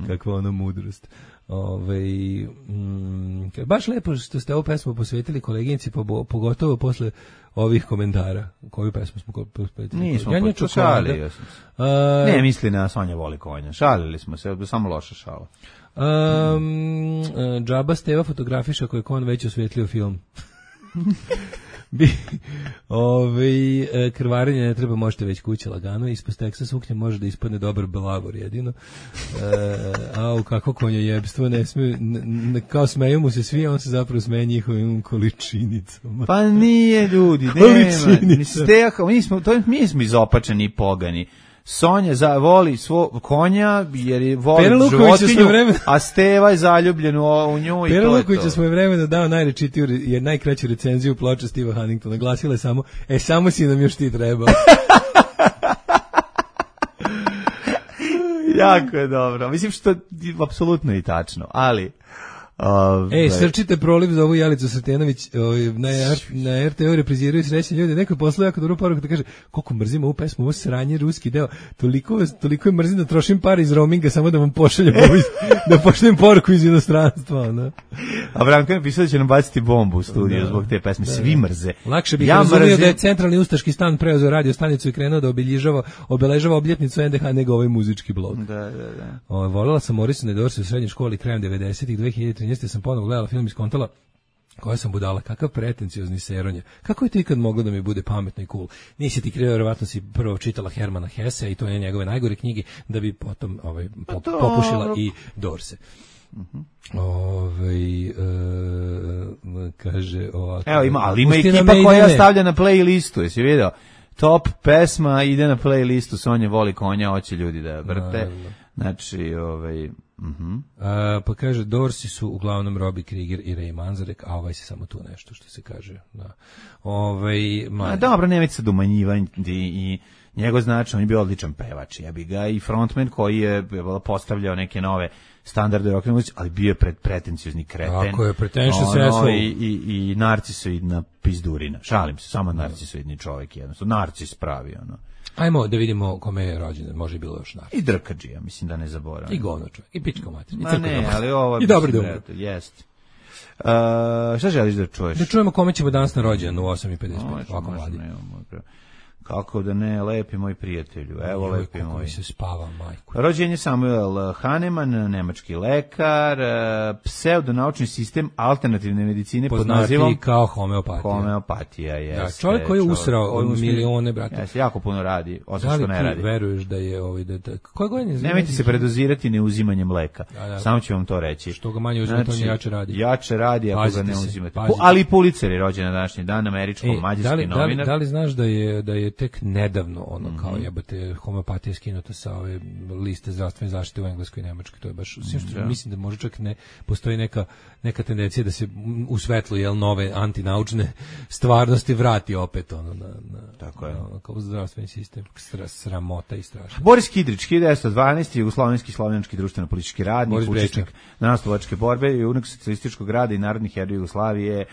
Kakva ona mudrost. Baš lepo što ste ovu pesmu posvetili koleginici, pogotovo posle ovih komentara. Koju pesmu smo posvetili? Nismo šalili. Ne misli na Sonja voli konja. Šalili smo se, samo loša šala. Džaba Steva fotografiša koji kon već osvetlio film. Krvarenje ne treba, možete već kuće lagano, ispod teksta suknje može da ispadne dobar belavor jedino. Kako konjojebstvo, ne smije, kao smeju mu se svi, on se zapravo smeje njihovim količinicama. Pa nije, ljudi, mi smo izopačeni i pogani. Sonja voli svog konja jer voli životinju, a Steva je zaljubljen u nju i Pera to je Luković to. Smo je vremena dao najkraću recenziju ploče Steva Huntingtona. Glasila je samo, samo si nam još ti trebao. Jako je dobro. Mislim što je apsolutno i tačno, ali... Srčite proliv za ovu Jelicu Sretenović, na RTO repriziraju srećni ljudi. Neko je poslao jako dobru poruku da kaže koliko mrzim ovu pesmu, ovo sranje, ruski deo, toliko je mrzim da trošim par iz roaminga samo da vam pošaljem da pošaljem poruku iz inostranstva. No. A Branko je napisao da će nam baciti bombu u studiju zbog te pesme, svi mrze. Lakše bih razumio da je centralni ustaški stan preuzeo radio stanicu i krenuo da obeležava obljetnicu NDH nego ovaj muzički blog. Da. Volela sam Morrisona i Dorse u srednjoj školi krajem 90-ih, 2013 sam ponovo gledala film iz kontala, koja sam budala, kakav pretenciozni seronja. Kako je to ikad moglo da mi bude pametno i cool? Nisi ti krivo, verovatno si prvo čitala Hermana Hesse i to je njegove najgore knjige, da bi potom popušila i Dorse. Kaže ovako. Evo ima ekipa koja stavlja na playlistu, jesi vidio? Top pesma ide na playlistu, Sonja voli konja, hoće ljudi da vrte. Znači, pa kaže, Dorsi su uglavnom Robbie Krieger i Ray Manzarek, a ovaj se samo tu nešto što se kaže. Da. Dobro, nemojte se domanjivati i njegov značaj, on je bio odličan pevač, ja bi ga i frontman koji je postavljao neke nove standarde rock muzici, ali bio je pretenciozni kreten. Tako je, pretentious asshole. I narcisoidna pizdurina. Šalim se, samo narcisoidni čovjek jednostavno. Narcis pravi, ono. Ajmo da vidimo kome je rođen, može bilo još narcis. I drkađija, mislim da ne zaboravim. I govno čovjek, i pička mater. Ma ne, ali ovo... I dobro dobro. Jest. Šta želiš da čuješ? Da čujemo kome ćemo danas na rođendan u 8:55, ovako mladi. Kako da ne, lepi moj prijatelju. Evo, lepi moj. Kako se spava, majku. Rođen je Samuel Hahnemann, nemački lekar, pseudonaučni sistem alternativne medicine pod nazivom... Poznati kao homeopatija. Homeopatija, jeste. Ja, čovjek koji je usrao milione, brate. Jeste, jako puno radi, osim što ne radi. Da li ti veruješ da je koje godine? Nemojte se predozirati neuzimanjem leka. Samo ću vam to reći. Što ga manje uzimate, on jače radi. Jače radi ako ga ne uzimate. Ali Pulitzer je rođen na današnji dan, američko-mađarski novinar. Da li znaš da je tek nedavno kao jebote homeopatija skinuta sa ove liste zdravstvene zaštite u Engleskoj i Nemačkoj, to je baš mislim da može čak ne postoji neka tendencija da se u svetlu nove antinaučne stvarnosti vrati opet tako je kao zdravstveni sistem, sramota i strašno. Boris Kidrić, 1912, jugoslovenski slovenski društveno-politički radnik, učesnik narodnooslobodilačke borbe i junak socijalističkog rada i narodnih herojeva Jugoslavije,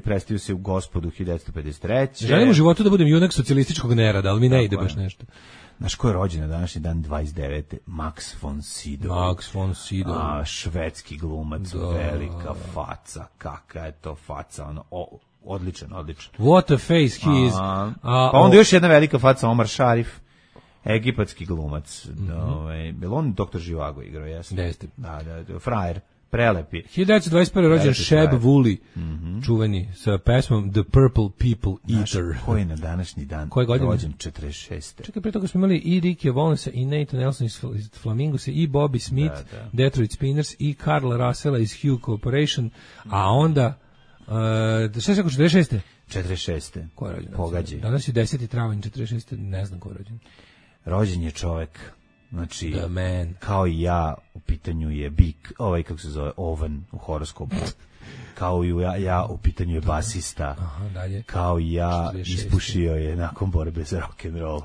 predstavio se u Gospodu 1953. Želim u životu da budem junak socijalističkog socijalističkog nerada, ali mi ne ide baš nešto. Znaš ko je rođen na današnji dan 29. Max von Sydow. Max von Sydow. Švedski glumac, velika faca, kakva je to faca, ono, odličan. What a face he is. Pa onda još jedna velika faca, Omar Sharif, egipatski glumac. Bilo on Doktor Živago igrao, jesam? Jeste. Da, frajer. Prelepi. 1921. rođen Sheb Woolley, čuveni, sa pesmom The Purple People Eater. Znaš, ko je na današnji dan rođen 46. Čekaj, pre toga smo imali i Ricky Valnesa i Nathan Nelson iz Flamingosa i Bobby Smith, Detroit Spinners i Carla Russella iz Hugh Corporation, a onda, šta se rekao, 46. 46. Ko je rođen? Pogađaj. Danas je 10. travanj 46. Ne znam ko je rođen. Rođen je čovek, znači, The man. kao i ja, u pitanju je bik, kako se zove, oven u horoskopu. Kao i ja, u pitanju je basista. Aha, dalje. Kao i ja, 46. ispušio je nakon borbe za rock'n'roll.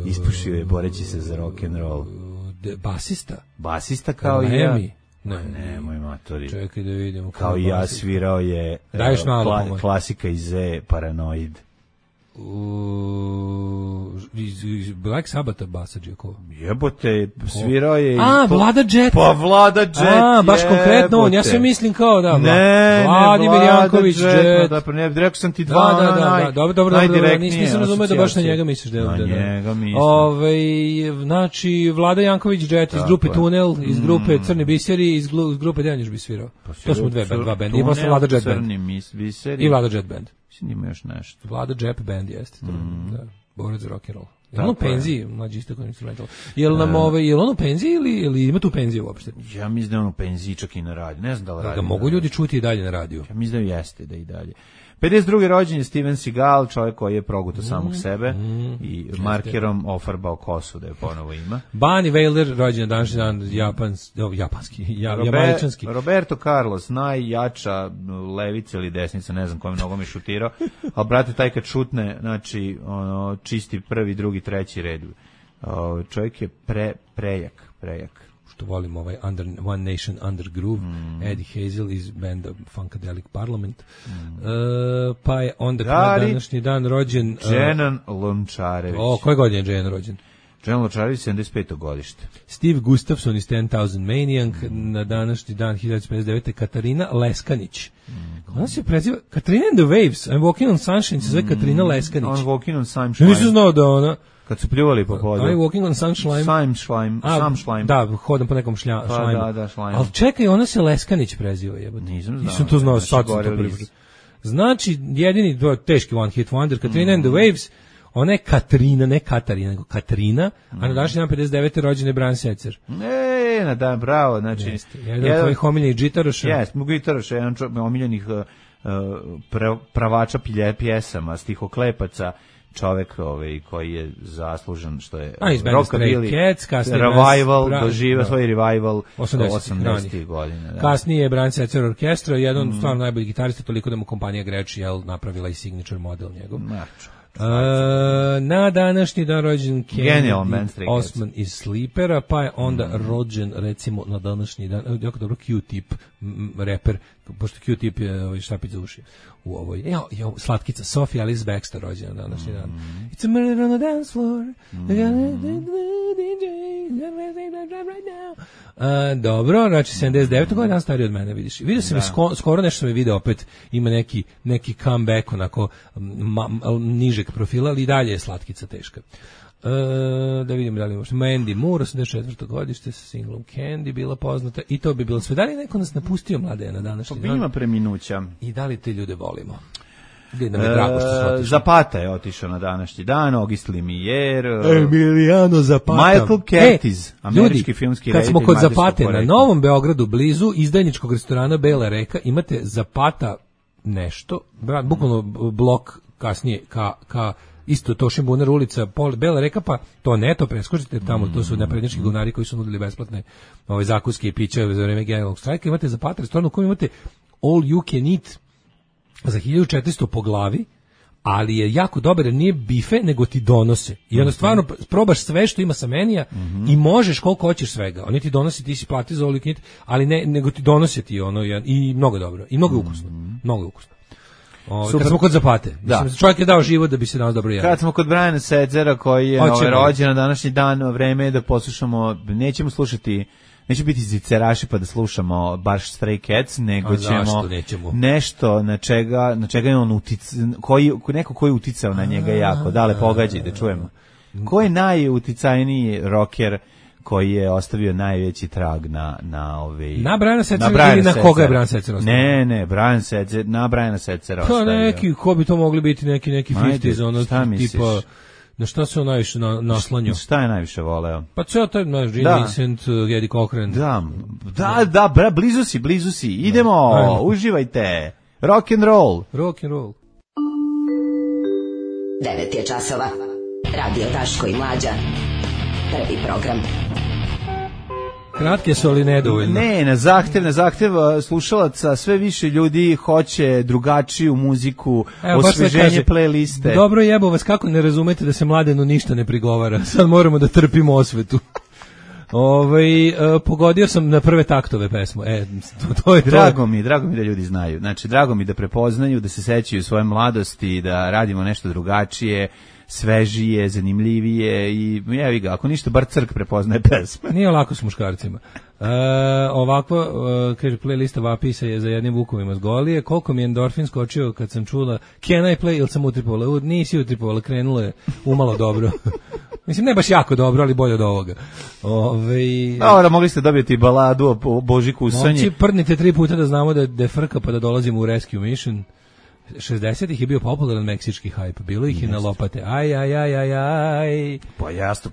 Ispušio je boreći se za rock'n'roll. Basista? Basista kao i ja. Nemoj matori. Čekaj da vidimo. Kao i ja svirao je klasika iz Z, Paranoid. Iz Black Sabbatha basađe ko? Jebote, svirao je... Vlada Jet! Pa Vlada Jet, baš konkretno on, ja sve mislim kao da... Vladimir Janković Jet. Rekao sam ti dva, dobro, nisam razumio da baš na njega misliš. Na njega mislim. Znači, Vlada Janković Jet iz grupe Tunel, iz grupe Crni biseri, iz grupe Dejan još bi svirao. To smo dva benda, i posle Vlada Jet band. I Vlada Jet band. Ima još nešto. Vlada Jet band jeste. Da, borac za rock'n'roll. Je on u penziji, mlađi isto kao instrumental. Je li on u penziji ili ima tu penziju uopšte? Ja mislim da je on u penziji čak i na radiju. Ne znam da li radi. Da mogu ljudi čuti i dalje na radiju. Ja mislim da jeste da i dalje. 52. rođen je Steven Seagal, čovjek koji je progutao samog sebe i markerom ofarbao kosu da je ponovo ima. Bunny Wailer, rođen današnji dan, jamaičanski. Roberto Carlos, najjača levica ili desnica, ne znam kojim nogom je šutirao, ali brate, taj kad šutne, znači, čisti prvi, drugi, treći red. Čovjek je prejak. Što volim One Nation Under Groove, Eddie Hazel iz benda Funkadelic Parliament. Pa je onda današnji dan rođen... Dženan Lončarević. Koje godine je Dženan rođen? Dženan Lončarević, 75. godište. Steve Gustafson iz 10,000 Maniac, na današnji dan 1959. Katarina Leskanić. Ona se preziva Katarina and the Waves, I'm Walking on Sunshine, se zove Katarina Leskanić. I'm Walking on Sunshine. Nisam znao da ona... Kad su pljuvali po podu. I'm walking on sunshine. Sam šlajm. Da, hodam po nekom šlajmu. Da, šlajm. Ali čekaj, ona se Leskanić preziva, jebote. Nisam to znao, sad sam to prvi. Znači, jedini teški one hit wonder, Katrina and the Waves, ona je Katrina, ne Katarina, nego Katrina, a na današnji dan 59. rođen je Bran Setzer. Na dan, bravo, znači... Jedan od tvojih omiljenih džitaroša. Jes, gitaroša, jedan omiljenih pravača pjesama, stihoklepaca, čovek koji je zaslužen što je rockabilly revival, doživio svoj revival 80-ih godina. Kasnije je Bran Setzer orkestra, jedan od stvarno najboljih gitarista, toliko da mu kompanija Gretsch napravila i signature model njegov. Na današnji dan rođen Kennedy Osman iz Sleepera, pa je onda rođen, recimo, na današnji dan, jako dobro, Q-Tip, reper, pošto Q-Tip je štapić za uši u ovoj, slatkica Sophie Alice Baxter rođena na današnji dan. It's a murder on the dance floor. Dobro, znači 79. godina stariji od mene, vidiš. Vidio sam skoro nešto sam je video, opet ima neki comeback onako nižeg profila, ali i dalje je slatkica teška. Da vidimo da li možemo. Mandy Moore, 84. godište, sa singlom Candy bila poznata i to bi bilo sve. Da li neko nas napustio, mlade, na današnji dan? Ima preminuća. I da li te ljude volimo? Da mi je drago što su otišli. Zapata je otišao na današnji dan, Auguste Lumière, Emiliano Zapata. Michael Curtiz, američki filmski reditelj. Kad smo kod Zapate, na Novom Beogradu, blizu izdajničkog restorana Bela Reka, imate Zapata nešto, bukvalno blok kasnije ka isto Tošin Bunar ulica, Bela Reka, pa to neto preskočite tamo, to su naprednjački govnari koji su nudili besplatne zakuske i piće za vreme generalnog štrajka. Imate Zapata restoran u kojem imate all you can eat za 1400 po glavi, ali je jako dobar jer nije bife, nego ti donose. I onda stvarno probaš sve što ima sa menija i možeš koliko hoćeš svega. Oni ti donosi, ti si plati za all you can eat, ali ne, nego ti donose ti ono i mnogo dobro. I mnogo ukusno. Mnogo ukusno. Kad smo kod Zapate. Mislim, čovjek je dao život da bi se danas dobro jeli. Kad smo kod Briana Setzera koji je rođen na današnji dan, vreme je da poslušamo, nećemo slušati, neće biti ziceraši pa da slušamo baš Stray Cats, nego ćemo nešto na čega je on neko koji je uticao na njega jako. Dale, pogađaj da čujemo. Ko je najuticajniji rocker koji je ostavio najveći trag na Briana Setzera ili na koga je Brian Setzer ostavio? Ne, Brian Setzer, na Briana Setzera ostavio. Pa neki, ko bi to mogli biti, neki 50s, ono tipa, na šta se on najviše naslanjao? Šta je najviše voleo? Pa ceo taj, Gene Vincent, Eddie Cochran. Da, blizu si, idemo, uživajte, rock and roll. 9 je časova, Radio Daško i Mlađa. Prvi program. Kratke su, ali nedovoljno. Ne, na zahtev slušalaca sve više ljudi hoće drugačiju muziku, osveženje playliste. Dobro jebo vas, kako ne razumete da se Mladenu ništa ne prigovara. Sad moramo da trpimo osvetu. Pogodio sam na prve taktove pesmu. To je drago mi da ljudi znaju. Znači, drago mi da prepoznaju, da se sećaju svoje mladosti, da radimo nešto drugačije, svežije, zanimljivije i jevi ga, ako ništa, bar crk prepoznaje pesme. Nije lako s muškarcima. Ovako, kaže, playlista vapi se je za jednim vukovima s Golije. Koliko mi je endorfin skočio kad sam čula Can I Play, ili sam utripovala? Nisi utripovala, krenulo je umalo dobro. Mislim, ne baš jako dobro, ali bolje od ovoga. Dobro, mogli ste dobiti baladu o Božiku u Sanji. Momci, prdnite 3 puta da znamo da je frka pa da dolazimo u Rescue Mission. 60-ih je bio popularan meksički hajp, bilo ih i na lopate. Aj. Pa jasno,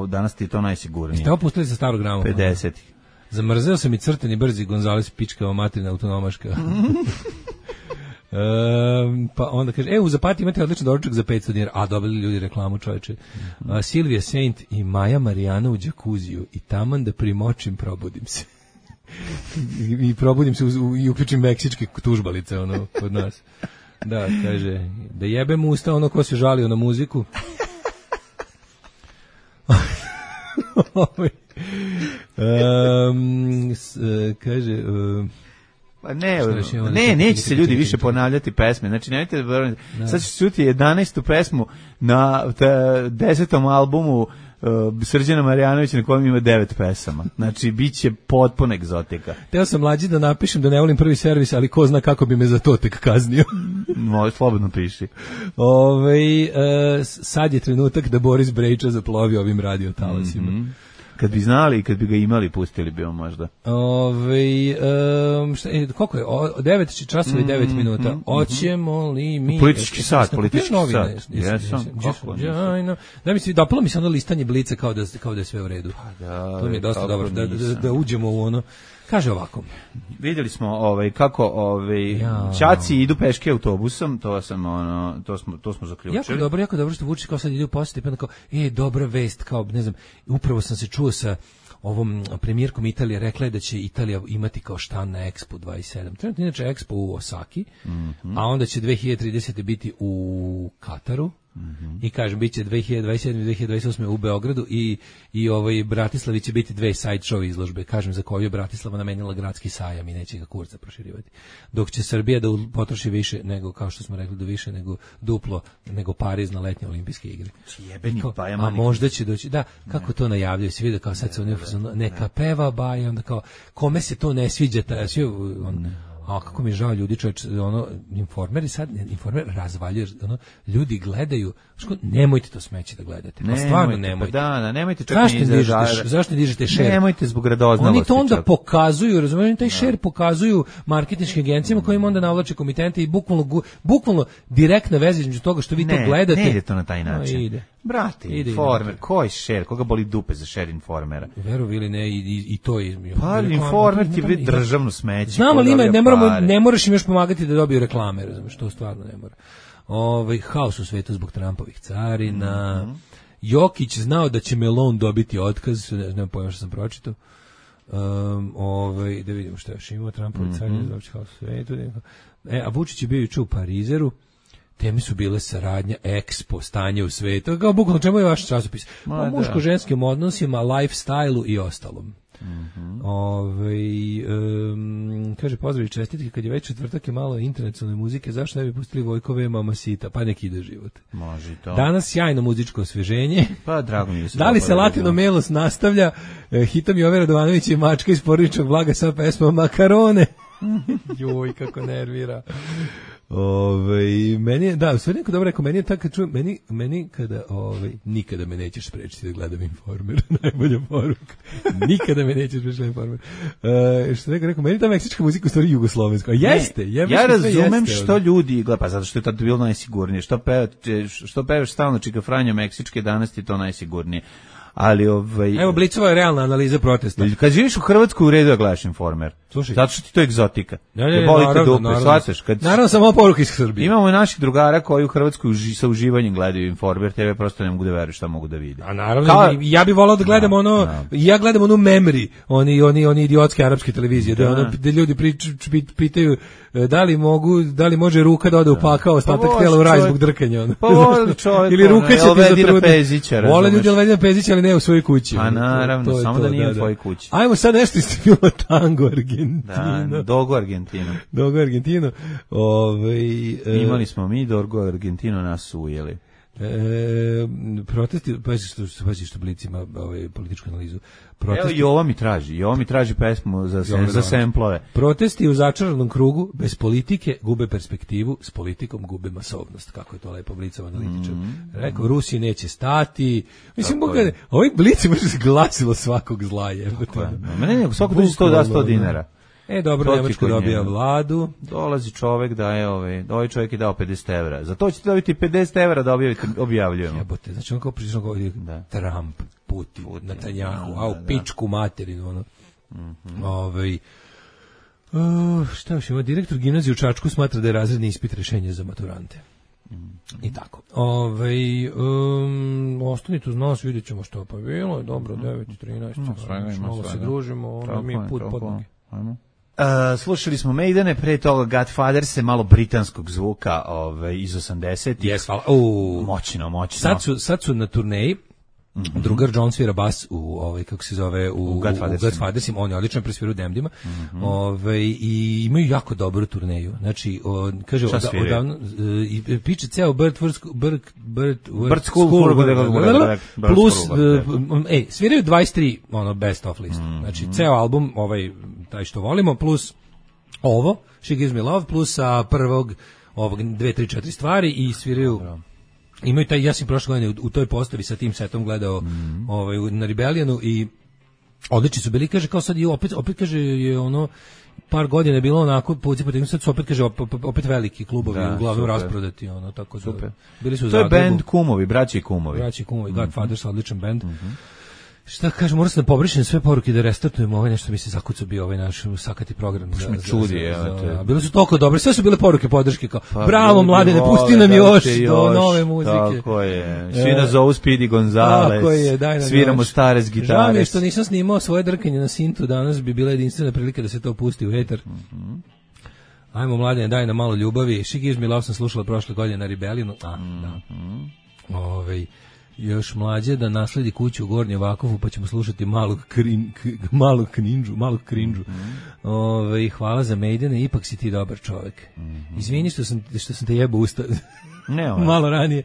danas ti je to najsigurnije. Ste opustili sa starog grama? 50-ih. Zamrzeo sam i crteni brzi Gonzales pičkava materina autonomaška. Pa onda kaže, u Zapati imate odličan doručak za 500 dinara. A, dobili ljudi reklamu, čoveče. Silvija Saint i Maja Marijana u džakuziju i taman da primočim, probudim se. I probudim se i uključim meksičke tužbalice kod nas. Da, kaže, da jebem usta ono ko se žalio na muziku. Kaže... neće se ljudi više ponavljati pesme. Znači, nemojte sad ću čuti 11. pesmu na 10. albumu Srđana Marjanovića na kojem ima 9 pesama. Znači, bit će potpuno egzotika. Teo sam mlađi da napišem da ne volim prvi servis, ali ko zna kako bi me za to tek kaznio. Slobodno piši. Sad je trenutak da Boris Brejča zaplovi ovim radiotalasima. Kad bi znali i kad bi ga imali, pustili bi on možda. Koliko je? 9 časova i 9 minuta. Oćemo li mi... Politički sat. Jesam. Da mi se dopalo mi se ono listanje Blica kao da je sve u redu. To mi je dosta dobro. Da uđemo u ono... Kaže ovako. Vidjeli smo kako ćaci idu peške autobusom, to smo zaključili. Jako dobro što Vučić kao sad ide u posjet, pa kao dobra vest, kao ne znam, upravo sam se čuo sa ovom premijerkom Italije, rekla je da će Italija imati kao štan na Expo 27. Trenutno inače Expo u Osaki, a onda će 2030. biti u Kataru. I kažem, bit će 2027. i 2028. u Beogradu i Bratislavi će biti 2 side show izložbe. Kažem, za koju je Bratislava namenila gradski sajam i neće ga kurca proširivati. Dok će Srbija da potroši više nego, kao što smo rekli, više nego duplo, nego Pariz na letnje olimpijske igre. A možda će doći, da, kako to najavljaju, se vidi kao sad se neka peva Baja, onda kao, kome se to ne sviđa, a kako mi je žao ljudi, čovječ, informeri razvaljuju, ljudi gledaju, nemojte to smeće da gledate, pa stvarno nemojte. Da, nemojte čak ni izražavati. Zašto ne dižete share? Nemojte zbog radoznalosti. Oni to onda pokazuju, razumijete, taj share pokazuju marketinškim agencijama koji im onda navlače komitente i bukvalno direktna veza između toga što vi to gledate. Ne ide to na taj način. Ide. Brate, Informer, koji share, koga boli dupe za share Informera? Verovi ili ne, i to je... Pa Informer ti je državno smeće. Znam, ali ne moraš im još pomagati da dobiju reklame, razumiješ, to stvarno ne mora. Haos u svetu zbog Trumpovih carina. Jokić znao da će Melon dobiti otkaz, ne znam pojma što sam pročitao. Da vidimo što još imao, Trumpovi carine, znači haos u svetu. A Vučić je bio juče u Parizeru. Teme su bile saradnja, Expo, stanje u svetu. Kao bukvalno, čemu je vaš časopis? O muško-ženskim odnosima, lifestyle-u i ostalom. Kaže, pozdrav i čestitke, kad je već četvrtak je malo internacionalne muzike, zašto ne bi pustili Vojkove Mamacita, pa nek ide život. Može i to. Danas sjajno muzičko osveženje. Pa drago mi je. Da li se Latino Melos nastavlja? Hitam Jove Radovanović i Mačka iz porodičnog blaga sa pesmom Makarone. Joj, kako nervira. Meni je, da, sve neko dobro rekao, meni je tako, meni kada, nikada me nećeš sprečiti da gledam Informer, najbolja poruka. Nikada me nećeš sprečiti da gledam Informer. Što rekao, meni ta meksička muzika u stvari jugoslovenska. Jeste, ja razumem što ljudi gleda, pa zato što je tad bilo najsigurnije. Što pevaš stalno Čika Franjo meksičke, danas ti to najsigurnije. Ali Evo, Blicova je realna analiza protesta. Kad živiš u Hrvatskoj, u redu da gledaš Informer. Slušaj. Zato što ti to je egzotika. Naravno, samo poruke iz Srbije. Imamo i naših drugara koji u Hrvatskoj sa uživanjem gledaju Informer TV, prosto ne mogu da veruju šta mogu da vide. A naravno, ja bih volao da gledam ja gledam onu Memory, oni idiotske arapske televizije, da ljudi pitaju da li može ruka da ode u pakao, ostatak tela u raj zbog drkanja. Pa voli čovjek, ili ruka će ti zatruditi. Vole ljudi Elvedina Pezića, ali ne u svojoj kući. A naravno, samo da nije u tvojoj kući. Ajmo sad nešto isto tango Argentino. Da, Dogo Argentino. Dogo Argentino. Imali smo mi Dogo Argentino, nas su ujeli. Protesti, pazi što Blic ima političku analizu. Evo i ovo mi traži pesmu za semplove. Protesti u začaranom krugu, bez politike gube perspektivu, s politikom gube masovnost, kako je to lepo Blicov analitičar. Rekao, Rusiji neće stati. Mislim, ovaj Blic može se glasilo svakog zla. Mene svako dođe 100 dinara. Dobro, Nemačka dobija vladu. Dolazi čovek daje ovaj čovjek je dao 50 evra. Za to ćete dobiti 50 evra da objavljujemo. Jebote, znači on kao prišao govori Trump, Putin, Netanjahu, u pičku materinu, šta još ima? Direktor gimnazije u Čačku smatra da je razredni ispit rešenje za maturante. I tako. Ostanite uz nas, vidjet ćemo što pa bilo. Dobro, 9:13. Malo se družimo, mi put pod noge. Slušali smo Maidene, pre toga Godfather se malo britanskog zvuka iz 80-ih. Moćno. Sad su na turneji. Drugar John svira bas u kako se zove u Godfathersima, on je odličan presvira u Demdima. I imaju jako dobru turneju. Znači kaže odavno piče ceo Bird School plus sviraju 23 best of list. Znači ceo album taj što volimo plus ovo She Gives Me Love plus sa prvog 2, 3, 4 stvari i sviraju. Imaju taj, ja sam prošle godine u toj postavi sa tim setom gledao na Rebellionu i odlični su bili, kaže kao sad i opet kaže je par godina je bilo onako sad su opet kaže opet veliki klubovi uglavnom rasprodati tako da bili su u Zagrebu. To je band Kumovi, braći Kumovi. Godfathers, odličan band. Šta kažem, moram se da pobrišem sve poruke da restartujemo nešto mi se zakucao bio naš sakati program. Bile su toliko dobre, sve su bile poruke podrške kao bravo mladene, pusti nam još do nove muzike. Tako je, svi nas zovu Speedy Gonzales, sviramo stare s gitare. Žao mi je što nisam snimao svoje drkanje na sintu, danas bi bila jedinstvena prilika da se to pusti u etar. Ajmo mladene, daj nam malo ljubavi. She Gives Me Love sam slušala prošle godine na Rebellionu. Još mlađe da nasledi kuću u Gornjem Vakovu, pa ćemo slušati malog krinđu. Hvala za Maidene, ipak si ti dobar čovjek. Izvini što sam te jebao usta. Malo ranije.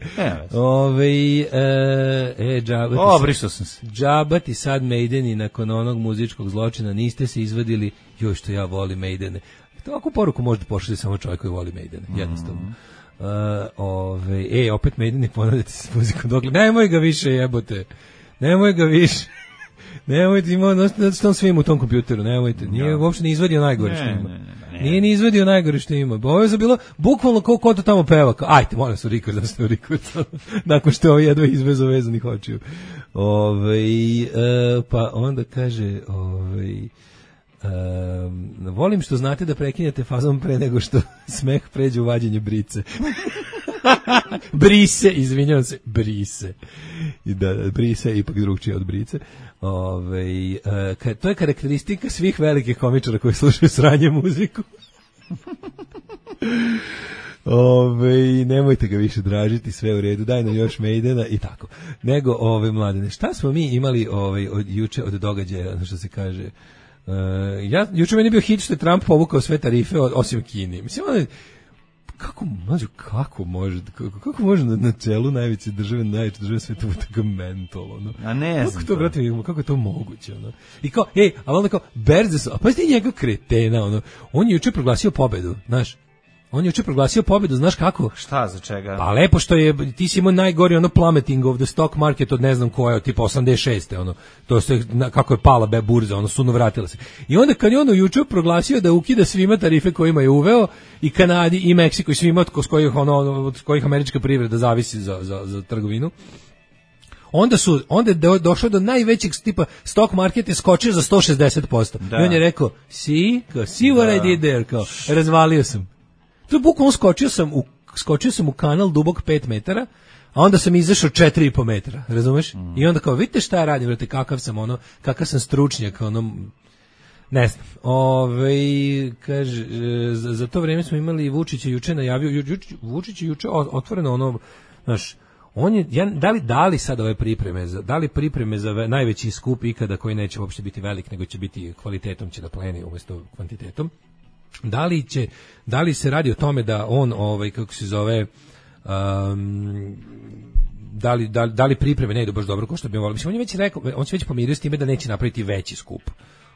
Džaba ti sad Maideni nakon onog muzičkog zločina niste se izvadili, joj što ja volim Maidene. Ovakvu poruku možda pošalje samo čovjek koji voli Maidene, jednostavno. Opet Maideni ponavljati se s muzikom dokle. Nemoj ga više jebote. Nemojte, ima on svim u tom kompjuteru, nemojte. Nije uopšte ni izvadio najgore što ima. Nije ni izvadio najgore što ima. Ovo je bilo bukvalno kao ko to tamo peva. Ajte, moram se u rekord. Nakon što je ovo jedva izvezo vezanih očiju. Pa onda kaže... volim što znate da prekinete fazom pre nego što smeh pređe u vađenje brice. Brise, izvinjavam se, brise. Brise je ipak drugčije od brice. To je karakteristika svih velikih komičara koji slušaju sranje muziku. Nemojte ga više dražiti, sve u redu, daj nam još Maidena i tako. Nego, mladene, šta smo mi imali od juče od događaja, što se kaže, juče meni je bio hit što je Trump povukao sve tarife osim Kini. Mislim, kako može na čelu najveće države sveta bude tako mentol, ono. A ne znam. Kako je to moguće, ono. I kao, a onda kao, berze su, a pa ste njega kretena, ono. On je juče proglasio pobedu, znaš. Znaš kako? Šta, za čega? Pa lepo što je, ti si imao najgori ono plummeting of the stock market od ne znam koja, od tipa 86. ono, to se, kako je pala burza, ono, suno vratila se. I onda kad je ono juče proglasio da ukida svima tarife kojima je uveo, i Kanadi, i Meksiku, i svima od kojih američka privreda zavisi za trgovinu, onda je došlo do najvećeg tipa stock market je skočio za 160%. Da. I on je rekao, see what I did there, kao, razvalio sam. To je bukvalno skočio sam u kanal dubok 5 metara, a onda sam izašao 4,5 metra, razumeš? I onda kao, vidite šta ja radim, vrate, kakav sam stručnjak, ono, ne znam. Kaže, za to vrijeme smo imali Vučića juče najavio, Vučić je juče otvoreno ono, znaš, on je, da li sad ove pripreme za najveći skup ikada koji neće uopšte biti velik, nego će biti kvalitetom će da pleni umjesto kvantitetom. Da li se radi o tome da on, kako se zove, da li pripreme ne idu baš dobro kao što bi volio. Mislim, on je već rekao, on se već pomirio s time da neće napraviti veći skup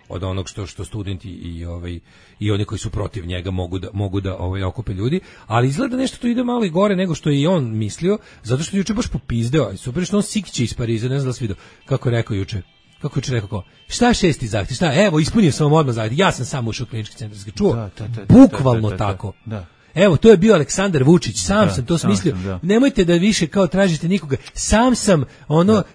od onog što studenti i oni koji su protiv njega mogu da okupe ljudi, ali izgleda nešto to ide malo i gore nego što je i on mislio, zato što je juče baš popizdeo, super što on sikće iz Pariza, ne znam da li si vidio kako je rekao juče. Kako je rekao, šta 6. zahtjev, šta, evo, ispunio sam vam odmah zahtjev, ja sam samo ušao u klinički centar, čuo, bukvalno tako. Da. Evo, to je bio Aleksandar Vučić, sam sam to smislio, nemojte da više kao tražite nikoga, sam sam,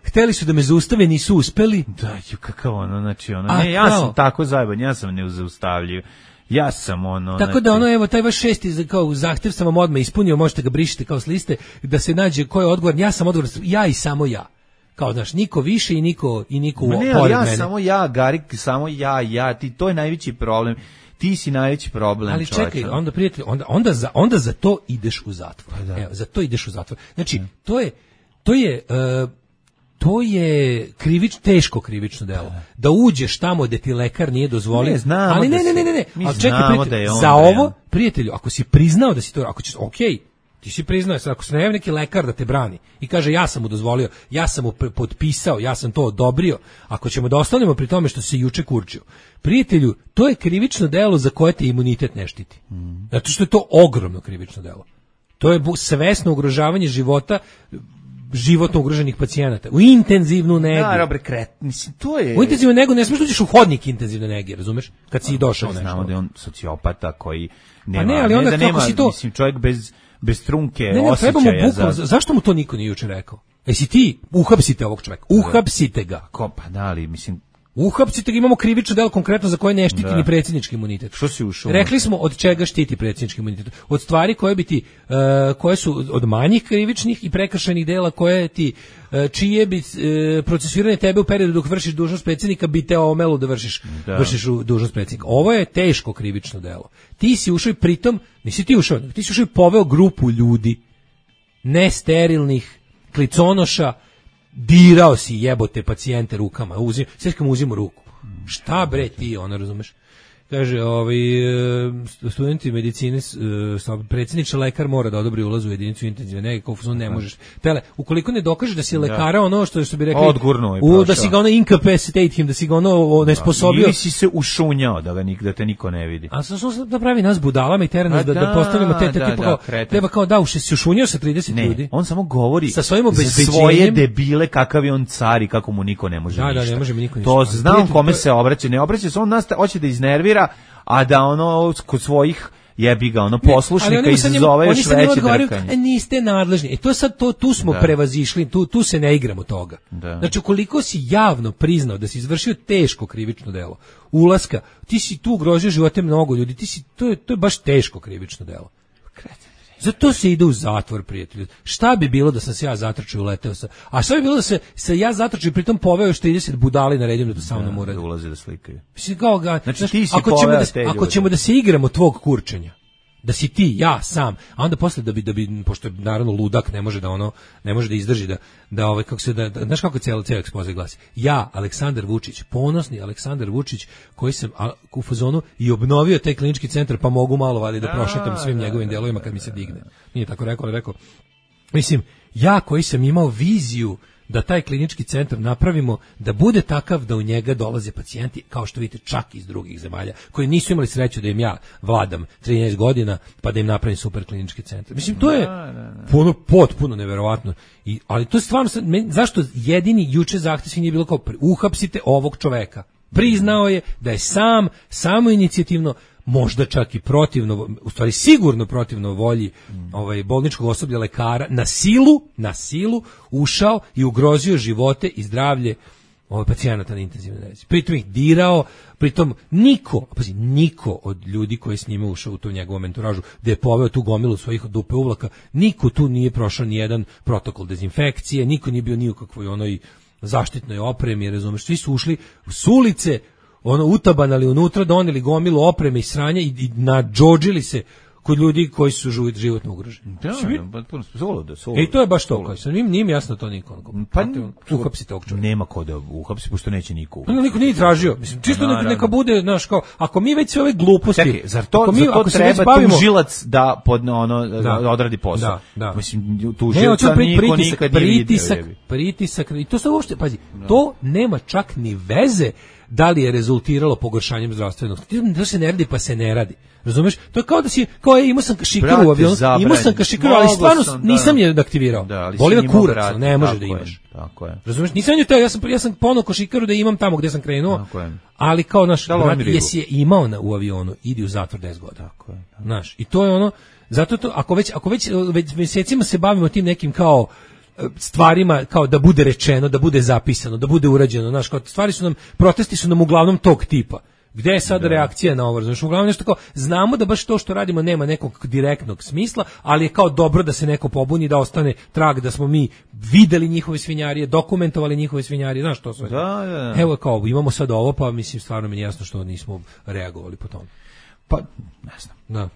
hteli su da me zaustave, nisu uspeli. Da, kakav znači, ja sam tako zajeban, ja sam nezaustavljiv. Ja sam tako da evo taj vaš 6. kao zahtjev sam vam odmah ispunio, možete ga brišiti kao s liste, da se nađe ko je odgovor, ja sam odgovor, ja i samo ja. Kao, znaš, niko više i niko pored mene. Samo ja, Garik, samo ja, ti, to je najveći problem. Ti si najveći problem, ali čovječe. Čekaj, onda prijatelj, onda za to ideš u zatvor. Pa da. Evo, za to ideš u zatvor. Znači, to je teško krivično delo. Da uđeš tamo gde ti lekar nije dozvolio. Ali ne. Ali čekaj, prijatelj, za ovo, prijatelju, ako si priznao da si to, ako ćeš, okej, ti si priznao, ako se ne javi neki lekar da te brani i kaže ja sam mu dozvolio, ja sam mu potpisao, ja sam to odobrio, ako ćemo da ostanemo pri tome što se juče kurčio, prijatelju, to je krivično delo za koje te imunitet ne štiti. Zato što je to ogromno krivično delo. To je svesno ugrožavanje životno ugroženih pacijenata. U intenzivnu negu. Mislim, to je... U intenzivnu negu ne smiješ da uđeš u hodnik intenzivne nege, razumeš? Kad si došao nešto. Znamo da je on sociopata koji nema... Ali onda kako si to... Mislim, čovjek bez trunke osjećaja. Zašto mu to niko nije juče rekao? Jesi ti, uhapsite ovog čovjeka, uhapsite ga. Pa da, ali mislim... Uhapsite ga, imamo krivično delo konkretno za koje ne štiti ni predsjednički imunitet. Što si ušao? Rekli smo od čega štiti predsjednički imunitet. Od stvari koje su od manjih krivičnih i prekršajnih dela koje ti, čije bi procesuiranje tebe u periodu dok vršiš dužnost predsjednika bi te omelo da vršiš dužnost predsjednika. Ovo je teško krivično delo. Ti si ušao i pritom, nisi ti ušao, ti si ušao i poveo grupu ljudi, nesterilnih, kliconoša, dirao si jebote pacijente rukama, sve mu uzimo ruku. Šta bre ti, razumeš? Kaže, studenti medicine, predsjedniče lekar mora da odobri ulaz u jedinicu intenzivne nege, kao ne možeš. Ukoliko ne dokažeš da si lekara, što bi rekli, da si ga incapacitate him, da si ga nesposobio. Ili si se ušunjao da te niko ne vidi. A što da pravi nas budalama i tera nas da postavimo te tipa treba kao da se ušunjao sa 30 ljudi. On samo govori sa svojim obezbeđenjem, svoje debile kakav je on car i kako mu niko ne može ništa. Da, ne može mi niko ništa. To znam kome se obraća, ne obraća se, on nas hoće da iznervira, a da kod svojih jebi ga poslušnika izazove još veće drkanje. Niste nadležni. To sad tu smo prevazišli, tu se ne igramo toga. Znači ukoliko si javno priznao da si izvršio teško krivično delo ulaska, ti si tu ugrozio živote mnogo ljudi, to je baš teško krivično delo. Zato se ide u zatvor, prijatelju. Šta bi bilo da sam se ja zatrčao i uleteo sa... A šta bi bilo da se ja zatrčao i pritom poveo još 30 budali naredio da to sa mnom uradi? Da ulaze da slikaju. Mislim, znači, ti si ako ćemo da se igramo tvog kurčenja, Da si ti, ja, sam, a onda posle da bi pošto je naravno ludak ne može da izdrži da kako se da znaš kako ceo ekspoze glasi. Ja, Aleksandar Vučić, ponosni Aleksandar Vučić koji sam u fazonu i obnovio taj klinički centar, pa mogu malo vali da prošetam svim njegovim delovima kad mi se digne. Nije tako rekao, ali rekao mislim, ja koji sam imao viziju da taj klinički centar napravimo da bude takav da u njega dolaze pacijenti, kao što vidite, čak iz drugih zemalja, koji nisu imali sreću da im ja vladam 13 godina, pa da im napravim super klinički centar. Mislim, to je potpuno neverovatno. Ali to je stvarno, zašto jedini juče zahtev svi nije bilo kao uhapsite ovog čoveka? Priznao je da je samoinicijativno, možda čak i protivno, u stvari sigurno protivno volji bolničkog osoblja, lekara, na silu ušao i ugrozio živote i zdravlje pacijenata na intenzivnoj nezi. Pritom ih dirao, pritom niko od ljudi koji je s njime ušao u tu njegovu menturažu, da je poveo tu gomilu svojih dupe uvlaka, niko tu nije prošao ni jedan protokol dezinfekcije, niko nije bio ni u kakvoj onoj zaštitnoj opremi, razumeš, svi su ušli s ulice, utabanali unutra, doneli gomilu opreme i sranja i nadžodžili se kod ljudi koji su životno ugroženi. I to je baš to. Nije mi jasno to niko. Pa uhapsite ovog čovjeka. Nema ko da uhapsi, pošto neće niko uhapsiti. Niko nije tražio. Mislim, čisto neka bude, znaš, kao, ako mi već sve ove gluposti... Čekaj, zar to treba tužilac da odradi posao? Da. Mislim, tužilca niko nikad nije vidio. Pritisak, i to se uopšte, pazi, to nema čak ni veze da li je rezultiralo pogoršanjem zdravstvenog. To se ne radi, pa se ne radi. Razumeš? To je kao da si, imao sam kašikaru u avionu, ali stvarno nisam je aktivirao. Boli ga kurac, ne može da imaš. Tako je. Razumeš? Nisam je to, ja sam ponuo kašikaru da imam tamo gde sam krenuo, ali kao naš, jesi je imao u avionu, idi u zatvor 10 godina. Tako je. Znaš, i to je ono, zato to, ako već mesecima se bavimo tim nekim kao stvarima, kao da bude rečeno, da bude zapisano, da bude urađeno, znaš, kao protesti su nam uglavnom tog tipa. Gde je sad reakcija na ovo? Znači, uglavnom nešto kao, znamo da baš to što radimo nema nekog direktnog smisla, ali je kao dobro da se neko pobuni, da ostane trag, da smo mi videli njihove svinjarije, dokumentovali njihove svinjarije, znaš to sve. Da. Evo kao, imamo sad ovo, pa mislim, stvarno mi je jasno što nismo reagovali po tome. Pa, ne znam. Da.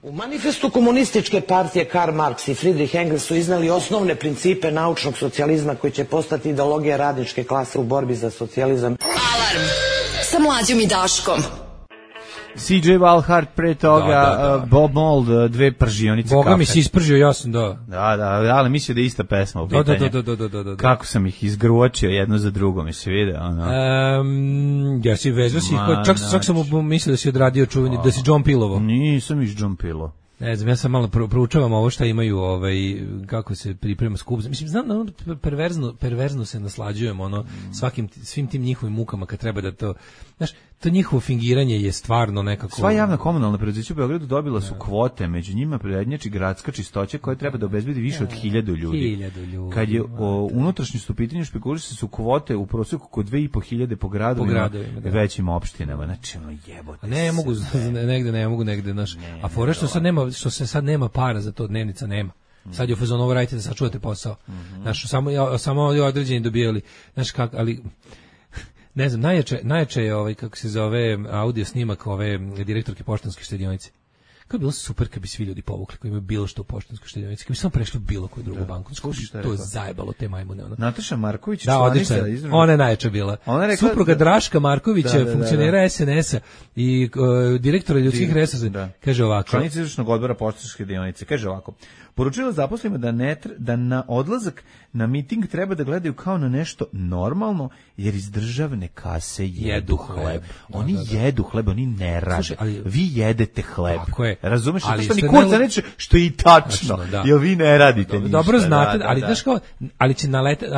U manifestu komunističke partije Karl Marx i Friedrich Engels su iznali osnovne principe naučnog socijalizma koji će postati ideologija radničke klase u borbi za socijalizam. Alarm sa Mlađom i Daškom. CJ Walhart, pre toga Bob Mould, dve pržionice kafe. Boga mi si ispržio, jasno, Da, ali mislio da je ista pesma u pitanju. Da. Kako sam ih izgruočio jedno za drugo, mi se vide, ja si vezao si, čak sam mislio da si odradio čuveni, da si John Pilovo. Nisam iz John Pilo. Ne znam, ja sam malo proučavam ovo šta imaju, kako se priprema skup. Mislim, znam da perverzno se naslađujemo, svim tim njihovim mukama kad treba da to, znaš, to njihovo fingiranje je stvarno nekako... Sva javna komunalna preduzeća u Beogradu dobila su kvote, među njima prednjači gradska čistoća koja treba da obezbedi više od 1000 ljudi. Kad je unutrašnjost u pitanju, špekuliše su kvote u prosjeku oko 2500 po gradovima, većim opštinama. Znači, jebote. Ne mogu negde, znaš. A fora što se sad nema para za to, dnevnica nema. Sad je u fazonu, ovo radite da sačuvate posao. Znaš, samo određeni dobijali. Znaš kako, ali... Ne znam, najjače je kako se zove, audio snimak ove direktorke Poštanske štedionice. Kako je bilo super kad bi svi ljudi povukli koji imaju bilo što u Poštanskoj štedionici, kad bi samo prešli bilo koju drugu banku. To je zajebalo te majmune. Nataša Marković, ona je najjača bila. Supruga Draška Markovića, funkcionera SNS-a i direktora ljudskih resursa, kaže ovako. Članica izvršnog odbora Poštanske štedionice, kaže ovako. Poručila zaposlenima da na odlazak na miting treba da gledaju kao na nešto normalno, jer iz državne kase jedu hleb. Oni jedu hleb, oni ne rade. Vi jedete hleb. Razumeš? Što ni kurca neće, što je i tačno. Jer vi ne radite ništa. Dobro znate, ali znaš kao, ali će naletati,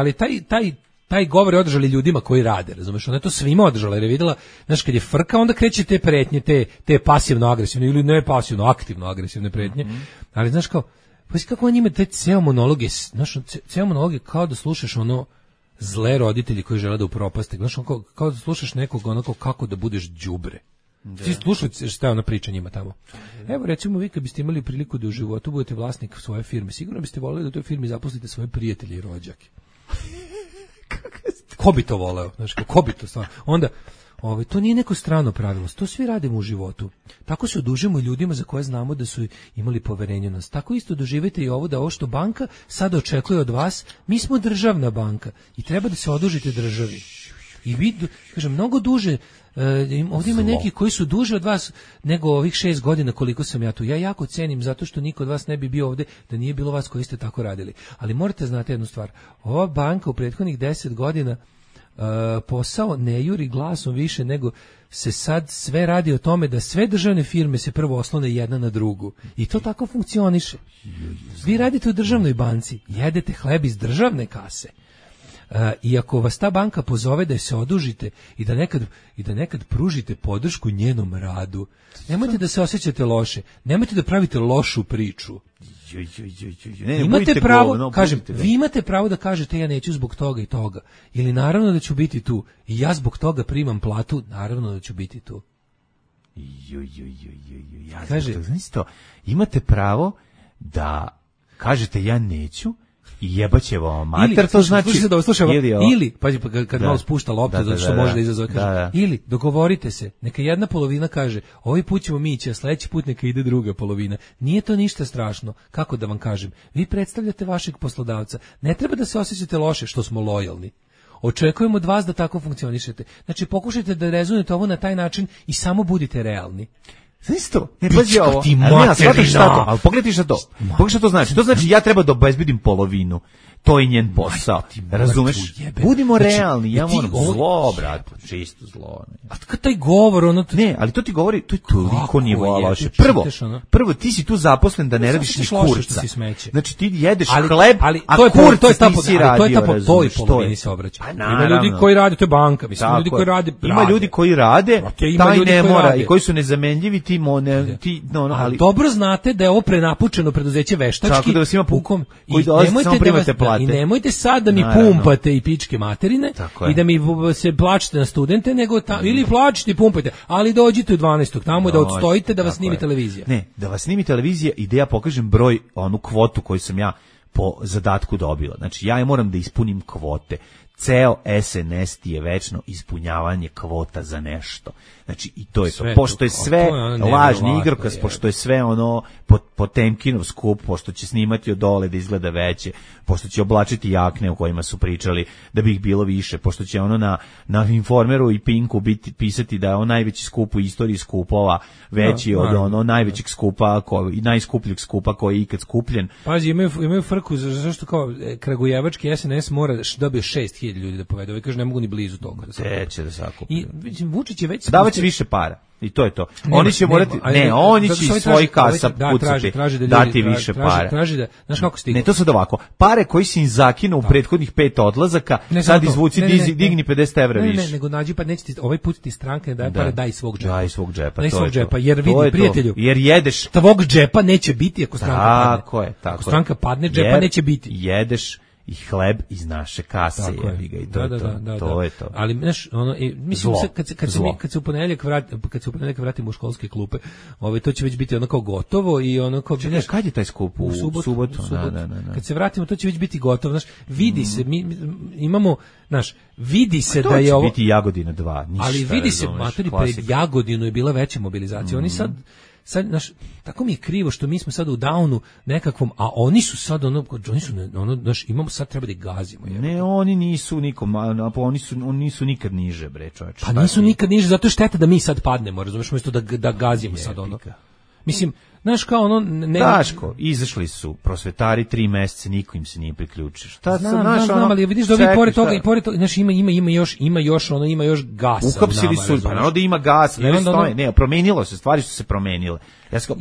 ali taj govor je održali ljudima koji rade, razumeš? Ona je to svima održala, jer je videla, znaš, kad je frka, onda kreće te pretnje, te pasivno-agresivne, ili ne pasivno, aktivno-agresivne pretnje, ali znaš kao, pa si kako on ima te ceo monologe, znaš, ceo monologe kao da slušaš zle roditelji koji žele da upropaste, znaš, kao da slušaš nekog onako kako da budeš đubre. Ti slušajte šta je ona priča njima tamo. Evo, recimo, vi kad biste imali priliku da u životu budete vlasnik svoje firme, sigurno biste voleli da u toj firmi zaposlite svoje prijatelje i rođake. Ko bi to voleo? Znaš, ko bi to stvarno? To nije neko strano pravilo, to svi radimo u životu. Tako se odužimo ljudima za koje znamo da su imali poverenje u nas. Tako isto doživite i ovo da ovo što banka sad očekuje od vas, mi smo državna banka i treba da se odužite državi. I vi, kažem, mnogo duže, ovdje ima neki koji su duže od vas nego ovih 6 godina koliko sam ja tu. Ja jako cenim zato što niko od vas ne bi bio ovdje da nije bilo vas koji ste tako radili. Ali morate znati jednu stvar, ova banka u prethodnih 10 godina posao ne juri glasom više nego se sad sve radi o tome da sve državne firme se prvo oslone jedna na drugu i to tako funkcioniše. Vi radite u državnoj banci, jedete hleb iz državne kase. I ako vas ta banka pozove da se odužite i da nekad pružite podršku njenom radu, nemojte da se osjećate loše, nemojte da pravite lošu priču. Imate pravo, kažem, vi imate pravo da kažete ja neću zbog toga i toga. Ili naravno da ću biti tu. I ja zbog toga primam platu, naravno da ću biti tu. Kaže, imate pravo da kažete ja neću i jebaće vam mater, to znači ili pazi, kad malo spušta loptu zato što može da izazove, kaže, ili dogovorite se, neka jedna polovina kaže ovaj put ćemo mi ići, a sledeći put neka ide druga polovina. Nije to ništa strašno, kako da vam kažem, vi predstavljate vašeg poslodavca, ne treba da se osjećate loše što smo lojalni. Očekujemo od vas da tako funkcionišete. Znači pokušajte da rezonujete ovo na taj način i samo budite realni. Znaš to? Ne, pazi ovo. Ali pogledaj šta to. Pogledaj šta to znači. To znači ja treba da obezbedim polovinu. To je njen posao. Razumeš? Budimo realni. Ja moram zlo, brate. Čisto zlo. A kad taj govor, ono... Ne, ali to ti govori, to je toliko nivoa loše. Prvo, ti si tu zaposlen da ne radiš ni kurca. Znači ti jedeš hleb, a kurca nisi radio. To je polovini se obraća. Ima ljudi koji rade, to je banka. Ima ljudi koji rade. Ima ljudi koji rade, taj ne mora. I koji su nezamenljivi, ali dobro znate da je ovo prenapučeno preduzeće veštački. Tako da vas ima pukom koji dolazi samo primate plate. I nemojte sad da mi pumpate i pičke materine i da mi se plačite na studente, nego ili plačite i pumpajte, ali dođite u 12. tamo da odstojite da vas snimi televizija. Ne, da vas snimi televizija i da ja pokažem broj, onu kvotu koju sam ja po zadatku dobila. Znači ja moram da ispunim kvote. Ceo SNS ti je večno ispunjavanje kvota za nešto. Znači i to je sve to. Pošto je sve lažni igrokaz, pošto je sve ono Potemkinov skup, pošto će snimati od dole da izgleda veće, pošto će oblačiti jakne o kojima su pričali da bi ih bilo više, pošto će ono na Informeru i Pinku pisati da je on najveći skup u istoriji skupova, veći od ono najvećeg skupa i najskupljeg skupa koji je ikad skupljen. Pazi, imaju frku zašto kao kragujevački SNS mora dobije 6.000 ljudi da povede. Ovaj kaže ne mogu ni blizu toga. Će da sakupi. I Vučić je već davać više para. I to je to. Oni će morati, oni će iz svojih kasa pucati, dati više para. Traži da, znaš kako stigne. Ne, to sad ovako. Pare koji si im zakinu u prethodnih 5 odlazaka, sad izvuci, digni 50 evra više. Ne, nego nađi pa neće ti, ovaj put ti stranka ne daje pare, daj svog džepa. Daj svog džepa, daj svog džepa, jer vidi prijatelju. Jer jedeš. Tvog džepa neće biti ako stranka padne. Tako je. Ako stranka padne, džepa neće biti. Jedeš i hleb iz naše kase, jebi ga, i to je to. Ali znaš, mislim kad se u ponedeljak vratimo u školske klupe, to će već biti ono kao gotovo i ono kao kad je taj skup? U subotu. Kad se vratimo to će već biti gotovo, znaš, vidi se, mi imamo, znaš, vidi se da je ovo biti Jagodina 2, ništa. Ali vidi se, materi, pred Jagodinu je bila veća mobilizacija. Oni sad, znaš, tako mi je krivo što mi smo sad u downu nekakvom, a oni su sad znaš, imamo sad treba da ih gazimo. Ne, oni nisu nikom, oni nisu nikad niže, bre, čoveče. Pa nisu nikad niže, zato je šteta da mi sad padnemo, razumeš, umjesto da gazimo sad ono. Mislim, znaš kao ono... Daško, izašli su prosvetari 3 meseca, niko im se nije priključio. Znam, ali vidiš da ovi pored toga, znaš, ima još gasa. Ukapsili su, pa naravno da ima gas, ne, promenilo se, stvari su se promenile.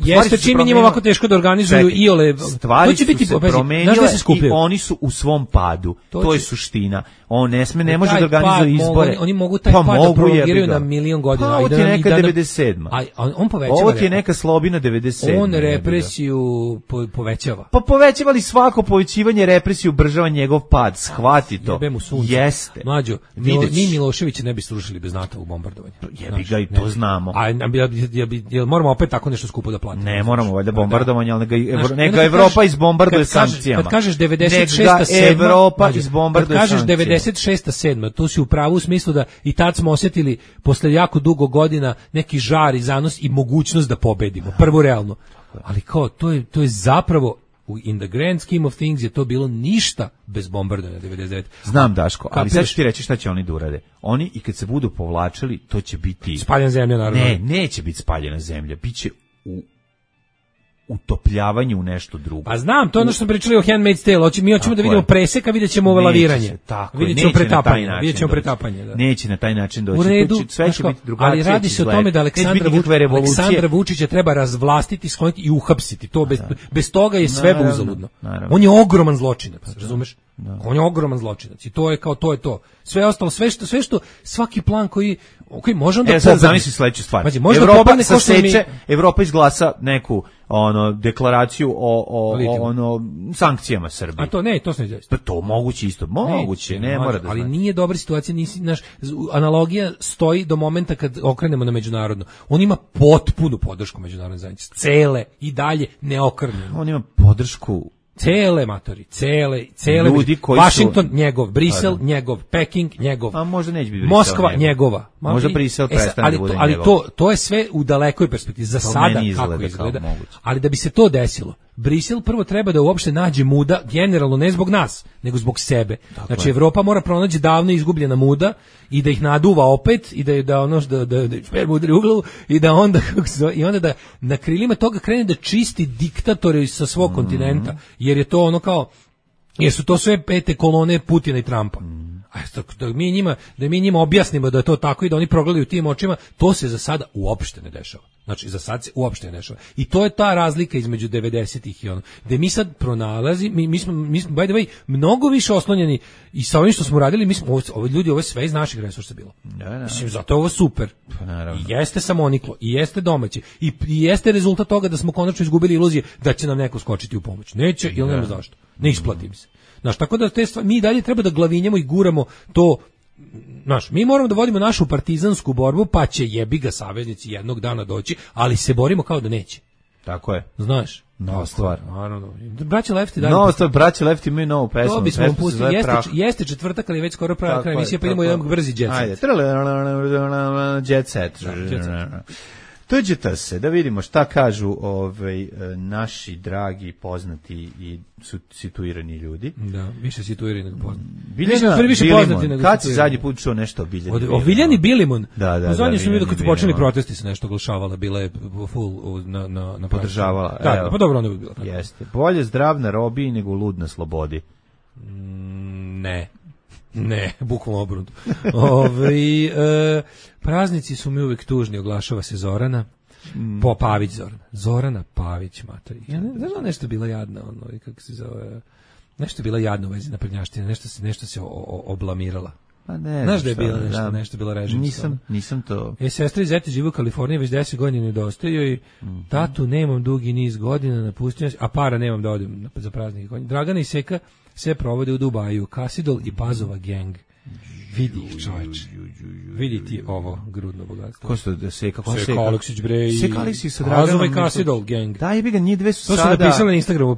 Jeste, čim je njima ovako teško da organizuju iole... Stvari su se promenile i oni su u svom padu. To je suština. On ne može da organizuje izbore. Oni mogu taj pad da prolongiraju na milion godina. Ovo ti je neka 97. On povećava. Ovo ti je neka Slobina 97. On represiju povećava. Pa povećavali svako povećivanje represiju, ubržava njegov pad, shvati to. Jeste. Mlađo, mi Miloševića ne bi srušili bez NATO-vog bombardovanja. Jebi ga i to znamo. A jel moramo opet tako nešto skupo da platimo? Ne moramo, valjda bombardovanje, ali neka Evropa izbombarduje sankcijama. Kad kažeš 96. Evropa izbombarduje sankcijama. Kad kažeš 96. 7. tu si u pravu u smislu da i tad smo osjetili posle jako dugo godina neki žar i zanos i mogućnost da pobedimo. Prvo realno. Ali kao, to je zapravo in the grand scheme of things je to bilo ništa bez bombardovanja 99. Znam, Daško, ali sad ću ti reći šta će oni da urade. Oni i kad se budu povlačili, to će biti... Spaljena zemlja, naravno. Ne, neće biti spaljena zemlja. Biće u utopljavanju u nešto drugo. Pa znam, to je ono što smo pričali o Handmaid's Tale. Mi hoćemo da vidimo presek, a vidjet ćemo ovo laviranje. Vidjet ćemo pretapanje. Neće na taj način doći. U redu, sve će biti drugačije. Ali radi se o tome da Aleksandra Vučića treba razvlastiti, skloniti i uhapsiti. To bez toga je sve uzaludno. On je ogroman zločinac, razumeš? On je ogroman zločinac i to je kao to je to. Sve ostalo, sve što svaki plan koji može onda sad zamisli sledeću stvar. Evropa izglasa neku deklaraciju o sankcijama Srbiji. A to se ne. Pa to moguće isto. Moguće, ne mora da. Ali nije dobra situacija, analogija stoji do momenta kad okrenemo na međunarodno. On ima potpunu podršku međunarodne zajednice. Cele i dalje neokrnjeno. On ima podršku cele matori, cele ljudi koji Washington njegov, Brisel njegov, Peking njegov. A možda neće biti Moskva njegova. Možda Brisel prestane da bude njegov. Ali to je sve u dalekoj perspektivi za sada kako izgleda. Ali da bi se to desilo, Brisel prvo treba da uopšte nađe muda, generalno ne zbog nas, nego zbog sebe. Znači Evropa mora pronaći davno izgubljena muda i da ih naduva opet i da ono da šper udari u glavu i da onda da na krilima toga krene da čisti diktatore sa svog kontinenta, jer je to ono kao, jer su to sve pete kolone Putina i Trumpa. Da mi njima objasnimo da je to tako i da oni progledaju tim očima, to se za sada uopšte ne dešava. Znači, za sad se uopšte ne dešava. I to je ta razlika između 90-ih i ono. Gde mi sad mi smo, by the way, mnogo više oslonjeni i sa ovim što smo radili, ovo je sve iz naših resursa bilo. Mislim, zato je ovo super. I jeste samoniklo, i jeste domaće, i jeste rezultat toga da smo konačno izgubili iluzije da će nam neko skočiti u pomoć. Neće, ili nema zašto. Ne isplati mi se. Znaš, tako da mi dalje treba da glavinjamo i guramo to. Znaš, mi moramo da vodimo našu partizansku borbu, pa će jebi ga saveznici jednog dana doći, ali se borimo kao da neće. Tako je. Znaš, nova stvar. Naravno. Braća Lefti dalje. Nova stvar, braća Lefti imaju novu pesmu. To bismo vam pustili. Jeste četvrtak, ali već skoro kraj emisije, pa idemo jedan brzi jet set. Ajde. Jet set. Tuđite se, da vidimo šta kažu naši dragi, poznati i situirani ljudi. Da, više situirani nego poznati. Bilimon, kad si zadnji put čuo nešto o Biljani Bilimon? O Biljani Bilimon? Da. Zadnji sam vidio kad su počeli protesti se nešto oglašavala, bila je full na podržavala. Da, pa dobro, onda bi bila. Jeste. Bolje zdrav na robiji nego lud na slobodi. Ne, bukvalno obrnuto. Praznici su mi uvek tužni, oglašava se Zorana. Pavić Zorana Pavić, mater. Ja ne znam, nešto bila jadna, kako se zove, nešto bila jadna u vezi naprednjaštine, nešto se oblamirala. Pa ne. Znaš da je bila nešto bila režim. Nisam to. Sestra i zeti žive u Kaliforniji, već 10 godina nedostaju i tatu nemam dugi niz godina, napustio, a para nemam da odem za praznike. Dragana i Seka sve provode u Dubaju, Kasidol i Pazova gang. Vidi ih, čoveč. Vidi ti ovo grudno bogatstvo. Ko su da Seka? Seka Aleksić, bre. Seka Aleksić sa Draganom. Pazova i Kasidol gang. Da, jebi ga, njih dve su sada. To su napisali na Instagramu,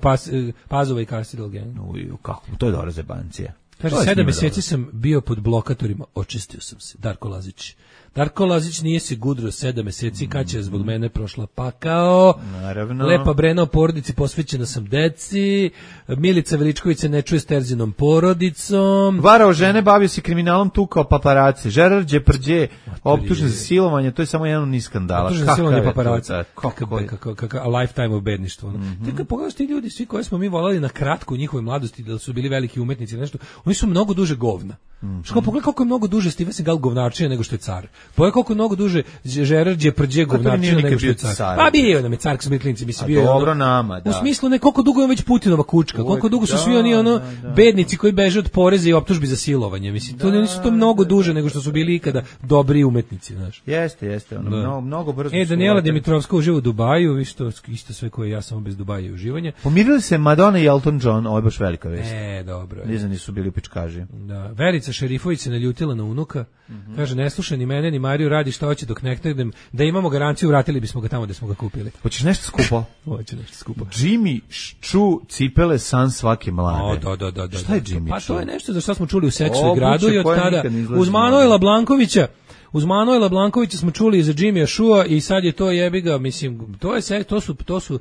Pazova i Kasidol gang. Kako? To je dobra zebancija. Kaže, 7 meseci sam bio pod blokatorima, očistio sam se. Darko Lazić nije se gudro 7 meseci, kad će zbog mene prošla pakao. Naravno. Lepa Brena o porodici, posvećena sam deci. Milica Veličković se ne čuje s Terzinom porodicom. Varao žene, bavio se kriminalom, tukao paparaci. Gerard Depardieu, optužen za silovanje, to je samo jedan niz skandala. Optužen za silovanje paparaci. A lifetime of bedništvo. Tako pogledaš ti ljudi, svi koji smo mi volali na kratko u njihovoj mladosti, da su bili veliki umetnici, nešto, oni su mnogo duže govna. Što pogledaj koliko je mnogo duže Steven Seagal govnarčina nego što je car. Pogledaj koliko je mnogo duže Gerard Depardieu govnarčina nego što je car. Pa bio nam je car Smitlinci, mislim bio. Dobro nama, da. U smislu ne koliko dugo je već Putinova kučka, koliko dugo su svi oni bednici koji beže od poreza i optužbi za silovanje, mislim. To nisu to mnogo duže nego što su bili ikada dobri umetnici, znaš. Jeste, mnogo brzo. Daniela Dimitrovska uživa u Dubaju, vi što isto sve koje ja samo bez Dubaja i uživanja. Pomirili se Madonna i Elton John, ovo je baš velika vest. Dobro. Nizani su bili u pičkaži. Da, Verica Šerifović se naljutila na unuka. Kaže, ne slušaj ni mene, ni Mariju, radi šta hoće dok ne knedem. Da imamo garanciju, vratili bismo ga tamo gde smo ga kupili. Hoćeš nešto skupo? Hoće nešto skupo. Jimmy Choo cipele san svake mlade. Da. Šta je Jimmy Choo? Pa to je nešto za što smo čuli u Seksu i gradu i od tada uz Manojla Blankovića. Uz Manojla Blankovića smo čuli za Jimmya Chua i sad je to jebiga, mislim, to su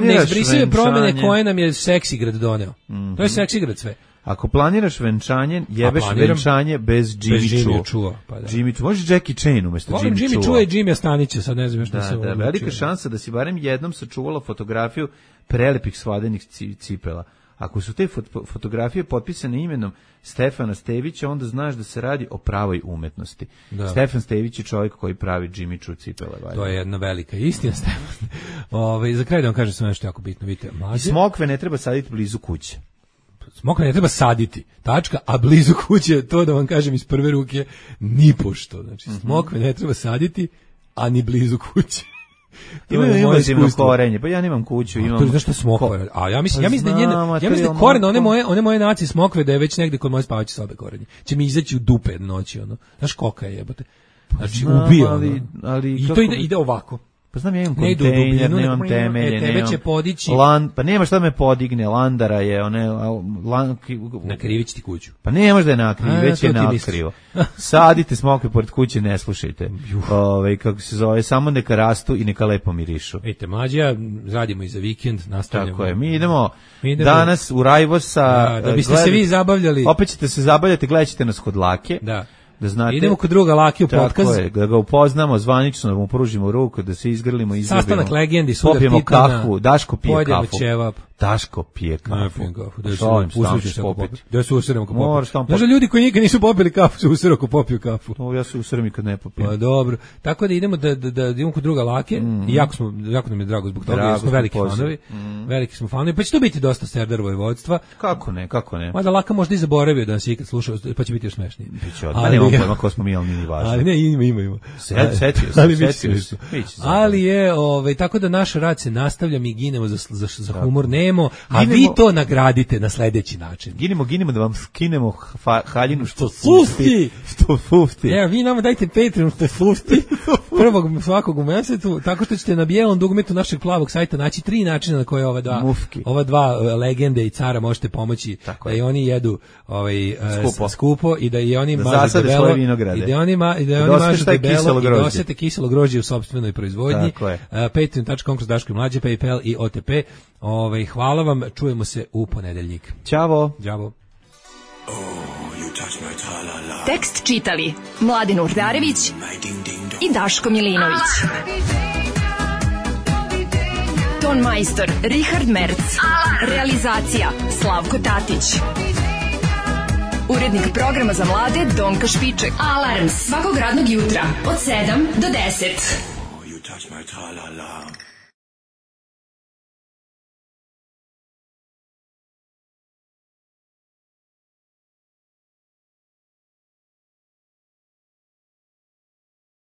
neizbrisive promene koje nam je Seksigrad doneo. To je Seksigrad sve. Ako planiraš venčanje, jebeš venčanje bez Jimmy Chua. Pa da. Jimmy Chua, može Jackie Chan umesto Jimmy Chua. Jimmy Chua i Jimmy Stanića, sad ne znam što se Da, velika šansa da si barem jednom sačuvala fotografiju prelepih svadenih cipela. Ako su te fotografije potpisane imenom Stefana Stevića, onda znaš da se radi o pravoj umetnosti. Da. Stefan Stević je čovjek koji pravi Jimmy Choo cipele. To je jedna velika istina, Stefan. Za kraj da vam kažem sve nešto jako bitno. Vidite, mlađe. Smokve ne treba saditi blizu kuće. Smokve ne treba saditi, tačka, a blizu kuće, to da vam kažem iz prve ruke, nipošto. Znači, smokve ne treba saditi, a ni blizu kuće. Imaju invazivno korenje, pa ja nemam kuću, imam. To je zašto smokva. A ja mislim da koren one moje nacije smokve da je već negde kod moje spavaće sobe korenje. Će mi izaći u dupe noći ono. Znaš koka je jebote. Znači ubije ali i to ide ovako. Pa znam, ja imam kontejner, nemam temelje, tebe će podići. Pa nema šta me podigne, landara je, nakrivit ti kuću. Pa ne može da je nakrivi, već je nakrivo. Sadite smokve pored kuće, ne slušajte. Kako se zove, samo neka rastu i neka lepo mirišu. Vidite, mlađa, radimo i za vikend, nastavljamo. Tako je, mi idemo danas u Rajvosa. Da biste se vi zabavljali. Opet ćete se zabavljati, gledat ćete nas kod Lake. Da. Da znate, idemo kod druga Laki u podcast. Tako je, da ga upoznamo zvanično, da mu pružimo ruku, da se izgrlimo, izljubimo. Sastanak legendi, sudar popijemo Titana. Kafu, Daško pije kafu. Ćevap. Daško pije kafu. Da se usiramo ko popiju. Znaš da ljudi koji nikad nisu popili kafu se usirao ko popiju kafu. No, ja se usiram i kad ne popijem. Pa dobro. Tako da idemo da idemo kod druga Lake i jako nam je drago zbog toga, jer smo veliki fanovi. Veliki smo fanovi, pa će to biti dosta Serdar Vojvodstva. Kako ne. Mada Laka možda i zaboravio da nas ikad slušao, pa će biti još smešnije. Biće odmah, nemam pojma ko smo mi, ali nije važno. Ali ne, ima. Setio se. Ali je, tako da naš rad se nastavlja, mi ginemo za humor, nemo, a vi to nagradite na sledeći način. Ginemo da vam skinemo haljinu što fufti. Evo, vi nama dajte Patreon što fufti prvog svakog u mesecu, tako što ćete na bijelom dugmetu našeg plavog sajta naći 3 načina na koje ova dva legende i cara možete pomoći da i oni jedu skupo i da i oni mažu debelo i da oni mažu debelo i da osjete kiselo grožđe u sopstvenoj proizvodnji. Patreon.com/Daško i Mlađe, PayPal i OTP. Hvala vam, čujemo se u ponedeljnik. Ćavo. Tekst čitali Mladin Urdarević i Daško Milinović. Ton majstor Richard Merc. Realizacija Slavko Tatić. Urednik programa za mlade Donka Špiček. Alarms svakog radnog jutra od 7 do 10.